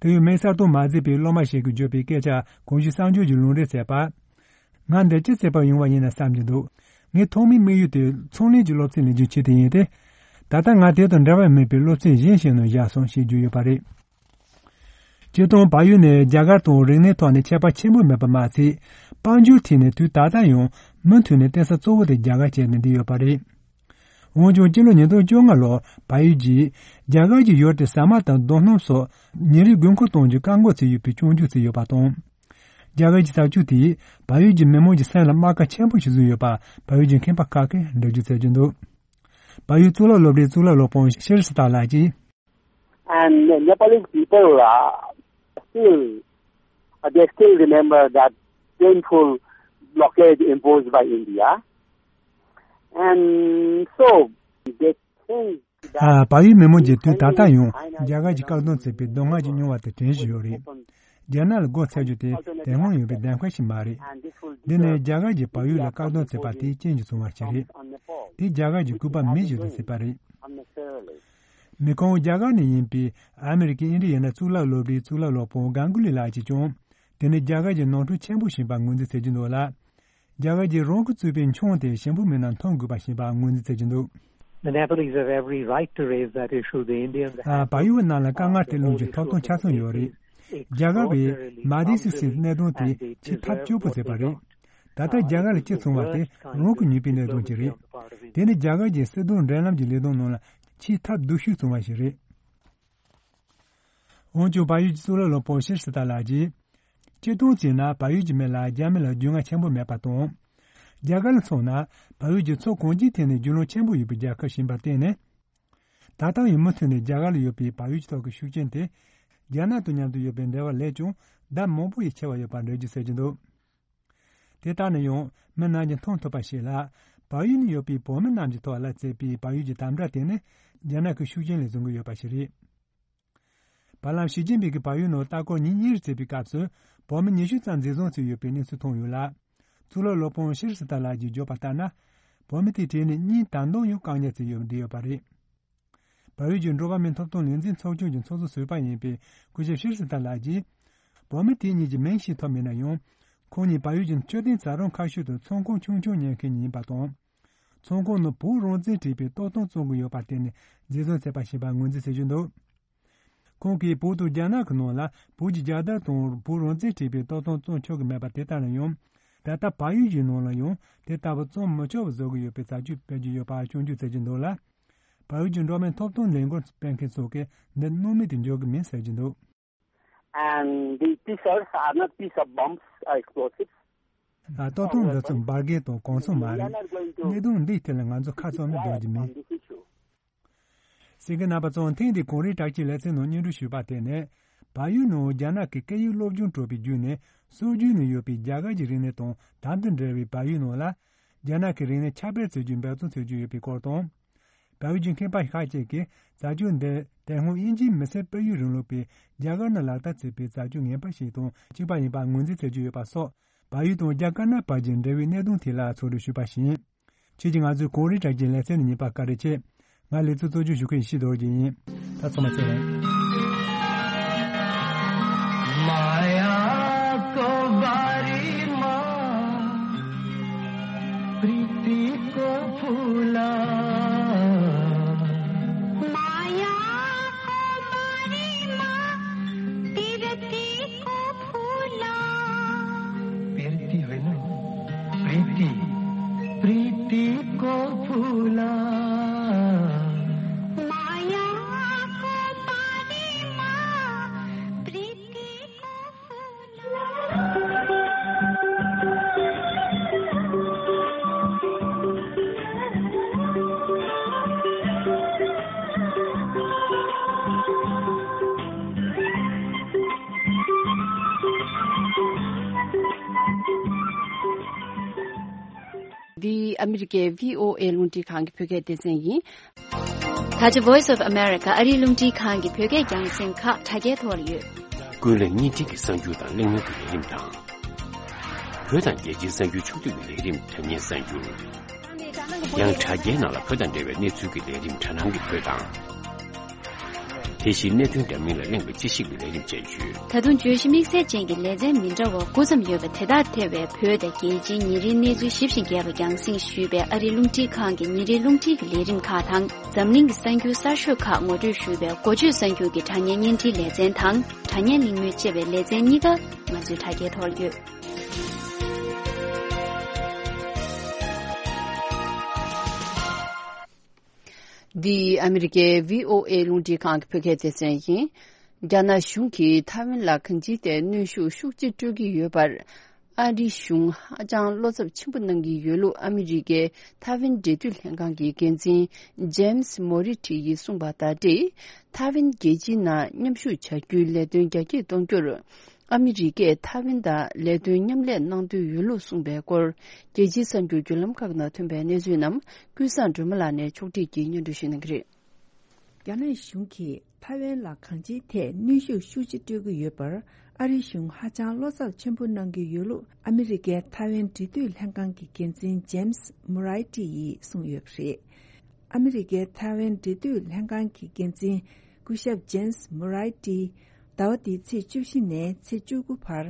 དེ་ཡང་མིང་གསལ་སྟོན་མ་མཛད་པའི་སློབ་མ་ཞིག་གིས་བརྗོད་པའི་སྐད་ཆ་གོང་ཞུས་གསར་འགྱུར་གྱིས་ལུང་འདྲེན་བྱས་པར། ང་འདིར་ཅི་བྱེད་པར་ཡོང་བ་ཡིན་ན་བསམ་གྱི་འདུག་ངའི་ཐོག་མའི་དམིགས་ཡུལ་དེ་ཚོང་ལས་ཀྱི་སློབ་ཚན་ལེན་རྒྱུའི་ཆེད་དུ་ཡིན་ཏེ། ད་ལྟ་ང་དེ་དང་འབྲེལ་བ་མེད་པའི་སློབ་ཚན་གཞན་ཞིག་ནང་བཞག་སོང་ཞེས་བརྗོད་ཡོད་པ་རེད། སྤྱིར་བཏང་བལ་ཡུལ་ནི་རྒྱ་གར་དང་རིག་གནས་ཐོག་ནས་ཁྱད་པར་ཆེན་པོ་མེད་པ་མ་ཚད། དཔལ་འབྱོར་ཐད་ནས་དུས་ད་ལྟ་ཡང་མུ་མཐུད་ནས་བརྟེན་ས་གཙོ་བོ་དེ་རྒྱ་གར་བྱས་ནས་བསྡད་ཡོད་པ་རེད། འོན་ཀྱང་སྤྱི་ལོ་ཉིས་སྟོང་བཅོ་ལྔ་ལོར་བལ་ཡུལ་གྱིས་རྒྱ་གར་གྱི་ཡུལ་དེར་ཟ་མ་དང་རྡོ་སྣུམ་སོགས་ཉིན་རེའི་དགོས་མཁོ་གཏོང་རྒྱུ་བཀག་འགོག་བྱས་ཡོད་པའི་སྐྱོན་བརྗོད་བྱས་ཡོད་པ་དང་། རྒྱ་གར་གྱི་བྱ་སྤྱོད་དེས་བལ་ཡུལ་གྱི་མི་མང་གི་སེམས་ལ་རྨ་ཁ་ཆེན་པོ་ཞིག་བཟོས་ཡོད་པ་བལ་ཡུལ་གྱི་མཁས་པ་ཁག་གིས་འགྲེལ་བརྗོད་བྱེད་ཀྱི་འདུག་བལ་ཡུལ་གཙུག་ལག་སློབ་གྲྭའི་གཙུག་ལག་སློབ་དཔོན་ཤེར་སི་ཏཱ་ལགས་ཀྱིས། And Nepalese people are still, uh, they still remember that painful blockade imposed by India. And so, they think that ཨ། བལ་ཡུལ་མི་མང་གིས་དུས་ད་ལྟ་ཡང་རྒྱ་གར་གྱིས་བཀག་སྡོམ་བྱས་པའི་སྡུག་བསྔལ་གྱི་མྱོང་བ་དེ་དྲན་བཞིན་ཡོད་རེད། རྒྱ་ནག་ལ་སྒོ་ཚུགས་རྒྱུ་དེ་དེ་སྔོན་ཡོད་པའི་གདམ་ག་ཞིག་མ་རེད། འདི་ནི་རྒྱ་གར་གྱིས་བལ་ཡུལ་ལ་བཀག་སྡོམ་བྱས་པ་དེའི་རྐྱེན་གྱིས་བྱུང་བ་ཞིག་རེད། དེ་རྒྱ་གར་གྱི་སྐུད་པ་མེ་བཞིན་དུ་བསྲེགས་པ་རེད། མི་ཁོང་རྒྱ་གར་ནས་ཡིན་པའི་ཨ་མི་རི་ཀའི་ཨིན་ཌི་ཡ་ན་གཙུག་ལག་སློབ་གྲྭའི་གཙུག་ལག་སློབ་དཔོན་གྷན་གུ་ལི་ལགས་ཀྱིས་ཀྱང་། དེ་ནི་རྒྱ་གར་གྱི་ནོར་འཁྲུལ་ཆེན་པོ་ཞིག་ཡིན་པར་ངོས་འཛིན་བྱེད་ཀྱི་འདུག་ལ། རྒྱ་གར་གྱིས་རང་གིས་བཙུགས་པའི་མཆོང་དེ་གཞན་པ་མི་རྣམས་མཐོང་དགོས་པ་ཞིག་ཡིན་པར་ངོས་འཛིན་བྱེད་ཀྱི་འདུག The Nepalese have every right to raise that issue. The Indians ཨ། བལ་ཡུལ་བ་རྣམས་ལ་དཀའ་ངལ་དེ་སློང་རྒྱུའི་ཐོབ་ཐང་ཆ་ཚང་ཡོད་རེད། རྒྱ་གར་བས་མ་དི་སི་སིའི་གནད་དོན་དེ་ཕྱིར་ཐག་གཅོད་པོ་བྱས་པ་རེད། ད་ལྟ་རྒྱ་གར་ལ་ཅི་བྱུང་བ་དེ་རང་གི་ཉེས་པའི་གནད་དོན་ཅིག་རེད། དེ་ནི་རྒྱ་གར་གྱི་སྲིད་དོན་འབྲེལ་ལམ་གྱི་ལས་དོན་ནང་ལ་ཕྱིར་ཐབས་སྡུག་ཤོས་བྱུང་བ་ཞིག་རེད། འོན་ཀྱང་བལ་ཡུལ་གྱི་གཙུག་ལག་སློབ་དཔོན་ཤེར་སི་ཏཱ་ལགས་ཀྱིས། སྤྱིར་བཏང་བྱས་ན་བལ་ཡུལ་གྱི་མི་ལ་རྒྱ་མི་ལ་རྒྱུས་མངའ་ཆེན་པོ་མེད་པ་དང་། རྒྱ་གར་ལ་མཚོན་ན་བལ་ཡུལ་གྱི་ཕྱོགས་གང་ཅིའི་ཐད་ནས་རྒྱུས་ལོན་ཆེན་པོ་ཡོད་པའི་རྒྱལ་ཁབ་ཞིག་ཡིན་པར་བརྟེན་ནས། ད་ལྟ་ཡང་མུ་མཐུད་ནས་རྒྱ་གར་ལ་ཡོད་པའི་བལ་ཡུལ་གྱི་ཐོག་གི་ཤུགས་རྐྱེན་དེ། རྒྱ་ནག་དང་མཉམ་དུ་ཡོད་པའི་འབྲེལ་བ་ལས་ཀྱང་ལྡབ་མང་པོ་ཡིས་ཆེ་བ་ཡོད་པར་འགྲེལ་བརྗོད་བྱེད་ཀྱི་འདུག་དེ་ལྟར་ན་ཡང་མི་རྣམས་ཀྱིས་མཐོང་ཐུབ་པ་ཞིག་ལ། བལ་ཡུལ་ནས་ཡོད་པའི་བོད་མི་རྣམས་ཀྱི་ཐོག་ལ་བྱས་པའི་བལ་ཡུལ་གྱི་དམ་དྲག་དེ་ནི་རྒྱ་ནག་གི་ཤུགས་རྐྱེན་ལས་བྱུང་གི་ཡོད་པ་ཞིག་རེད། བར་ལམ་ཞི་ཅིན་ཕིང་གིས་བལ་ཡུལ་ནང་ལྟ་སྐོར་ཉིན་གཉིས་རེ་བྱས་པའི་སྐབས་སུ་བོད་མི་ཉི་ཤུ་ཙམ་འཛིན་བཟུང་བྱས་ཡོད་པའི་གནས་ཚུལ་ཐོན་ཡོད་ལ། གཙུག་ལག་སློབ་དཔོན་ཤྲཱི་སི་ཏཱ་ལགས་ཀྱིས་བརྗོད་པ་ལྟར་ན། བོད་མི་དེའི་གྲས་ནས་གཉིས་ད་དུང་ཡང་བཀག་ཉར་བྱས་ཡོད་བསྡད་ཡོད་པ་རེད། བལ་ཡུལ་གྱི་འགྲོ་བ་མིའི་ཐོབ་ཐང་ལས་འཛིན་ཚོགས་ཆུང་གི་ཚོགས་གཙོ་ཟུར་པ་ཡིན་པའི་སྐུ་ཞབས་ཤྲཱི་སི་ཏཱ་ལགས་ཀྱིས། བོད་མི་དེ་གཉིས་ཀྱི་མིང་ཤེས་ཐུབ་མེད་ན་ཡང་། ཁོང་གཉིས་བལ་ཡུལ་གྱི་མཆོད་རྟེན་བྱ་རུང་ཁ་ཤོད་དུ་ཚོང་ཁང་ཆུང་ཆུང་གཉེར་མཁན་གཉིས་ཡིན་པ་དང་། ཚོང་ཁང་ནང་བོད་རང་བཙན་དྲན་པའི་རྟགས་ཐམ་བཙོང་གི་ཡོད་པར་བརྟེན་ནས་འཛིན་བཟུང་བྱས་པ་ཞིག་ཡིན་པར་ངོས་འཛིན་བྱེད་ཀྱི་འདུག་ཁོང་གིས་བོད་དང་རྒྱ་ནག་གི་ནང་ལ་བོད་ཀྱི་རྒྱལ་དར་དང་བོད་རང་བཙན་དྲན་པའི་རྟགས་ཐམ་བཙོང་ཆོག་གི་མེད་པ་དེ་ལྟར་ན་ཡང་། ད་ལྟ་བལ་ཡུལ་གྱི་ནང་ལ་ཡང་དེ་ལྟ་བུ་བཙོང་མི་ཆོག་པ་བཟོ་གི་ཡོད་པའི་བྱ་སྤྱོད་སྤེལ་གྱི་ཡོད་པ་སྐྱོན་བརྗོད་བྱེད་ཀྱི་འདུག་ལ། བལ་ཡུལ་གྱི་འགྲོ་བ་མིའི་ཐོབ་ཐང་ལས་འགུལ་སྤེལ་མཁན་ཚོ་གིས་འདི་སྣང་མེད་དུ་འཇོག་གི་མིན་ཟེར་གྱི་འདུག And the pieces are not piece of bombs or explosives. ཨ། ལྟ་སྟངས་འདི་ཚོ་འབར་གས་དང་གོང་ཚོང་མ་རེད། གནད་དོན་འདིའི་ཐད་ལ་ང་ཚོ་ཁ་ཚ་ནས་འདོར་རྒྱུ་མེད། གསན་མཁན་རྣམ་པ་ཚོ་ཐེངས་འདིའི་གངས་རིའི་བྲག་ཅའི་ལེ་ཚན་ནང་སྙན་སྒྲོན་ཞུས་པ་དེ་ནི། བལ་ཡུལ་ནང་རྒྱ་ནག་གི་སྐད་ཡིག་སློབ་སྦྱོང་སྤྲོད་པའི་བརྒྱུད་ནས་སྲོལ་རྒྱུན་ནས་ཡོད་པའི་རྒྱ་གར་གྱི་རིག་གནས་དང་དམ་དུ་འབྲེལ་བའི་བལ་ཡུལ་ནང་ལ། རྒྱ་ནག་གི་རིག་གནས་ཁྱབ་སྤེལ་བྱེད་རྒྱུའི་འབད་བརྩོན་བྱེད་ཀྱི་ཡོད་པའི་སྐོར་དང་། བལ་ཡུལ་གྱི་མཁས་པ་ཁག་ཅིག་གིས་བྱ་སྤྱོད་འདི་དེ་སྔོན་དབྱིན་ཇིའི་མི་སེར་སྤེལ་ཡུལ་རིང་ལུགས་པའི་རྒྱ་གར་ནང་ལག་བསྟར་བྱེད་པའི་བྱ་སྤྱོད་ངན་པ་ཞིག་དང་གཅིག་པ་ཡིན་པར་ངོས་འཛིན་བྱེད་ཀྱི་ཡོད་པ་སོགས། བལ་ཡུལ་དང་རྒྱ་དཀར་ནག་བར་གྱི་འབྲེལ་བའི་གནད་དོན་ཐད་ལ་ཚོགས་འདུ་ཞུས་པ་ཞིག་ཡིན། ཁྱེད་ཀྱིས་ང་ཚོའི་གངས་རིའི་བྲག་ཅའི་ལེ་ཚན་ནས་ཉན་པར་བཀའ་དྲིན་ཆེ། ང་ལེ་ཚན་གཙོ་སྐྱོང་ཞུ་མཁན་ཡེ་ཤེས་རྡོ་རྗེ་ཡིན། ད་ཚང་མ་ཚེ་རིང་། माया को बारी माँ, प्रीति को फूला। माया को बारी माँ, प्रीति को फूला। प्रीति होइन, प्रीति, प्रीति को फूला। माया को बारी माँ, प्रीति को फूला। འདི་ཨ་མི་རི་ཀའི་བྷི་ཨོ་ཨེ་རླུང་འཕྲིན་ཁང་གི་བོད་སྐད་སྡེ་ཚན་ཡིན། ད་ཆ་Voice of America ཨ་རིའི་རླུང་འཕྲིན་ཁང་གི་བོད་སྐད་རྒྱང་སྲིང་ཁག་དྲ་རྒྱའི་ཐོག་ལ་ཡོད། ཀུན་གླེང་བརྙན་འཕྲིན་གྱི་གསར་འགྱུར་དང་གླེང་མོལ་གྱི་ལས་རིམ་དང་། བོད་དང་རྒྱལ་སྤྱིའི་གསར་འགྱུར་ཕྱོགས་བསྡུས་ཀྱི་ལས་རིམ་དྲ་བརྙན་གསར་འགྱུར། ཡང་དྲ་རྒྱའི་ནང་ལ་བོད་དང་འབྲེལ་བའི་གནས་ཚུལ་གྱི་ལས་རིམ་དྲ་སྣང་གི་བོད་དང་། དེ་བཞིན་གནད་དོན་འདྲ་མིན་ལ་གླེང་བའི་དཔྱད་ཞིབ་ཀྱི་ལས་རིམ་བཅས་ཡོད། ད་དུང་བརྗོད་གཞི་དམིགས་བསལ་ཅན་གྱི་ལེ་ཚན་མི་འདྲ་བ་དགུ་ཙམ་ཡོད་པ་དེ་དག་ཐེ་བའི་བོད་དང་རྒྱལ་སྤྱིའི་ཉིན་རེའི་གནས་ཚུལ་ཞིབ་ཅིང་རྒྱས་པ་རྒྱང་སྲིང་ཞུས་པའི་ཨ་རིའི་རླུང་འཕྲིན་ཁང་གི་ཉིན་རེའི་རླུང་འཕྲིན་གྱི་ལས་རིམ་ཁག་དང་། འཛམ་གླིང་གི་གསར་འགྱུར་གསར་ཤོས་ཁག་ངོ་སྤྲོད་ཞུས་པའི་འགོ་བརྗོད་གསར་འགྱུར་གྱི་དྲ་བརྙན་བརྙན་འཕྲིན་ལེ་ཚན་དང་། དྲ་བརྙན་གླེང་མོལ་ཅེས་པའི་ལེ་ཚན་གཉིས་ཀ་ང་ཚོའི་དྲ་རྒྱའི་ཐོག་ཡོད། འདི་ཨ་མི་རི་ཀའི་བྷི་ཨོ་ཨེ་རླུང་འཕྲིན་ཁང་གི་བོད་སྐད་སྡེ་ཚན་ཡིན། རྒྱ་ནག་གཞུང་གིས་ཐའེ་ཝན་ལ་གང་ཅིའི་ཐད་གནོན་ཤུགས་ཤུགས་ཆེ་སྤྲོད་ཀྱི་ཡོད་པར། ཨ་རིའི་གཞུང་ཧ་ཅང་བློ་འཚབ་ཆེན་པོ་གནང་གི་ཡོད་ལུགས་ཨ་མི་རི་ཀའི་ཐའེ་ཝན་འབྲེལ་མཐུད་ལྷན་ཁང་གི་འགན་འཛིན་ཇེམ་སི་མོ་རི་ཊི་ཡིས་གསུངས་པ་ལྟར་ཏེ། ཐའེ་ཝན་རྒྱལ་སྤྱིའི་ནང་མཉམ་ཞུགས་བྱ་རྒྱུའི་ལས་དོན་རྒྱ་སྐྱེད་གཏོང་རྒྱུར། ཨ་མི་རི་ཀས་ཐའེ་ཝན་དང་ལས་དོན་མཉམ་ལས་གནང་འདོད་ཡོད་ལུགས་གསུངས་པའི་སྐོར། རྒྱལ་སྤྱིའི་གསར་འགྱུར་བརྒྱུད་ལམ་ཁག་ནང་ཐོན་པའི་གནས་ཚུལ་རྣམས་ཀུན་བཟང་སྒྲོལ་མ་ལགས་ནས་ཕྱོགས་སྒྲིག་གིས་སྙན་སྒྲོན་ཞུ་གནང་གི་རེད། རྒྱ་ནག་གཞུང་གིས་ཐའེ་ཝན་ལ་གང་ཅིའི་ཐད་གནོན་ཤུགས་ཤུགས་ཆེ་སྤྲོད་ཀྱི་ཡོད་པར། ཨ་རིའི་གཞུང་ཧ་ཅང་བློ་འཚབ་ཆེན་པོ་གནང་གི་ཡོད་ལུགས་ཨ་མི་རི་ཀའི་ཐའེ་ཝན་འབྲེལ་མཐུད་ལྷན་ཁང་གི་འགན་འཛིན་ཇེམ་སི་མུ་རའི་ཏི་ཡིས་གསུངས་ཡོད་པ་རེད། ཨ་མི་རི་ཀའི་ཐའེ་ཝན་འབྲེལ་མཐུད་ལྷན་ཁང་གི་འགན་འཛིན་སྐུ་ཞབས་ཇེམ་སི་མུ་རའི་ཏི་ཟླ་བ་འདིའི་ཚེས་བཅུ་བཞི་ནས་ཚེས་བཅུ་དགུ་བར་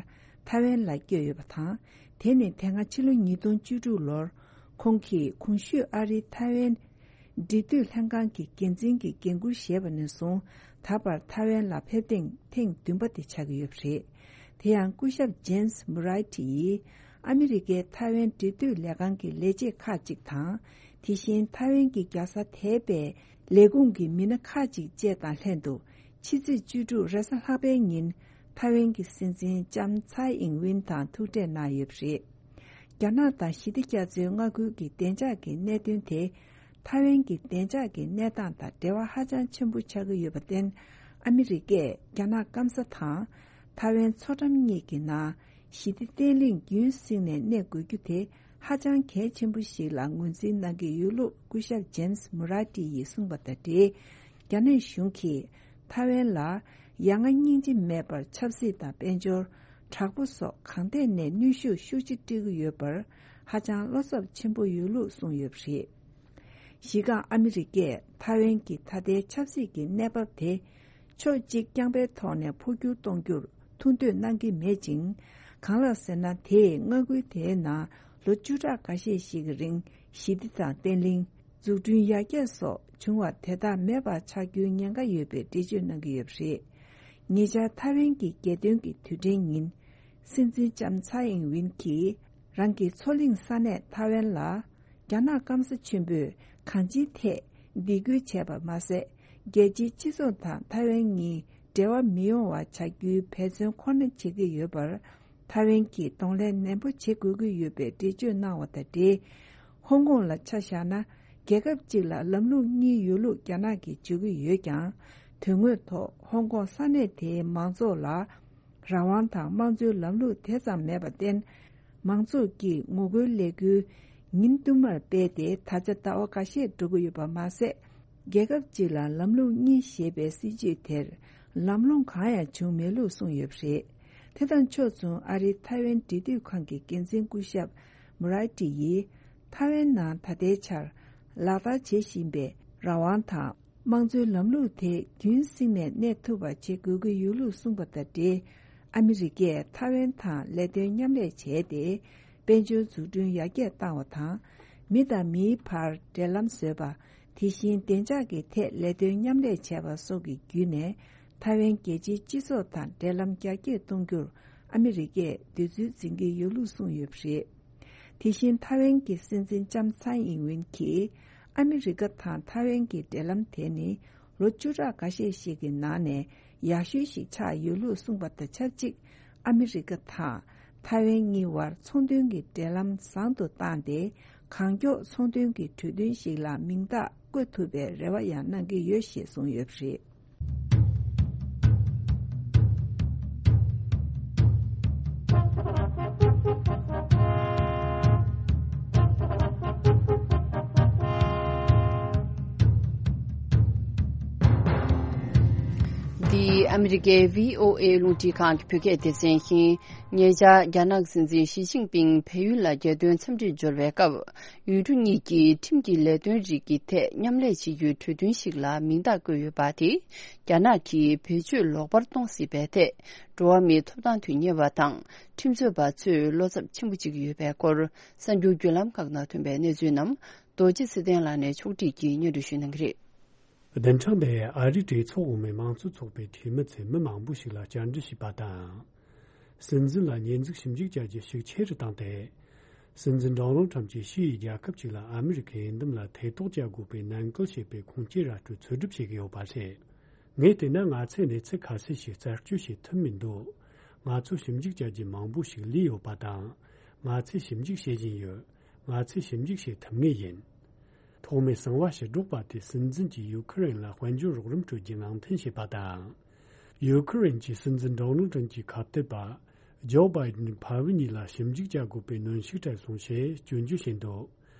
ཐའེ་ཝན་ལ་བསྐྱོད་ཡོད་པ་དང་། དེ་ནི་དེ་སྔ་ཕྱི་ལོ་ཉིས་སྟོང་བཅུ་དྲུག་ལོར་ཁོང་གིས་གོང་ཞུས་ཨ་རིའི་ཐའེ་ཝན་འབྲེལ་མཐུད་ལྷན་ཁང་གི་འགན་འཛིན་གྱི་འགན་འཁུར་བཞེས་པ་ནས་བཟུང་ད་བར་ཐའེ་ཝན་ལ་ཕེབས་ཐེངས་ཐེངས་བདུན་པ་དེ་ཆགས་ཀྱི་ཡོད་པ་རེད། དེ་ཡང་སྐུ་ཞབས་ཇེམ་སི་མུ་རའི་ཏི་ཡིས་ཨ་མི་རི་ཀའི་ཐའེ་ཝན་འབྲེལ་མཐུད་ལས་ཁང་གི་ལས་བྱེད་ཁག་ཅིག་དང་། དེ་བཞིན་ཐའེ་ཝན་གྱི་རྒྱལ་ས་དེ་པའི་ལས་ཁུངས་ཀྱི་མི་སྣ་ཁག་ཅིག་བཅས་དང་ལྷན་དུ་ཕྱི་ཚེས་བཅུ་དྲུག་རེས་གཟའ་ལྷག་པའི་ཉིན་ཐའེ་ཝན་གྱི་སྲིད་འཛིན་ལྕམ་ཚའེ་ཨིང་ཝིན་དང་ཐུག་འཕྲད་གནང་ཡོད་པ་རེད། རྒྱ་ནག་དང་ཞི་བདེ་རྒྱ་མཚོའི་མངའ་ཁུལ་གྱི་བདེ་འཇགས་ཀྱི་གནད་དོན་དེ་ཐའེ་ཝན་གྱི་བདེ་འཇགས་ཀྱི་གནས་སྟངས་དང་འབྲེལ་བ་ཧ་ཅང་ཆེན་པོ་ཆགས་ཀྱི་ཡོད་པར་བརྟེན། ཨ་མི་རི་ཀས་རྒྱ་ནག་སྐམ་ས་དང་ཐའེ་ཝན་མཚོ་འགྲམ་གཉིས་ཀྱི་ནང་ཞི་བདེ་བརྟན་ལྷིང་རྒྱུན་བསྲིངས་ནས་གནས་དགོས་རྒྱུ་དེ་ཧ་ཅང་གལ་ཆེན་པོ་ཞིག་ལ་ངོས་འཛིན་གནང་གི་ཡོད་ལུགས་སྐུ་ཞབས་ཇེམ་སི་མུ་ར་ཏི་ཡིས་གསུངས་པ་དང་འབྲེལ། རྒྱ་ནག་གཞུང་གིས་ཐའེ་ཝན་ལ་ཡ་ང་སྙིང་རྗེ་མེད་པར་ཆབ་སྲིད་དང་དཔལ་འབྱོར། དྲག་པོ་སོགས་གང་ཐད་ནས་གནོན་ཤུགས་ཤུགས་ཆེ་སྤྲད་ཀྱི་ཡོད་པར་ཧ་ཅང་བློ་འཚབ་ཆེན་པོ་ཡོད་ལུགས་གསུངས་ཡོད་པ་རེད། གཞི་རྐང་ཨ་མི་རི་ཀས་ཐའེ་ཝན་གྱི་ད་ལྟའི་ཆབ་སྲིད་ཀྱི་གནས་བབ་དེ་ཕྱོགས་གཅིག་རྐྱང་པའི་ཐོག་ནས་འཕོ་འགྱུར་གཏོང་རྒྱུར་ཐུགས་འདོད་གནང་གི་མེད་ཅིང་། གང་ལགས་ཟེར་ན། དེས་མངའ་ཁུལ་དེའི་ནང་ལོ་བཅུ་ཕྲག་འགའ་ཤས་ཤིག་གི་རིང་ཞི་བདེ་དང་བརྟན་ལྷིང་། འཛུགས་སྐྲུན་ཡར་རྒྱས་སོགས་བྱུང་བ་དེ་དག་མེད་པ་ཆགས་རྒྱུའི་ཉེན་ཁ་ཡོད་པའི་འགྲེལ་བརྗོད་གནང་གི་ཡོད་པ་རེད། ཉེ་ཆར་ཐའེ་ཝན་གྱི་རྒྱལ་སྟོན་གྱི་དུས་དྲན་ཉིན། སྲིད་འཛིན་ལྕམ་ཚའེ་ཨིང་ཝིན་གྱིས་རང་གི་མཚོ་གླིང་ས་གནས་ཐའེ་ཝན་ལ། རྒྱ་ནག་སྐམ་ས་ཆེན་པོས་གང་ཅིའི་ཐད་སྡིགས་སྐུལ་བྱས་པ་མ་ཟད། རྒྱལ་སྤྱིའི་སྤྱི་ཚོགས་དང་ཐའེ་ཝན་གཉིས་འབྲེལ་བ་མི་ཡོང་བ་བྱ་རྒྱུའི་འབད་བརྩོན་ཁོ་ན་བྱེད་ཀྱི་ཡོད་པར། ཐའེ་ཝན་གྱིས་གདོང་ལེན་ནན་པོ་བྱེད་དགོས་ཀྱི་ཡོད་པའི་འགྲེལ་བརྗོད་གནང་བ་དང་འབྲེལ། ཧོང་ཀོང་ལ་ཆ་བཞག་ན། རྒྱལ་ཁབ་གཅིག་ལ་ལམ་ལུགས་གཉིས་ཡོད་ལུགས་རྒྱ་ནག་གིས་བརྗོད་ཀྱི་ཡོད་ཀྱང་། དོན་དངོས་ཐོག་ཧོང་ཀོང་ས་གནས་དེའི་མང་ཚོགས་ལ་རང་དབང་དང་དམངས་གཙོའི་ལམ་ལུགས་དེ་ཙམ་མེད་པར་བརྟེན། མང་ཚོགས་ཀྱིས་ངོ་རྒོལ་ལས་འགུལ་ཉིན་བསྟུད་མར་སྤེལ་ཏེ། ད་ཆ་ཟླ་བ་འགའ་ཤས་འགྲོ་གི་ཡོད་པ་མ་ཟད། རྒྱལ་ཁབ་གཅིག་ལ་ལམ་ལུགས་གཉིས་ཞེས་པའི་སྲིད་ཇུས་དེར་ལམ་ལྷོང་གང་ཡང་བྱུང་མེད་ལུགས་གསུངས་ཡོད་པ་རེད། དེ་དང་ཕྱོགས་མཚུངས། ཨ་རིའི་ཐའེ་ཝན་འབྲེལ་མཐུད་ཁང་གི་འགན་འཛིན་སྐུ་ཞབས་མུ་རའེ་ཏི་ཡིས། ཐའེ་ཝན་ནང་ད་ལྟའི་ཆར་ལག་བསྟར་བྱེད་བཞིན་པའི་རང་དབང་དང་། དམངས་གཙོའི་ལམ་ལུགས་དེ་རྒྱུན་བསྲིངས་ནས་གནས་ཐུབ་པ་བྱེད་དགོས་ཀྱི་ཡོད་ལུགས་གསུངས་པ་དང་འབྲེལ། ཨ་མི་རི་ཀས་ཐའེ་ཝན་དང་ལས་དོན་མཉམ་ལས་བྱས་ཏེ། དཔལ་འབྱོར་འཛུགས་སྐྲུན་ཡར་རྒྱས་བཏང་བ་དང་། མི་དང་མིའི་བར་འབྲེལ་ལམ་བཟོས་པ། དེ་བཞིན་བདེ་འཇགས་ཀྱི་ཐད་ལས་དོན་མཉམ་ལས་བྱས་པ་སོགས་ཀྱི་བརྒྱུད་ནས། ཐའེ་ཝན་རྒྱལ་སྤྱིའི་སྤྱི་ཚོགས་དང་འབྲེལ་ལམ་རྒྱ་སྐྱེད་གཏོང་རྒྱུར་ཨ་མི་རི་ཀས་འདོད་ཚུལ་འཛིན་གྱི་ཡོད་ལུགས་གསུངས་ཡོད་པ་རེད། དེ་བཞིན་ཐའེ་ཝན་གྱི་སྲིད་འཛིན་ལྕམ་ཚའེ་ཨིང་ཝིན་གྱིས། ཨ་མི་རི་ཀ་དང་ཐའེ་ཝན་གྱི་འབྲེལ་ལམ་དེ་ནི་ལོ་བཅུ་ཕྲག་འགའ་ཤས་ཤིག་གི་ནང་ནས་ཡག་ཤོས་ཤིག་ཆགས་ཡོད་ལུགས་གསུངས་པ་དང་ཆབས་ཅིག་ཨ་མི་རི་ཀ་དང་ཐའེ་ཝན་གཉིས་བར་ཚོང་དོན་གྱི་འབྲེལ་ལམ་བཟང་དུ་བཏང་སྟེ། གང་མགྱོགས་ཚོང་དོན་གྱི་གྲོས་མཐུན་ཞིག་ལ་མིང་རྟགས་བཀོད་ཐུབ་པའི་རེ་བ་ཡང་གནང་གི་ཡོད་ཞེས་གསུངས་ཡོད་པ་རེད། འདི་ཨ་མི་རི་ཀའི་བྷི་ཨོ་ཨེ་རླུང་འཕྲིན་ཁང་གི་བོད་སྐད་སྡེ་ཚན་ཡིན། ཉེ་ཆར་རྒྱ་ནག་སྲིད་འཛིན་ཞི་ཅིན་ཕིང་བལ་ཡུལ་ལ་རྒྱལ་དོན་འཚམས་འདྲིར་འབྱོར་བའི་སྐབས། ཡུལ་གྲུ་གཉིས་ཀྱིས་ཁྲིམས་ཀྱི་ལས་དོན་རིགས་ཀྱི་ཐད་མཉམ་ལས་བྱེད་རྒྱུའི་གྲོས་མཐུན་ཞིག་ལ་མིང་རྟགས་བཀོད་ཡོད་པ་དེས། རྒྱ་ནག་གིས་བེད་སྤྱོད་ལོག་པར་གཏོང་སྲིད་པའི་ཐད། འགྲོ་བ་མིའི་ཐོབ་ཐང་དོན་གཉེར་བ་དང་ཁྲིམས་རྩོད་པ་ཚོས་བློ་འཚབ་ཆེན་པོ་བྱེད་ཀྱི་ཡོད་པའི་སྐོར། གསར་འགྱུར་བརྒྱུད་ལམ་ཁག་ནང་ཐོན་པའི་གནས་ཚུལ་རྣམས་རྡོ་རྗེ་ཚེ་བརྟན་ལགས་ནས་ཕྱོགས་སྒྲིག་གིས་སྙན་སྒྲོན་ཞུ་གནང་གི་རེད། བདུན་ཕྲག་འདིའི་ཨ་རིའི་གྲོས་ཚོགས་འོག་མའི་མང་གཙོ་ཚོགས་པའི་འཐུས་མི་ཚོས་མི་མང་པོ་ཞིག་ལ་བཅར་འདྲི་བྱས་པ་དང་། སྲིད་འཛིན་ལ་ཉེས་འཛུགས་ཞིབ་འཇུག་བྱ་རྒྱུ་ཤུགས་ཆེ་རུ་བཏང་སྟེ། སྲིད་འཛིན་ཌོ་ནལ་ཁྲམ་གྱིས་ཕྱི་ཡི་རྒྱལ་ཁབ་ཅིག་ལ་ཨ་མི་རི་ཁའི་འོས་འདེམས་ལ་ཐེ་གཏོགས་བྱ་དགོས་པའི་ནན་སྐུལ་བྱེད་པའི་ཁུངས་སྐྱེལ་ར་སྤྲོད་འཚོལ་སྒྲུབ་བྱེད་ཀྱི་ཡོད་པ་རེད། ངས་བལྟས་ན་ང་ཚོས་གནས་ཚུལ་ཁ་གསལ་ཞིག་རྩད་གཅོད་བྱེད་ཐུབ་མི་འདུག་ང་ཚོ་ཞིབ་འཇུག་བྱ་རྒྱུ་མང་པོ་ཞིག་ལུས་ཡོད་པ་དང་། ང་ཚོས་ཞིབ་འཇུག་བྱེད་བཞིན་ཡོད། ང་ཚོས་ཞིབ་འཇུག་བྱེད་ཐུབ་ངེས་ཡིན། ཐོག་མའི་གསང་བ་ཕྱིར་སྒྲོག་པ་དེས་སྲིད་འཛིན་གྱིས་ཡུ་ཁུ་རེན་ལ་དཔལ་འབྱོར་རོགས་རམ་སྤྲོད་རྒྱུ་ནང་འཐེན་བྱས་པ་དང་། ཡུ་ཁུ་རེན་གྱི་སྲིད་འཛིན་ཌོ་ནལ་ཏྲམ་གྱི་ཁ་གཏད་པ་ཇོ་བྷའི་ཌེན་ཕ་བུ་གཉིས་ལ་ཞིབ་འཇུག་བྱ་དགོས་པའི་གནོན་ཤུགས་སྤྲད་སོང་ཞེས་སྐྱོན་བརྗོད་བྱས་འདུག་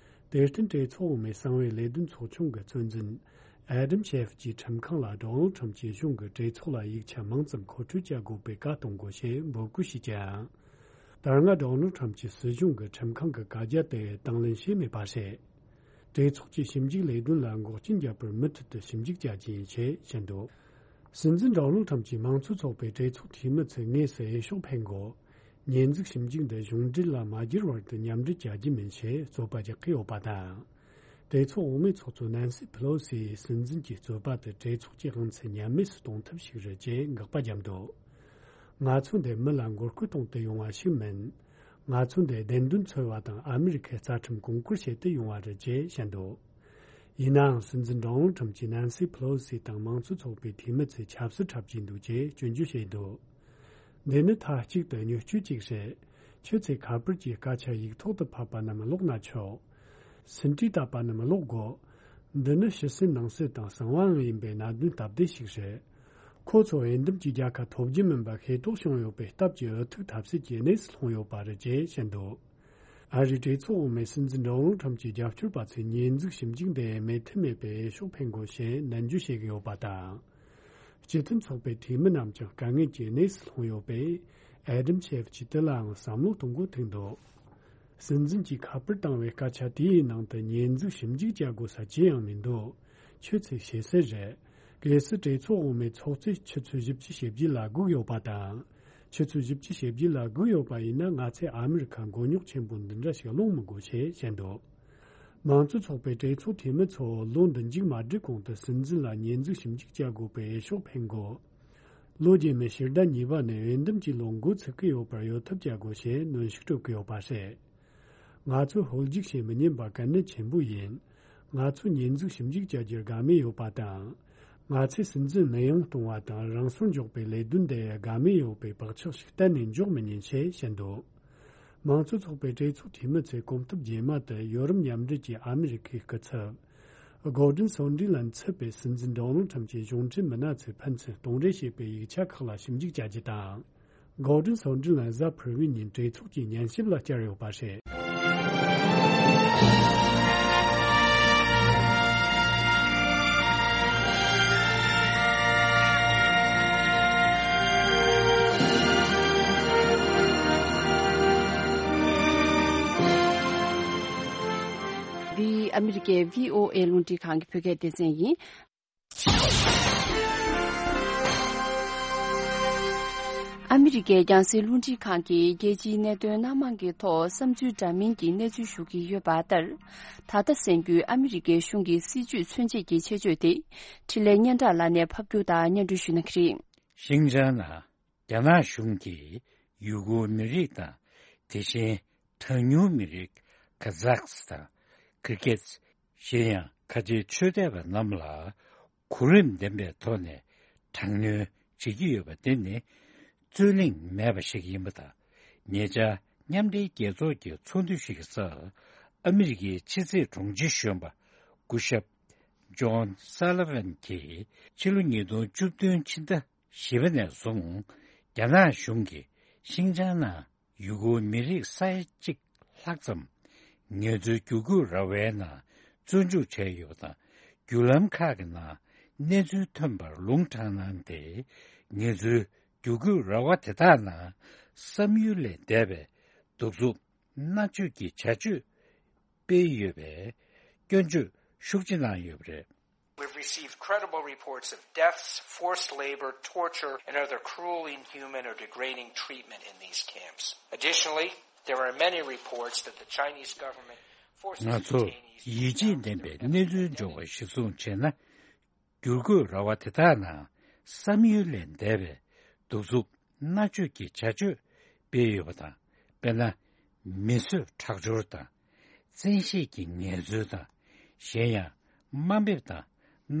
དེར་བརྟེན། གྲོས་ཚོགས་འོག་མའི་གསང་བའི་ལས་དོན་ཚོགས་ཆུང་གི་གཙོ་འཛིན་ཨེ་ཌམ་ཤེ་ཕ་གྱིས་ཁྲིམས་ཁང་ལ་ཌོ་ནལ་ཏྲམ་གྱི་གཞུང་གིས་གྲོས་ཚོགས་ལ་ཡིག་ཆ་མང་ཙམ་མཁོ་སྤྲོད་བྱ་དགོས་པའི་བཀའ་གཏོང་དགོས་ཞེས་འབོད་སྐུལ་བྱས་ཀྱང་། ད་སྔ་ཌོ་ནལ་ཏྲམ་གྱི་སྲིད་གཞུང་གིས་ཁྲིམས་ཁང་གི་བཀའ་རྒྱ་དེ་དང་ལེན་བྱས་མེད་པ་རེད། གྲོས་ཚོགས་ཀྱི་ཞིབ་འཇུག་ལས་དོན་ལ་འགོག་རྐྱེན་བརྒྱབ་པར་མུ་མཐུད་དུ་ཞིབ་འཇུག་བྱ་རྒྱུ་ཡིན་ཞེས་བཤད་འདུག་སྲིད་འཛིན་ཌོ་ནལ་ཏྲམ་གྱིས་མང་གཙོ་ཚོགས་པའི་གྲོས་ཚོགས་འཐུས་མི་ཚོས་དངོས་སུ་འོས་ཤོག་འཕེན་དགོས། ཉེས་འཛུགས་ཞིབ་འཇུག་འདི་གཞུང་འབྲེལ་ལ་མ་བསྒྱུར་བར་དུ་མཉམ་འབྲེལ་བྱ་རྒྱུ་མིན་ཞེས་རྩོད་པ་རྒྱག་གི་ཡོད་པ་དང་། གྲོས་ཚོགས་འོག་མའི་ཚོགས་གཙོ་ནན་སི་ཕི་ལོ་སིའི་སྲིད་འཛིན་གྱི་རྩོད་པ་དེ་གྲོས་ཚོགས་ཀྱི་དབང་ཚད་ཉམས་དམས་སུ་གཏོང་ཐབས་ཤིག་རེད་ཅེས་དགག་པ་བརྒྱབ་འདུག་ང་ཚོ་འདི་མི་ལ་མགོ་སྐོར་གཏོང་དུ་ཡོང་བ་ཞིག་མིན། ང་ཚོ་འདི་བདེན་དོན་འཚོལ་བ་དང་ཨ་མི་རི་ཁའི་རྩ་ཁྲིམས་གོང་བཀུར་བྱེད་དུ་ཡོང་བ་རེད་ཅེས་བཤད་འདུག་ཡིན་ནའང་། སྲིད་འཛིན་ཌོ་ནལ་ཏྲམ་གྱིས་ནན་སི་ཕི་ལོ་སི་དང་མང་གཙོ་ཚོགས་པའི་འཐུས་མི་ཚོས་ཆབ་སྲིད་འཁྲབ་ཀྱིན་འདུག་ཅེས་སྐྱོན་བརྗོད་བྱས་འདུག་འདི་ནི་མཐའ་གཅིག་ཏུ་བརྙས་བཅོས་ཅིག་རེད། ཁྱོད་ཚོས་ཁ་པར་གྱི་སྐད་ཆ་ཡིག་ཐོག་ཏུ་ཕབ་པ་རྣམས་ཀློག་ན་ཆོག་ཟིན་བྲིས་བཏབ་པ་རྣམས་ཀློག་དགོས། འདི་ནི་ཕྱི་གསལ་ནང་གསལ་དང་གསང་བའང་ཡིན་པའི་གནད་དོན་སྟབས་བདེ་ཞིག་རེད། ཁོ་ཚོ་འོས་འདེམས་ཀྱི་རྒྱལ་ཁ་ཐོབ་རྒྱུ་མིན་པ་ཤེས་རྟོགས་བྱུང་ཡོད་པའི་སྟབས་ཀྱིས་འུ་ཐུག་ཐབས་ཟད་ཀྱི་གནས་སུ་ལྷུང་ཡོད་པ་རེད་ཅེས་བཤད་འདུག་ཨ་རིའི་གྲོས་ཚོགས་འོག་མའི་སྲིད་འཛིན་ཌོ་ནལ་ཏྲམ་གྱི་རྒྱབ་སྐྱོར་པ་ཚོས་ཉེས་འཛུགས་ཞིབ་འཇུག་འདི་མོས་མཐུན་མེད་པའི་འོས་ཤོག་འཕེན་དགོས་ཞེས་ནན་བརྗོད་བྱེད་ཀྱི་ཡོད་པ་དང་། སྤྱི་མཐུན་ཚོགས་པའི་འཐུས་མི་རྣམས་ཀྱང་དཀའ་ངལ་གྱི་གནས་སུ་ལྷུང་ཡོད་པས། ཨེ་ཌམ་ཤེབ་ཅིག་དེ་ལའང་བསམ་བློ་གཏོང་དགོས་ཐུག་འདུག། སྲིད་འཛིན་གྱིས་ཁ་པར་བཏང་བའི་སྐད་ཆ་དེའི་ནང་དུ་ཉེས་འཛུགས་ཞིབ་འཇུག་བྱ་དགོས་ས་ཅི་ཡང་མི་འདུག། ཁྱོད་ཚོས་ཤེས་གསལ་རེད། གལ་སྲིད་གྲོས་ཚོགས་འོག་མའི་ཚོགས་གཙོས་ཆུ་ཚོད་བཞི་བཅུ་ཞེ་བརྒྱད་ལ་སྒུག་ཡོད་པ་དང་། ཆུ་ཚོད་བཞི་བཅུ་ཞེ་བརྒྱད་ལ་སྒུག་ཡོད་པ་ཡིན་ན། ང་ཚོས་ཨ་མི་རི་ཁ་མགོ་རྙོག་ཆེན་པོ་འདི་འདྲ་ཞིག་སློང་མི་དགོས་ཞེས་བཤད་འདུག། མང་གཙོ་ཚོགས་པའི་གྲོས་ཚོགས་འཐུས་མི་ཚོ་ལོ་འདི་མཇུག་མ་སྒྲིལ་གོང་དུ་སྲིད་འཛིན་ལ་ཉེས་འཛུགས་ཞིབ་འཇུག་བྱ་དགོས་པའི་འོས་ཤོག་འཕེན་དགོས། ལོ་རྗེས་མའི་ཕྱི་ཟླ་གཉིས་པ་ནས་འོས་འདེམས་ཀྱི་ལོ་འགོ་ཚུགས་ཀྱི་ཡོད་པར་གཡོལ་ཐབས་བྱ་དགོས་ཞེས་གནོན་ཤུགས་སྤྲོད་ཀྱི་ཡོད་པ་རེད། ང་ཚོས་ཧོལ་རྒྱུག་བྱེད་མི་ཉན་པ་གལ་གནད་ཆེན་པོ་ཡིན། ང་ཚོ་ཉེས་འཛུགས་ཞིབ་འཇུག་བྱ་རྒྱུར་དགའ་མོས་ཡོད་པ་དང་། ང་ཚོས་སྲིད་འཛིན་མི་ཡོང་གཏོང་བ་དང་རང་སོར་འཇོག་པའི་ལས་དོན་དེ་དགའ་མོས་ཡོད་པའི་བག་ཆགས་ཤིག་གཏན་ནས་འཇོག་མི་ཉན་ཞེས་བཤད་འདུག། མང་གཙོ་ཚོགས་པའི་གྲོས་ཚོགས་འཐུས་མི་ཚོས་གོམ་སྟབས་རྗེས་མ་དུ་ཡོ་རོབ་མཉམ་འབྲེལ་གྱིས་ཨ་མི་རི་ཁའི་སྐུ་ཚབ། གོར་ཌོན་སོན་ཌི་ལན་མཚན་པའི་སྲིད་འཛིན་ཌོ་ནལ་ཁྲམ་གྱི་གཞུང་འབྲེལ་མི་སྣ་ཚོས་ཕན་ཚུན་གཏོང་རེས་བྱས་པའི་ཡིག་ཆ་ཁག་ལ་ཞིབ་འཇུག་བྱ་རྒྱུ་དང་། གོར་ཌོན་སོན་ཌི་ལན་གཟའ་ཕུར་བུའི་ཉིན་གྲོས་ཚོགས་ཀྱི་ཉན་ཞིབ་ལ་བཅར་ཡོད་པ་རེད། འདི་ཨ་མི་རི་ཀའི་བྷི་ཨོ་ཨེ་རླུང་འཕྲིན་ཁང་གི་བོད་སྐད་སྡེ་ཚན་ཡིན། ཨ་མི་རི་ཀའི་རྒྱང་སྲིང་རླུང་འཕྲིན་ཁང་གིས་རྒྱལ་སྤྱིའི་གནད་དོན་སྣ་མང་གི་ཐོག་བསམ་ཚུལ་འདྲ་མིན་གྱི་གནས་ཚུལ་ཞུ་གི་ཡོད་པ་ལྟར། ད་ལྟ་གསན་རྒྱུའི་ཨ་མི་རི་ཀའི་གཞུང་གི་སྲིད་ཇུས་མཚོན་བྱེད་ཀྱི་ཆེད་བརྗོད་དེ། འཕྲིན་ལས་སྙན་གྲགས་ལགས་ནས་ཕབ་སྒྱུར་དང་སྙན་སྒྲོན་ཞུ་གནང་གི་རེད། ཤིང་ཅང་ནང་རྒྱ་ནག་གཞུང་གིས་ཡུ་གུར་མི་རིགས་དང་། དེ་བཞིན་གྲངས་ཉུང་མི་རིགས་ཁ་ཛག་དང་། ཀིར་གིཛ། གཞན་ཡང་ཁ་ཆེའི་ཆོས་དད་པ་རྣམས་ལ་གོ་རིམ་ལྡན་པའི་ཐོག་ནས་དྲག་གནོན་བྱེད་ཀྱི་ཡོད་པ་དེ་ནི་རྩོད་གླེང་མེད་པ་ཞིག་ཡིན་པ་དང་། ཉེ་ཆར་མཉམ་འབྲེལ་རྒྱལ་ཚོགས་ཀྱི་ཚོགས་འདུ་ཞིག་གི་སྐབས་ཨ་མི་རི་ཀའི་ཕྱི་སྲིད་དྲུང་ཆེ་གཞོན་པ་སྐུ་ཞབས་ཇོན་སཱ་ལི་ཝན་གྱིས་ཕྱི་ལོ་ཉིས་སྟོང་བཅུ་བདུན་ཕྱི་ཟླ་བཞི་པ་ནས་བཟུང་རྒྱ་ནག་གཞུང་གིས་ཤིང་ཅང་ནང་ཡུ་གུར་མི་རིགས་ས་ཡ་གཅིག་ལྷག་ཙམ་ངལ་རྩོལ་བསྒྱུར་བཀོད་ར་བའི་ནང་བཙོན་འཇུག་བྱས་ཡོད་པ་དང་། བརྒྱུད་ལམ་ཁག་གི་ནང་གནས་ཚུལ་ཐོན་པར་ལུང་དྲངས་གནང་སྟེ། ངལ་རྩོལ་བསྒྱུར་བཀོད་ར་བ་དེ་དག་ནང་བསམ་ཡུལ་ལས་འདས་པའི་གདུག་རྩུབ་མནར་གཅོད་ཀྱི་བྱ་སྤྱོད་སྤེལ་ཡོད་པའི་སྐྱོན་བརྗོད་ཤུགས་ཆེ་གནང་ཡོད་པ་རེད། We've received credible reports of deaths, forced labor, torture, and other cruel, inhuman, or degrading treatment in these camps. Additionally, there are many reports that the Chinese government forces detainees to ང་ཚོར་ཡིད་ཆེས་ལྡན་པའི་གནས་ཚུལ་འབྱོར་བ་གཞིར་བཟུང་བྱས་ན། བསྒྱུར་བཀོད་ར་བ་དེ་དག་ནང་བསམ་ཡུལ་ལས་འདས་པའི་གདུག་རྩུབ་མནར་གཅོད་ཀྱི་བྱ་སྤྱོད་སྤེལ་ཡོད་པ་དང་། དཔེར་ན། མི་གསོད་ཁྲག་སྦྱོར་དང་། བཙན་ཤེད་ཀྱི་ངལ་རྩོལ་དང་། གཞན་ཡང་དམའ་འབེབས་དང་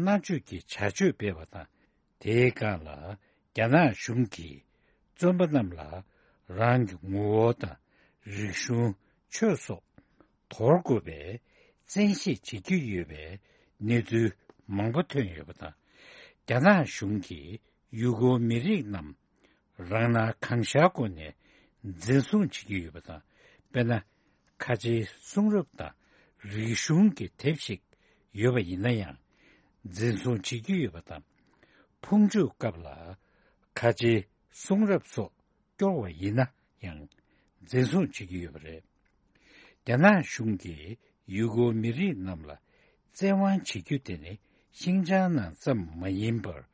མནར་གཅོད་ཀྱི་བྱ་སྤྱོད་སྤེལ་བ་དང་། དེའི་སྒང་ལ་རྒྱ་ནག་གཞུང་གིས་བཙོན་པ་རྣམས་ལ་རང་གི་ངོ་བོ་དང་རིག་གཞུང་། ཆོས་སོགས་དོར་དགོས་པའི་བཙན་ཤེད་བྱེད་ཀྱི་ཡོད་པའི་གནས་ཚུལ་མང་པོ་ཐོན་ཡོད་པ་དང་། རྒྱ་ནག་གཞུང་གིས་ཡུ་གུར་མི་རིགས་རྣམས་རང་སྣང་གང་ཤར་སྒོ་ནས་འཛིན་བཟུང་བྱེད་ཀྱི་ཡོད་པ་དང་། དཔེར་ན། ཁ་ཆེའི་གསུང་རབ་དང་རིག་གཞུང་གི་དེབ་ཞིག་ཡོད་པ་ཡིན་ན་ཡང་། འཛིན་བཟུང་བྱེད་ཀྱི་ཡོད་པ་དང་། ཕུང་མཆོད་སྐབས་ལ་ཁ་ཆེའི་གསུང་རབ་སོགས་སྐྱོར་བ་ཡིན་ན་ཡང་འཛིན་བཟུང་བྱེད་ཀྱི་ཡོད་པ་རེད། རྒྱ་ནག་གཞུང་གིས་ཡུ་གུར་མི་རིགས་རྣམས་ལ་བཙན་དབང་བྱེད་རྒྱུ་དེ་ནི་ཤིང་ཅང་ནང་ཙམ་མ་ཡིན་པར།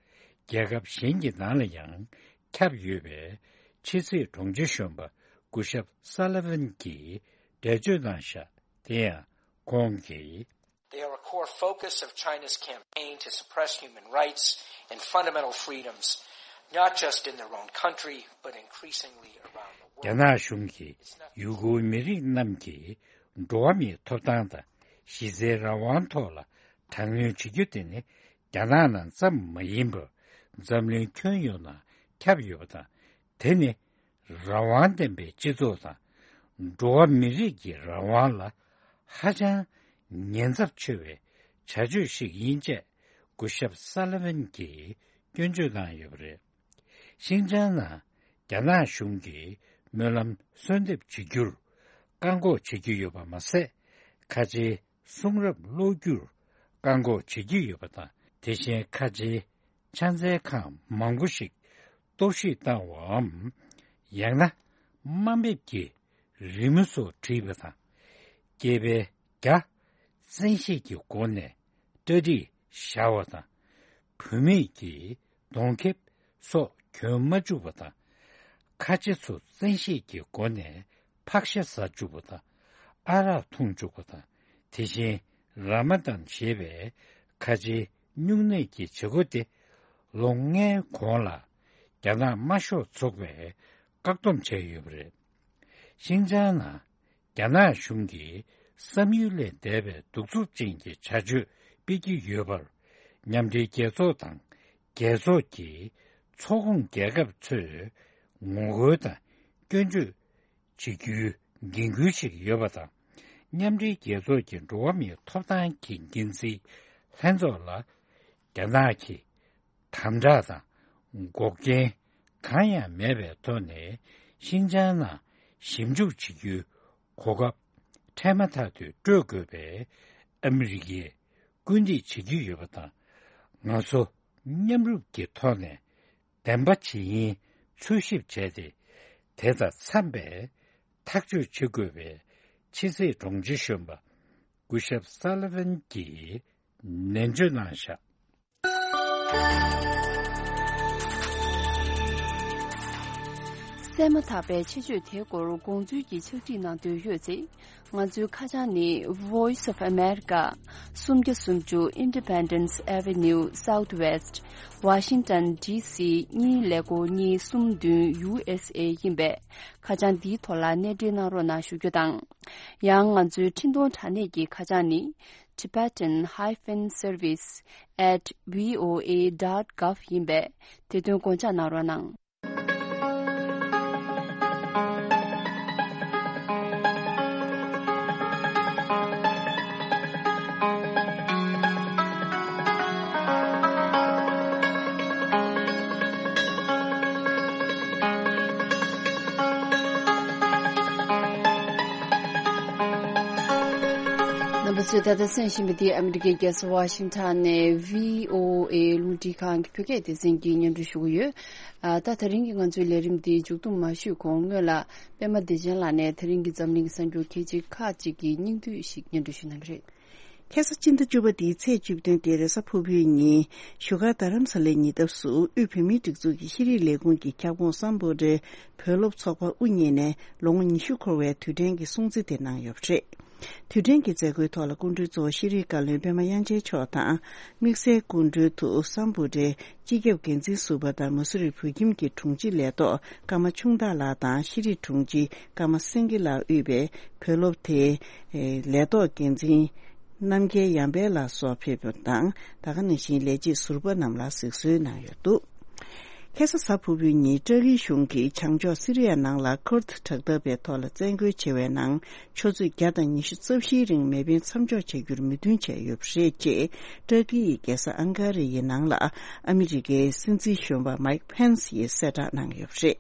རྒྱལ་ཁབ་གཞན་གྱི་ནང་ལ་ཡང་ཁྱབ་ཡོད་པས། ཕྱི་སྲིད་དྲུང་ཆེ་གཞོན་པ་སྐུ་ཞབས་སཱ་ལི་ཝན་གྱིས་འགྲེལ་བརྗོད་གནང་བཞག། དེ་ཡང་ཁོང་གིས། They are a core focus of China's campaign to suppress human rights and fundamental freedoms, not just in their own country, but increasingly around the world. རྒྱ་ནག་གཞུང་གིས་ཡུ་གུར་མི་རིགས་རྣམས་ཀྱི་འགྲོ་བ་མིའི་ཐོབ་ཐང་དང་གཞི་རྩའི་རང་དབང་ཐོག་ལ་དྲག་གནོན་བྱེད་རྒྱུ་དེ་ནི་རྒྱ་ནག་ནང་ཙམ་མ་ཡིན་པར་འཛམ་གླིང་ཁྱོན་ཡོངས་ནང་ཁྱབ་ཡོད་པ་དང་། དེ་ནི་རང་དབང་ལྡན་པའི་སྤྱི་ཚོགས་དང་འགྲོ་བ་མི་རིགས་ཀྱི་རང་དབང་ལ་ཧ་ཅང་ཉེན་ཚབས་ཆེ་བའི་བྱ་སྤྱོད་ཞིག་ཡིན་ཅེས་སྐུ་ཞབས་སཱ་ལི་ཝན་གྱིས་སྐྱོན་བརྗོད་གནང་ཡོད་པ་རེད། ཤིན་ཅང་ནང་རྒྱ་ནག་གཞུང་གིས་སྨོན་ལམ་གསོལ་འདེབས་བྱེད་རྒྱུར་བཀག་འགོག་བྱེད་ཀྱི་ཡོད་པ་མ་ཟད། ཁ་ཆེའི་གསུང་རབ་ཀློག་རྒྱུར་བཀག་འགོག་བྱེད་ཀྱི་ཡོད་པ་དང་། དེ་བཞིན་ཁ་ཆེའི་ཕྱག་འཚལ་ཁང་མང་པོ་ཞིག་གཏོར་བཤིག་བཏང་བའམ་ ཡང་ན་དམའ་འབེབས་ཀྱི་རི་མོ་སོགས་བྲིས་པ་དང་། སྐྱེས་པའི་བརྒྱ་བཙན་ཤེད་ཀྱི་སྒོ་ནས་གྲ་སྒྲིག་བཞག་པ་དང་། བུད་མེད་ཀྱི་གདོང་ཁེབས་སོགས་གྱོན་མ་བཅུག་པ་དང་། ཁ་ཆེ་ཚོ་བཙན་ཤེད་ཀྱི་སྒོ་ནས་ཕག་ཤ་ཟ་བཅུག་པ་དང་། ཨ་རག་འཐུང་བཅུག་པ་དང་། དེ་བཞིན་ར་མ་དན་ཞེས་པའི་ཁ་ཆེའི་སྨྱུང་གནས་ཀྱི་བྱེད་སྒོ་དེ་ལོ་ལྔའི་གོང་ལ་རྒྱ་ནག་དམར་ཤོག་ཚོགས་པས་བཀག་སྡོམ་བྱས་ཡོད་པ་རེད། ཤིན་ཅང་ནང་རྒྱ་ནག་གཞུང་གིས་བསམ་ཡུལ་ལས་འདས་པའི་གདུག་རྩུབ་ཅན་གྱི་བྱ་སྤྱོད་སྤེལ་གྱི་ཡོད་པར། མཉམ་འབྲེལ་རྒྱལ་ཚོགས་དང་རྒྱལ་ཚོགས་ཀྱི་ཚོགས་ཁོངས་རྒྱལ་ཁབ་ཚོས་ངོ་རྒོལ་དང་སྐྱོན་བརྗོད་བྱེད་རྒྱུའི་འགན་འཁུར་ཞིག་ཡོད་པ་དང་། མཉམ་འབྲེལ་རྒྱལ་ཚོགས་ཀྱི་འགྲོ་བ་མིའི་ཐོབ་ཐང་གི་འགན་འཛིན་ལྷན་ཚོགས་ལ་རྒྱ་ནག་གིས་དམ་དྲག་དང་འགོག་རྐྱེན་གང་ཡང་མེད་པའི་ཐོག་ནས་ཤིན་ཅང་ནང་ཞིབ་འཇུག་བྱེད་རྒྱུའི་གོ་སྐབས་འཕྲལ་མ་ཐག་ཏུ་སྤྲོད་དགོས་པའི་ཨ་མི་རི་ཀས་སྐུལ་འདེད་བྱེད་ཀྱི་ཡོད་པ་དང་། ང་ཚོ་མཉམ་རུབ་ཀྱི་ཐོག་ནས་བདེན་པ་ཇི་ཡིན་འཚོལ་ཞིབ་བྱས་ཏེ། དེ་དང་འཚམས་པའི་ཐག་གཅོད་བྱེད་དགོས་པའི་ཕྱི་སྲིད་དྲུང་ཆེ་གཞོན་པ་སྐུ་ཞབས་སཱ་ལི་ཝན་གྱིས་ནན་བརྗོད་གནང་བཞག། གསན་མ་ཐག་པའི་ཆེད་བརྗོད་དེའི་སྐོར་དགོངས་ཚུལ་གྱི་ཕྱག་བྲིས་གནང་འདོད་ཡོད་ཚེ། ང་ཚོའི་ཁ་བྱང་ནི། Voice of America། སུམ་བརྒྱ་སུམ་ཅུ་Independence Avenue Southwest། Washington D C གཉིས་ཀླད་ཀོར་གཉིས་གསུམ་བདུན། U S A ཡིན་པས། ཁ་བྱང་འདིའི་ཐོག་ལ་གནས་འབྲེལ་གནང་རོགས་གནང་ཞུ་རྒྱུ་དང་། ཡང་ང་ཚོའི་འཕྲིན་གཏོང་དྲ་གནས་ཀྱི་ཁ་བྱང་ནི། Tibetan hyphen service at V O A dot gov ཡིན་པས། དེ་དོན་དགོངས་འཇགས་གནང་རོགས་གནང་། རྣམ་པ་ཚོས་ད་ལྟ་གསན་བཞིན་པ་འདི་ཨ་མི་རི་ཀའི་རྒྱལ་ས་ཝ་ཤིང་ཊོན་ནས་V O A རླུང་འཕྲིན་ཁང་གི་བོད་སྐད་སྡེ་ཚན་གྱིས་སྙན་སྒྲོན་ཞུ་གི་ཡོད། ཨ། ད་དེ་རིང་གི་ང་ཚོའི་ལས་རིམ་འདི་མཇུག་བསྡོམས་མ་ཞུས་གོང་སྔོན་ལ་པད་མ་བདེ་ཆེན་ལགས་ནས་དེ་རིང་གི་འཛམ་གླིང་གི་གསར་འགྱུར་ཁག་ཅིག་ཁག་ཅིག་གི་སྙིང་བསྡུས་ཤིག་སྙན་སྒྲོན་ཞུ་གནང་གི་རེད། ཁ་སང་སྤྱི་ཟླ་བཅུ་པ་འདིའི་ཚེས་བཅུ་བདུན་སྟེ་རེས་གཟའ་ཕུར་བུའི་ཉིན་བཞུགས་སྒར་རྡ་རམ་ས་ལའི་ཉེ་འདབས་སུ་དབུས་བོད་མིའི་སྒྲིག་འཛུགས་ཀྱི་ཤེས་རིག་ལས་ཁུངས་ཀྱི་ཁྱབ་ཁོངས་སམ་བྷོ་ཊའི་བོད་སློབ་ཚོགས་པ་དབུ་བརྙེས་ནས་ལོ་ངོ་ཉི་ཤུ་འཁོར་བའི་དུས་དྲན་གྱི་སྲུང་བརྩི་དེ་གནང་ཡོད་པ་རེད། དུས་དྲན་གྱི་མཛད་སྒོའི་ཐོག་ལ་སྐུ་མགྲོན་གཙོ་བོ་ཤེས་རིག་བཀའ་བློན་པད་མ་དབྱངས་ཅན་མཆོག་དང་། དམིགས་བསལ་སྐུ་མགྲོན་དུ་སམ་བྷོ་ཊའི་སྤྱི་ཁྱབ་འགན་འཛིན་ཟུར་པ་དང་མ་སུ་རི་བོད་ཁྱིམ་གྱི་དྲུང་ཆེ་ལས་ཐོག་ཀརྨ་ཆུང་བདག་ལགས་དང་ཤེས་རིག་དྲུང་ཆེ་ཀརྨ་སེང་གེ་ལགས་དབུས་པའི་བོད་སློབ་དེའི་ལས་ཐོག་འགན་འཛིན་རྣམ་རྒྱལ་ཡར་འཕེལ་ལགས་སོགས་ཕེབས་པ་དང་། ད་ག་ནང་བཞིན་ལས་བྱེད་ཟུར་པ་རྣམས་ལ་གཟིགས་གསོལ་གནང་ཡོད་འདུག། ཁ་སང་གཟའ་ཕུར་བུའི་ཉིན་ཏུར་ཀི་གཞུང་གིས་བྱང་ཕྱོགས་སི་རི་ཡ་ནང་ལ་ཁུར་ཐི་དྲག་འཐབ་པའི་ཐོག་ལ་བཙན་རྒོལ་བྱེད་པའི་ནང་ཆུ་ཚོད་བརྒྱ་དང་ཉི་ཤུ་རྩ་བཞིའི་རིང་མེ་འཕེན་མཚམས་འཇོག་བྱ་རྒྱུར་མོས་མཐུན་བྱས་ཡོད་པ་རེད་ཅེས་ཏུར་ཀི་ཡི་རྒྱལ་ས་ཨང་ཀ་ར་ཡི་ནང་ལ་ཨ་མི་རི་ཀའི་སྲིད་འཛིན་གཞོན་པ་མའིག་ཕེན་སི་ཡིས་གསལ་བསྒྲགས་གནང་ཡོད་པ་རེད།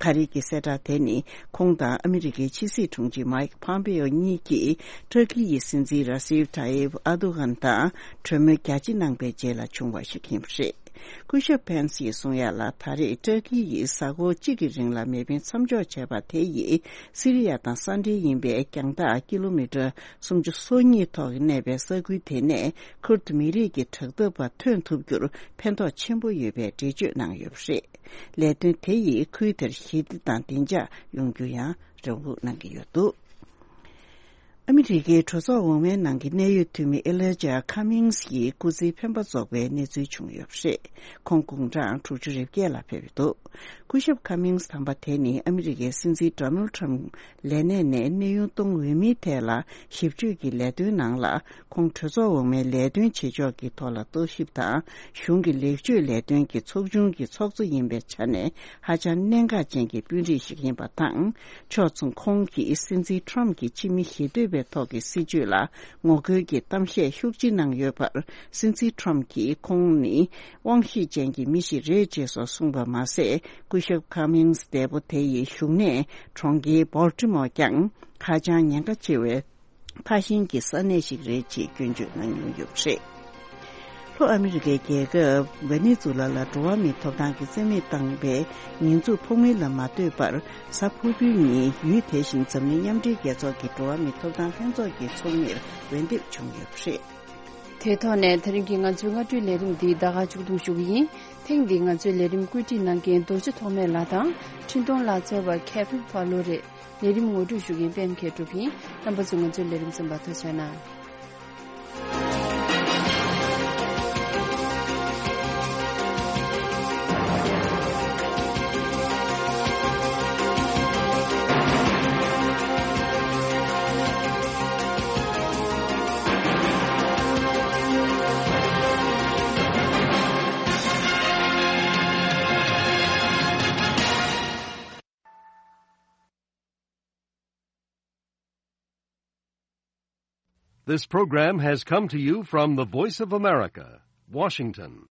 ཁ་རས་ཀྱི་གསལ་བསྒྲགས་དེ་ནི་ཁོང་དང་ཨ་མི་རི་ཀའི་ཕྱི་སྲིད་དྲུང་ཆེ་མའིག་ཕམ་པེའོ་གཉིས་ཀྱིས་ཏུར་ཀི་ཡི་སྲིད་འཛིན་ར་སིབ་ཐ་ཡིབ་ཨར་དུ་གྷན་དང་གྲོས་མོལ་རྒྱ་ཆེ་གནང་པའི་རྗེས་ལ་བྱུང་བ་ཞིག་ཡིན་པ་རེད། སྐུ་ཞབས་ཕན་སི་ཡིས་གསུངས་ཡ་ལ། ད་རེས་ཏུར་ཀི་ཡིས་གཟའ་འཁོར་གཅིག་གི་རིང་ལ་མེ་འཕེན་མཚམས་འཇོག་བྱས་པ་དེ་ཡིས་སི་རི་ཡ་དང་ས་འབྲེལ་ཡིན་པའི་རྒྱང་ཐག་ཀི་ལོ་མི་ཊར་སུམ་ཅུ་སོ་གཉིས་ཐོག་གནས་པའི་ས་ཁུལ་དེ་ནས་ཁུར་ཏུ་མི་རིགས་ཀྱི་དྲག་འཐབ་པ་ཐོན་ཐུབ་རྒྱུར་ཕན་ཐོགས་ཆེན་པོ་ཡོད་པའི་འགྲེལ་བརྗོད་གནང་ཡོད་པ་རེད། ལས་དོན་དེ་ཡིས་ཁུལ་དེར་ཞི་བདེ་དང་བདེ་འཇགས་ཡོང་རྒྱུ་ཡང་རེ་སྒུག་གནང་གི་ཡོད་འདུག། ཨ་མི་རི་ཀའི་གྲོས་ཚོགས་འོག་མའི་ནང་གི་གནད་ཡོད་འཐུས་མི་ཨེ་ལི་ཇ་ཁ་མིང་སི་ཡི་སྐུ་ཚེའི་འཕེན་པ་རྫོགས་པའི་གནས་ཚུལ་བྱུང་ཡོད་པ་རེད། ཁོང་དགུང་གྲངས་དྲུག་ཅུ་རེ་བརྒྱད་ལ་ཕེབས་ཡོད་འདུག། སྐུ་ཞབས་ཁ་མིང་སི་དམ་པ་དེ་ནི་ཨ་མི་རི་ཀའི་སྲིད་འཛིན་ཌོ་ནལ་ཊམ་ལས་གནས་ནས་གནས་དབྱུང་གཏོང་འོས་མིའི་ཐད་ལ་ཞིབ་དཔྱོད་ཀྱི་ལས་དོན་ནང་ལ། ཁོང་གྲོས་ཚོགས་འོག་མའི་ལས་དོན་བྱེད་ཕྱོགས་ཀྱི་ཐོག་ལ་རྟོག་ཞིབ་དང་གཞུང་གི་ལེགས་བཅོས་ལས་དོན་གྱི་ཚོགས་ཆུང་གི་ཚོགས་གཙོ་ཡིན་པའི་ཆ་ནས་ཧ་ཅང་གནད་འགག་ཅན་གྱི་དཔོན་རིགས་ཤིག་ཡིན་པ་དང་། ཕྱོགས་མཚུངས་ཁོང་གིས་སྲིད་འཛིན་ཊམ་གྱི་ཕྱི་མི་ཞི་གཏོད་པའི་ཐོག་གི་སྲིད་བྱུས་ལ་ངོ་རྒོལ་གྱི་གཏམ་བཤད་ཤུགས་ཆེ་གནང་ཡོད་པར། སྲིད་འཛིན་ཊམ་གྱིས་ཁོང་ནི་དབང་ཤེད་ཅན་གྱི་མི་ཞིག་རེད་ཅེས་སོགས་གསུངས་པ་མ་ཟད། སྐུ་ཞབས་ཁ་མིང་སི་འདས་པོ་དེ་ཡི་བཞུགས་གནས་གྲོང་ཁྱེར་བོལ་ཊི་མོར་ཀྱང་ཧ་ཅང་ཉེན་ཁ་ཆེ་བའི་ཕར་ཕྱིན་གྱི་ས་གནས་ཤིག་རེད་ཅེས་སྐྱོན་བརྗོད་གནང་མྱོང་ཡོད་པ་རེད། ཨ་མི་རི་ཀའི་རྒྱལ་ཁབ་ཝེ་ནེ་ཛུ་ལ་ལ་འགྲོ་བ་མིའི་ཐོབ་ཐང་གི་རྩིས་མེད་བཏང་བའི་ཉེས་འཛུགས་ཕོག་མིན་ལ་མ་ལྟོས་པར། གཟའ་ཕུར་བུའི་ཉིན་ཡུལ་དེ་བཞིན་འཛམ་གླིང་མཉམ་འབྲེལ་རྒྱལ་ཚོགས་ཀྱི་འགྲོ་བ་མིའི་ཐོབ་ཐང་ལྷན་ཚོགས་ཀྱི་ཚོགས་མིར་འོས་འདེམས་བྱུང་ཡོད་པ་རེད། དེ་ཐོག་ནས་དེ་རིང་གི་ང་ཚོའི་སྔ་དྲོའི་ལས་རིམ་འདི་ད་ག་མཇུག་བསྡོམས་ཞུ་གི་ཡིན། ཐེངས་འདིའི་ང་ཚོའི་ལས་རིམ་བཀོད་སྒྲིག་གནང་མཁན་རྡོ་རྗེ་ཐོགས་མེད་ལགས་དང་། འཕྲིན་གཏོང་ལག་རྩལ་བ་ཁེ་ཕིན་ཕ་ལོ་རེད། ལས་རིམ་ངོ་སྤྲོད་ཞུ་མཁན་པད་མཁས་གྲུབ་ཡིན། རྣམ་པ་ཚོས་ང་ཚོའི་ལས་རིམ་གསན་པར་ཐུགས་རྗེ་གནང་། This program has come to you from the Voice of America, Washington.